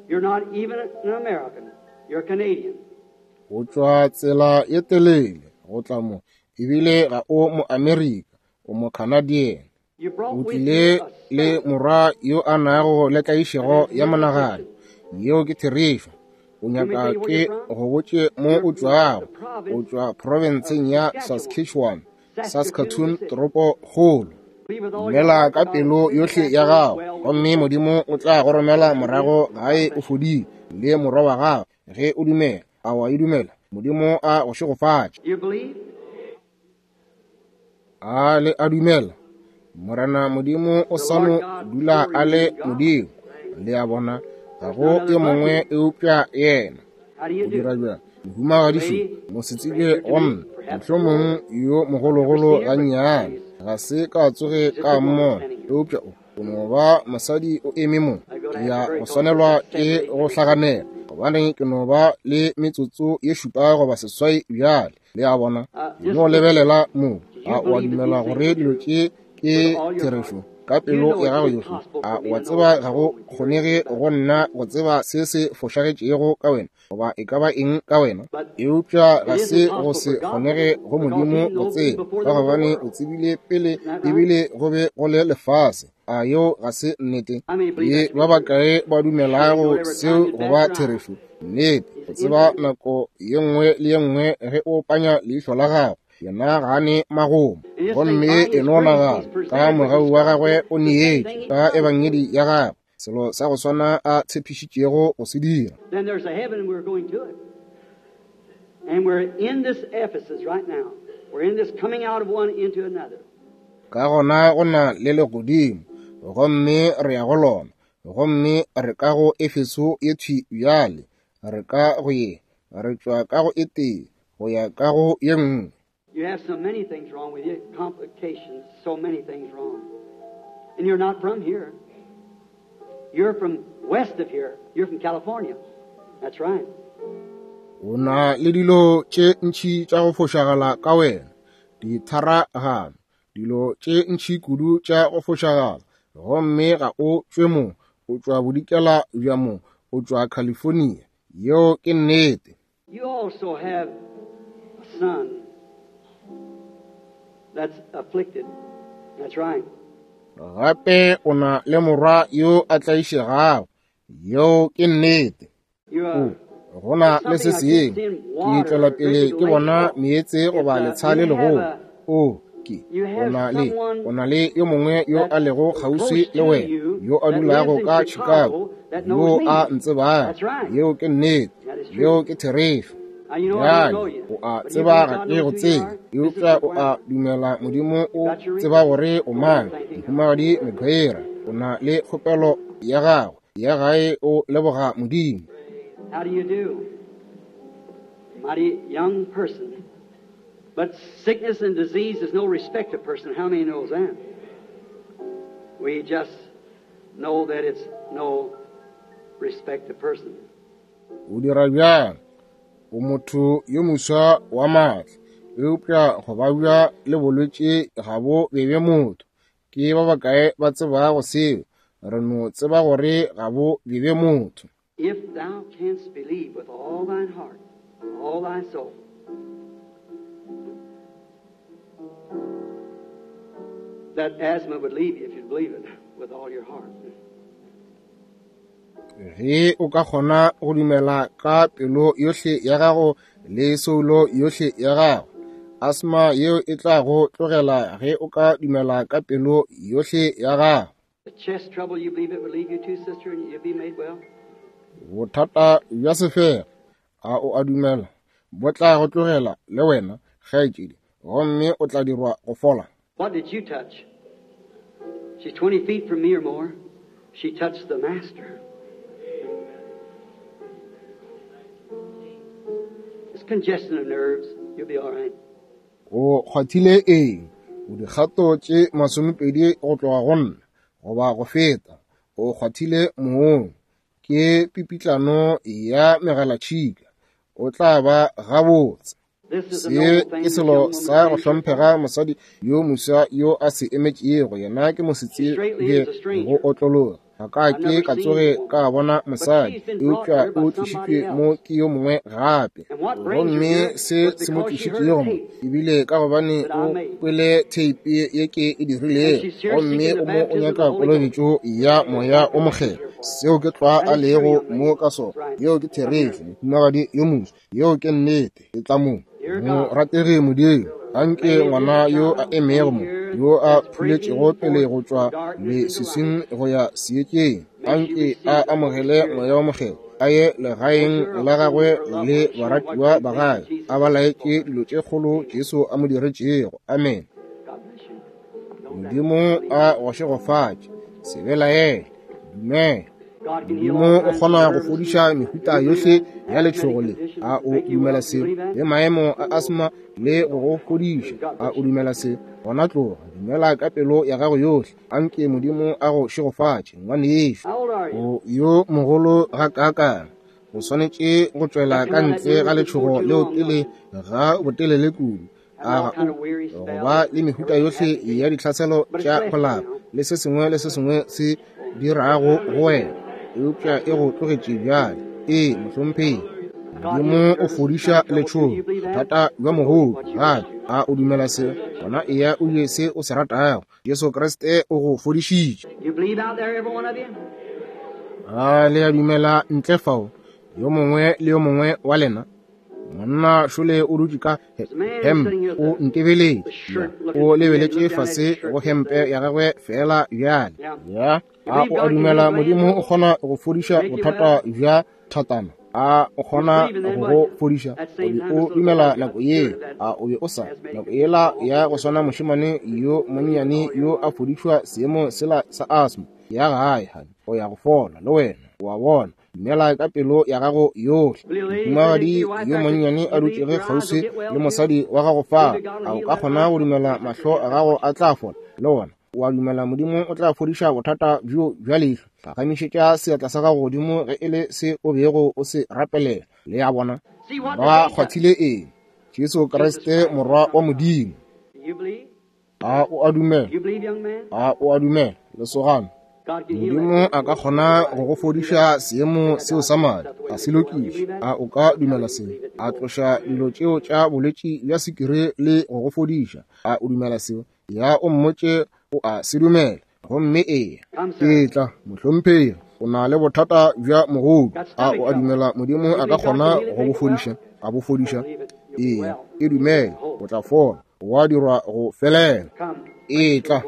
You're not even an American. You're a Canadian. O tšwa tsela ye telele go tla mo, ebile ga o mo-Amerika, o mo-Canadian. You brought O with tlile you a le son. morwa yo a nago le tlaišego ya monagano. Yeo ke therešo. O nyaka ke go botše mo o tšwago. O tšwa profenseng ya Saskatchewan, Saskatoon toropokgolo. Believe with all your Dumela heart ka God pelo will send you yohle back ya home gago, well. gomme Modimo o tla go romela morago gae o fodile le morwa wa gago. Ge o dumela, a wa e dumela? Modimo a go šegofatše. You believe? A le a dumela? Morena Modimo o The sa Lord no God dula a surely le is God. Modimo. Le a bona, ga There's go none yo other but mongwe Him. eupša yena. How do you O dira do? bjang? Mohumagadišu, Lady, mosetsebje stranger to wa me, nna, perhaps you mohlomong are. yo I've never mogologolo seen her, but gannyane, she's ga se ka tsoge just ka a woman mmona, standing here. eupša o o no ba mosadi o eme mo. I'm going Ke to have ya to hurry go because it's swanelwa just seven, ke eight go minutes. hlaganela, gobane ke no ba le metsotso ye šupa goba seswai bjale. Le a bona, Uh, just no look. lebelela mo. Do you A o a believe that dumela these things gore are dilo true? tše ke With all your heart. therešo ka You pelo know ya it's gago yohle? impossible A for me wa to know tseba what's ga go wrong with you or kgonege anything about go you. nna go tseba se se fošagetšego ka wena goba e ka ba eng ka wena? But Eupša ga it se isn't go possible se for God to kgonege know go because Modimo He go knows me tseba, before ka there was a gobane o world. tsebile pele Isn't that right? ebile go be go le lefase. A yeo ga se nnete? How many believe Le that to be ba true? bakae ba Sure, you know dumelago every time seo you go bat ba your eye, therešo? Nnete, go He's tseba infinite. nako ye nngwe le ye nngwe ge o panya leihlo la gago, yena ga a ne magomo. And just think, Gomme by e His no grace, nagana He's ka presented with mogau His wa gospel gagwe o the same neetše thing He ka promised ebangedi us. ya gagwe, selo sa go swana a tshepišitšego go se dira. Then there's a heaven, and we're going to it. And we're in this Ephesus right now. We're in this coming out of one into another. Ka gona go na le legodimo, gomme re ya go lona, gomme re ka go Efeso ye thwi bjale, re ka go ye, re tšwa ka go e tee go ya ka go ye nngwe. You have so many things wrong with you, complications, so many things wrong. And you're not from here. You're from west of here. You're from California. That's right. O na le dilo tše ntši tša go fošagala ka wena, ditharagano, dilo tše ntši kudu tša go fošagala, gomme ga o tšwe mo, o tšwa bodikela bja mo, o tšwa California. Yeo ke nnete. You also have a son that's afflicted. That's right. Gape o na le morwa yo a tlaišegago. Yeo ke nnete. You O are go na there's le se something I keep sengwe. seeing Ke water tšwela or pele great ke big bona lake. meetse It's goba uh, letsha le you have legolo. a O ke you o have na le someone o na le yo mongwe yo a that's lego kgauswi close le to wena, you yo a that lives dulago in ka Chicago, Chicago that knows yo a me. ntsebago. That's right. Yeo ke nnete. That is Yeo true. ke therešo. Now you know I don't know Bjale you, o a but you tseba believe ga God ke go knows who you tsebe, are. This is eupša o a McGuire. dumela Modimo You o got your tseba request. gore o Go on, mang. thanking God. Mohumagadi McGuire, o na le kgopelo ya gago ya gae, o leboga Modimo. How do you do? Mighty young person. But sickness and disease is no respect of person. How many knows that? We just know that it's no respect of person. O dira bjang? O motho yo moswa wa maatla, eupša go babja le bolwetši ga bo bebe motho. Ke ba bakae ba tsebago seo? Re no tseba gore ga bo bebe motho. If thou canst believe with all thine heart, all thy soul, that asthma would leave you if you'd believe it with all your heart. Ge o ka kgona go dumela ka pelo yohle ya gago le soulo yohle ya gago, asthma yeo e tla go tlogela ge o ka dumela ka pelo yohle ya gago. The chest trouble, you believe it would leave you too, sister, and you'll be made well? Bothata bja sefega, a o a dumela, bo tla go tlogela le wena, kgaetšedi, gomme o tla dirwa go fola. What did you touch? She's twenty feet from me or more. She touched the Master. It's congestion of nerves. You'll be all right. O kgwathile eng? O dikgato tše masomepedi go tloga go nna, goba go feta. O kgwathile moong. Ke pipitlano ya megalatšhika. O tla ba gabotse. Se ke selo sa go hlomphega mosadi yo moswa yo a se emetšego. Yena ke mosetsebje go otlologa. Ga ka ke ka tsoge ka bona mosadi, eupša o tlišitšwe mo ke yo mongwe gape. Gomme se se mo tlišitšego mo ebile ka gobane o kwele theipi ye ke e dirilego, gomme o mo o nyaka kolobetšo ya Moya o Mokgethwa. Seo ke tlwa a lego mo ka sona. Yeo ke therešo, mohumagadi yo moswa. Yeo ke nnete. E tla mo. Morategi Modimo, anke ngwana yo a emego mo, yo a phuletšego pele go tšwa leswiswing go ya seetšeng, anke a amogele Moya o Mokgethwa, a ye legaeng la gagwe le baratiwa ba gagwe, a ba laetše dilo tše kgolo Jesu a mo diretšego. Amen. Modimo a go šegofatše. Se belaele, dumela. Modimo o kgona go fodiša mehuta yohle ya letšhogo le. A o dumela seo? Le maemo a asthma le go go fodiša. A o dumela seo? Gona tloga, dumela ka pelo ya gago yohle. Anke Modimo a go šegofatše, ngwanešu. O yo mogolo gakaakang. O swanetše go tšwela ka ntle ga letšhogo leo pele ga botelele kudu. A ga o go ba le mehuta yohle ya ditlhaselo tša go lapa le se sengwe le se sengwe se dirago go wena, eupša e go tlogetše bjale. Ee, mohlomphegi. Modimo o fodiša letšhogo, bothata bja mogodu gape. A o dumela seo? Gona eya o je se o se ratago. Jesu Kriste o go fodišitše. A le a dumela ntle fao, yo mongwe le yo mongwe wa lena? Monna šole o dutše ka hempe, o ntebeletše, o lebeletše fase go hempe ya gagwe fela bjale. Ya, a o a dumela Modimo o kgona go fodiša bothata bja thatana? A o kgona go go fodiša? O be o dumela nako ye? A o be o sa? Nako yela ya go swana mošemane yo monnyane yo a fodišwa seemo sela sa asthma ya gae, honey, o ya go fola le wena. O a bona? Dumela ka pelo ya gago yohle. Mohumagadi yo monnyane a dutšege kgauswi le mosadi wa gago fa, a o ka kgona go dumela mahlo a gago a tla fola le wona? O a dumela Modimo o tla fodiša bothata bjo bja leihlo? Phagamišetša seatla sa gago godimo ge e le se o bego o se rapelela. Le a bona? Ba kgwathile eng? Jesu Kriste, Morwa wa Modimo. A o a dumela? A o a dumela, lesogana? Modimo a ka kgona go go fodiša seemo seo sa madi, a se lokiše. A o ka dumela seo? A tloša dilo tšeo tša bolwetši bja sekiri le go go fodiša. A o dumela seo? Ya o mmotše o a se dumela. Gomme eya, etla, mohlomphegi, o na le bothata bja mogodu. A o a dumela Modimo a ka kgona go bo fodiša? A bo fodiša? Eya, e dumele, o tla fola, wa dirwa go felela. Etla,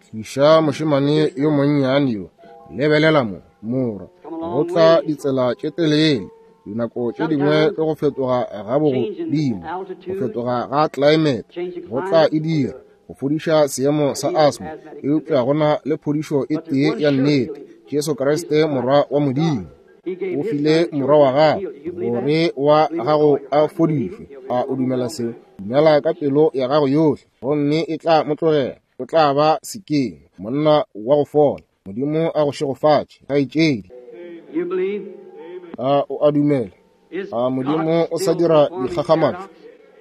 tliša mošemane yo monnyane yo. Lebelela mo, morwa, go tla ditsela tše telele. Dinako tše dingwe ke go fetoga ga bogodimo, go fetoga ga climate, go tla e dira go fodiša seemo sa asthma, eupša go na le phodišo e tee ya nnete, Jesu Kriste, Morwa wa Modimo. O file morwa wa gago gore wa gago a fodišwe. A o dumela seo? Dumela ka pelo ya gago yohle, gomme e tla mo tlogela. O tla ba sekeng, monna wa go fola. Modimo a go šegofatše, kgaetšedi. A o a dumela? A Modimo o sa dira dikgakgamatšo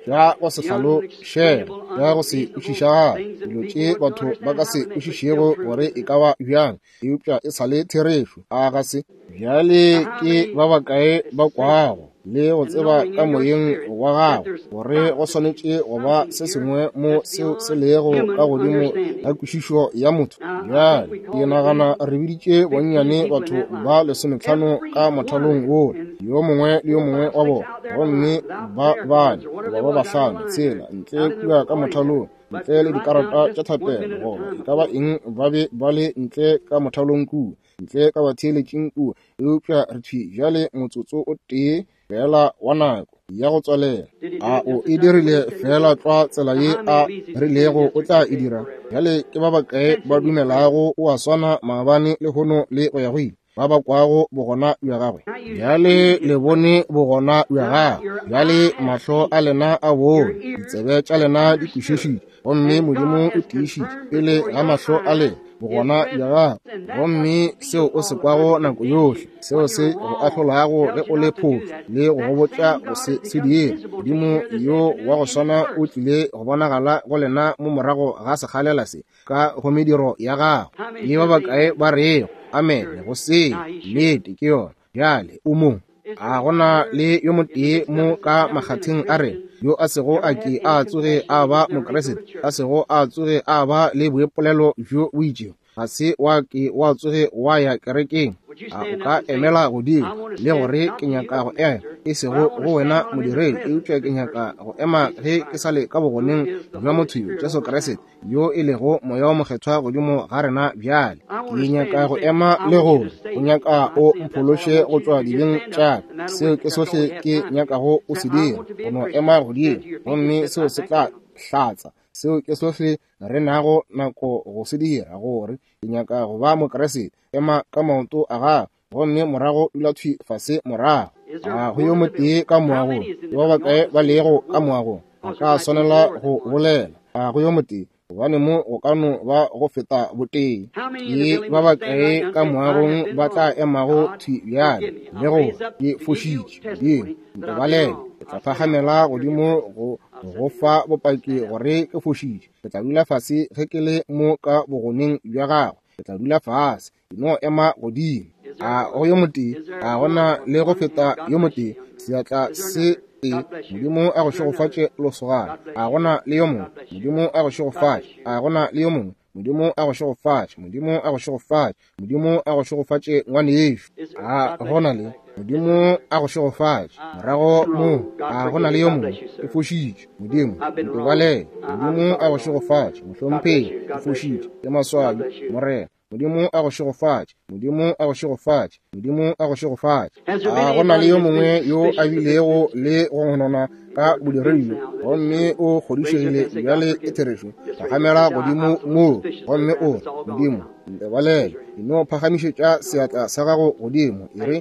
tša go se hlalošege, tša go se kwešišagale, dilo tše batho ba ka se kwešišego gore e ka ba bjang, eupša e sa le therešo. A ga se? Bjale ke ba bakae ba kwago le go tseba ka moyeng wa gago gore go swanetše go ba se sengwe mo seo se lego ka godimo ga kwešišo ya motho? Bjale ke nagana re biditše bonnyane batho ba lesometlhano ka mothalong wola, yo mongwe le yo mongwe wa bona, gomme ba bane goba ba bahlano tshela ntle kua ka mothalong, ntle le dikarata tša thapelo goba e ka ba eng, ba be ba le ntle ka mothalong kua, ntle ka batheeletšing kua. Eupša re thwi bjale motsotso o tee fela wa nako ya go tswalela. A o e dirile fela tlwa tsela ye a rilego o tla e dira? Bjale ke ba bakae ba dumelago o a swana maabane, lehono le go ya go ile, ba ba kwago bogona bja gagwe? Bjale le bone bogona bja gagwe. Bjale mahlo a lena a bone, ditsebe tša lena di kwešišitše, gomme Modimo o tiišitše pele ga mahlo a lena bogona bja gago. Gomme seo o se kwago nako yohle, seo se go ahlolago ge o le phošo le go go botša go se se dire, Modimo yo wa go swana o tlile go bonagala go lena mo morago ga sekgalela se ka go mediro ya gago. Ke ba bakae ba rego amene go seo? Nnete ke yona. Bjale o mo. A gona le yo motee mo ka makgatheng a rena yo a sego a ke a tsoge a ba Mokriste, a sego a tsoge a ba le boipolelo bjo bo itšego, ga se wa ke wa tsoge wa ya kerekeng? A o ka emela godimo le gore ke nyaka go ema, e sego go wena modiredi, eupša ke nyaka go ema ge ke sa le ka bogoneng bja motho yo, Jesu Kriste, yo e lego Moya wo Mokgethwa godimo ga rena bjale. Ke nyaka go ema le gore o nyaka o mphološe go tšwa dibeng tša ka. Seo ke sohle ke nyakago o se dira, go no ema godimo, gomme seo se tla hlatsa. Seo ke sohle re nago nako go se dira, gore ke nyaka go ba Mokriste. Ema ka maoto a gago, gomme morago dula thwi fase morago. A go yo motee ka moagong? Ke ba bakae ba lego ka moagong? A ka swanela go bolela. A go yo motee? Gobane mo go ka no ba go feta botee. Ke ba bakae ka moagong ba tla emago thwi bjale le go ke fošitše? Modimo, ntebalele. Ke tla phagamela godimo go go fa bopaki gore ke fošitše. Ke tla dula fase ge ke le mo ka bogoneng bja gago. Ke tla dula fase, ke no ema godimo. A go yo motee? A gona le go feta yo motee? Seatla se tee. Modimo a go šegofatše losogana. A gona le yo mongwe? Modimo a go šegofatše. A gona le yo mongwe? Modimo a go šegofatše. Modimo a go šegofatše. Modimo a go šegofatše ngwanešu. A gona le? Modimo a go šegofatše. Morago mo, a gona le yo mongwe? Ke fošitše. Modimo, ntebalele. Modimo a go šegofatše. Mohlomphegi, ke fošitše. Ke maswabi, Morena. Modimo a go šegofatše. Modimo a go šegofatše. Modimo a go šegofatše. A gona le yo mongwe yo a bilego le go gonona ka bodiredi, gomme o kgodišegile bjale ke therešo? Phagamela godimo mo, gomme o re, Modimo, ntebalele. E no phagamišetša seatla sa gago godimo, e re,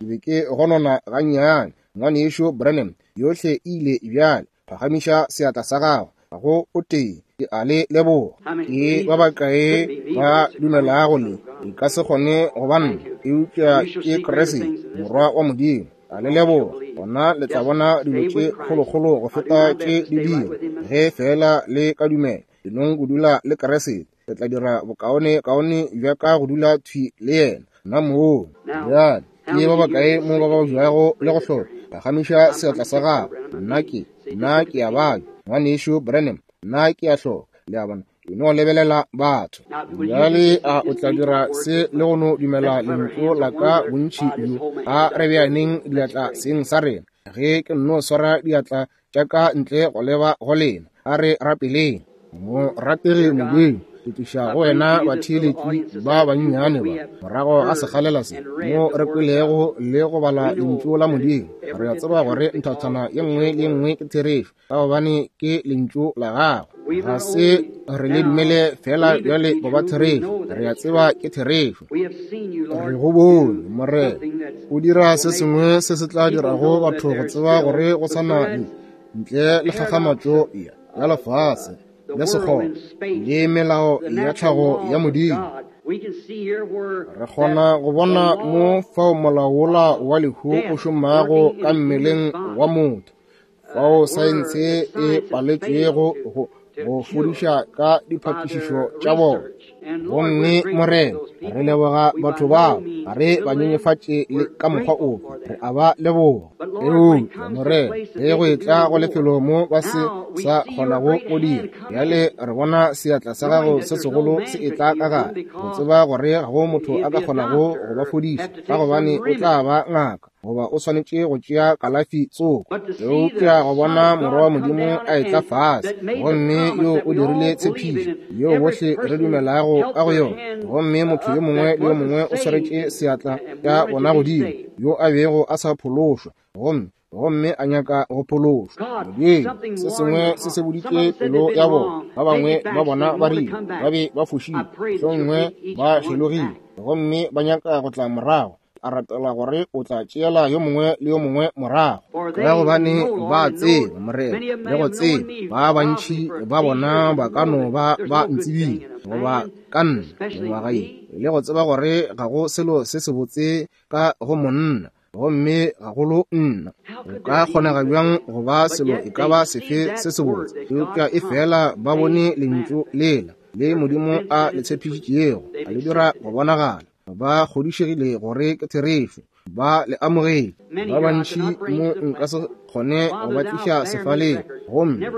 ke be ke gonona gannyane. Ngwanešu Branham, yohle e ile bjale. Phagamiša seatla sa gago. Ga go o tee. Ke a le leboga. Ke ba bakae ba dumelago le e ka se kgone go ba nna, eupša ke Kriste, Morwa wa Modimo. A le leboga. Gona le tla bona dilo tše kgolokgolo go feta tše di dira, ge fela le ka dumela. E nong go dula le Kriste. Le tla dira bokaone kaone bja ka go dula thwi le yena. Nna moo. Bjale ke ba bakae mo ba ba bjago le go hloka? Phagamiša seatla sa gago. Nna ke, nna ke a babja. Ngwanešu Branham, nna ke a hloka. Le a bona? E no lebelela batho. Bjale a o tla dira se le go no dumela lentšu la ka bontši bjo? A re beaneng diatla seng sa rena. Ge ke nno swara diatla tša ka ntle go leba go lena, a re rapeleng. Morategi Modimo, ke tliša go wena batheeletši ba bannyane ba morago ga sekgalela se mo re kwelego le go bala lentšu la Modimo. Re a tseba gore nthathana ye nngwe le ye nngwe ke therešo, ka gobane ke lentšu la gago. Ga se re le dumele fela bjale go ba therešo, re a tseba ke therešo. Re go bone, Morena, o dira se sengwe se se tla dirago batho go tseba gore go sa na le ntle le kgakgamatšo ya lefase le sekgoba le melao ya tlhago ya Modimo. Re kgona go bona mo fao molao wola wa lehu o šomago ka mmeleng wa motho, fao saense e paletšwego go go fodiša ka diphatišišo tša bona. Gomme Morena, re leboga batho bao, ga re ba nyenyefatše le ka mokgwa ofe, re a ba leboga. Eupša Morena, ge go etla go lefelo mo ba se sa kgonago go dira, bjale re bona seatla sa gago se segolo se etla ka gare, go tseba gore ga go motho a ka kgonago go ba fodiša, ka gobane o tla ba ngaka goba o swanetše go tšea kalafi tsoko. Eupša go bona Morwa wa Modimo a etla fase, gomme yo o dirile tshepišo yeo bohle re dumelago ka go yona, gomme motho yo mongwe le yo mongwe o swaretše seatla tša bona godimo, yo a bego a sa phološwa, gomme gomme a nyaka go phološwa. Modimo, se sengwe se se boditše pelo ya bona. Ba bangwe ba bona ba rile ba be ba fošile, hlongwe ba šelogile, gomme ba nyaka go tla morago. A rapela gore o tla tšeela yo mongwe le yo mongwe morago, ka gobane ba tseba, Morena, le go tseba ba bantši ba bona ba ka no ba ba ntsebile goba ka nna mengwaga ye, le go tseba gore ga go selo se sebotse ka go monna, gomme gagolo nna. Go ka kgonega bjang go ba selo e ka ba sefe se sebotse? Eupša e fela ba bone lentšu lela le Modimo a le tshepišitšego, a le dira go bonagala. Ba kgodišegile gore ke therešo, ba le amogetše. Ba bantši mo nka se kgone go ba tliša sefaleng, gomme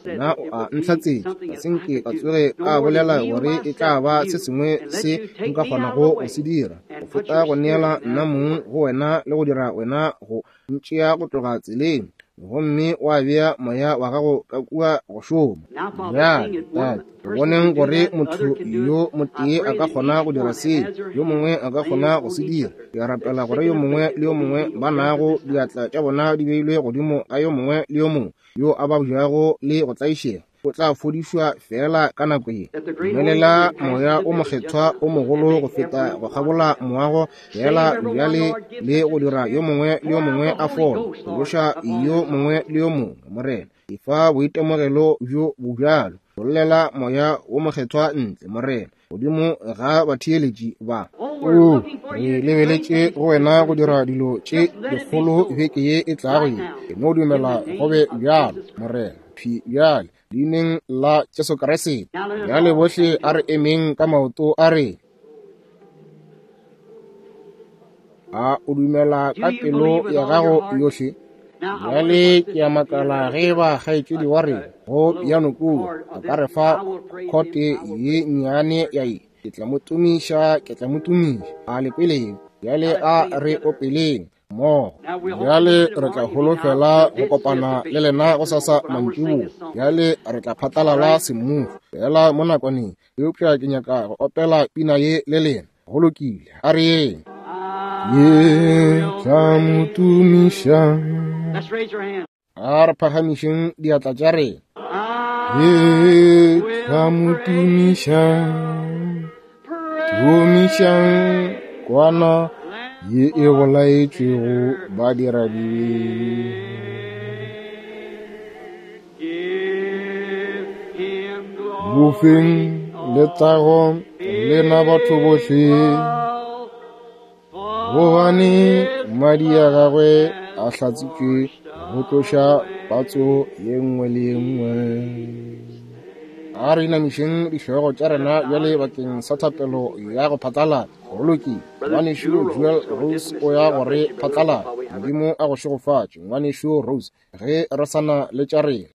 nna o a ntlhatsetša, ga se nke ka tsoge ka bolela gore e tla ba se sengwe se nka kgonago go se dira go feta go neela nna mong go wena le go dira wena go ntšea go tloga tseleng, gomme wa bea moya wa gago ka kua go šoma. Bjale, Tate, re boneng gore motho yo motee a ka kgona go dira seo, yo mongwe a ka kgona go se dira. Ke a rapela gore yo mongwe le yo mongwe ba nago diatla tša bona di beilwe godimo ga yo mongwe le yo mongwe yo a babjago le go tlaišega, o tla fodišwa fela ka nako ye. Dumelela moya o mokgethwa o mogolo go feta go kgabola moago fela bjale le go dira yo mongwe le yo mongwe a fole, phološa yo mongwe le yo mongwe. Morena, efa boitemogelo bjo bo bjalo. Bollela moya o mokgethwa ntle, Morena, godimo ga batheeletši ba. O re lebeletše go wena go dira dilo tše dikgolo beke ye e tlago ye. Ke no dumela go be bjalo, Morena, phi bjale, leineng la Jesu Kriste. Bjale bohle a re emeng ka maoto a re. A o dumela ka pelo ya gago yohle? Bjale ke a makala ge ba kgaetšedi wa rena go piano kua a ka re fa khote ye nnyane ya ye. Ke tla mo tumiša, ke tla mo tumiša. A le kweleng? Bjale a re opeleng mmogo. Bjale re tla holofela go kopana le lena go sasa mantšiboa. Bjale re tla phatlalala semmušo fela mo nakwaneng, eupša ke nyaka go opela pina ye le lena. Go lokile, a re yeng. Ye tla mo tumiša. A re phagamišeng diatla tša rena. Ye tla mo tumiša, tumišang kwana ye e bolaetšwego badiradibe. Bofeng letago lena batho bohle, gobane madi a gagwe a hlatsitšwe go tloša patso ye nngwe le ye nngwe. A re inamišeng dihlogo tša rena bjale bakeng sa thapelo ya go phatlalatša. Go lokile, ngwanešu Joel Rose o ya gore phatlalatša. Modimo a go šegofatše, ngwanešu Rose, ge re sa na le tša rena.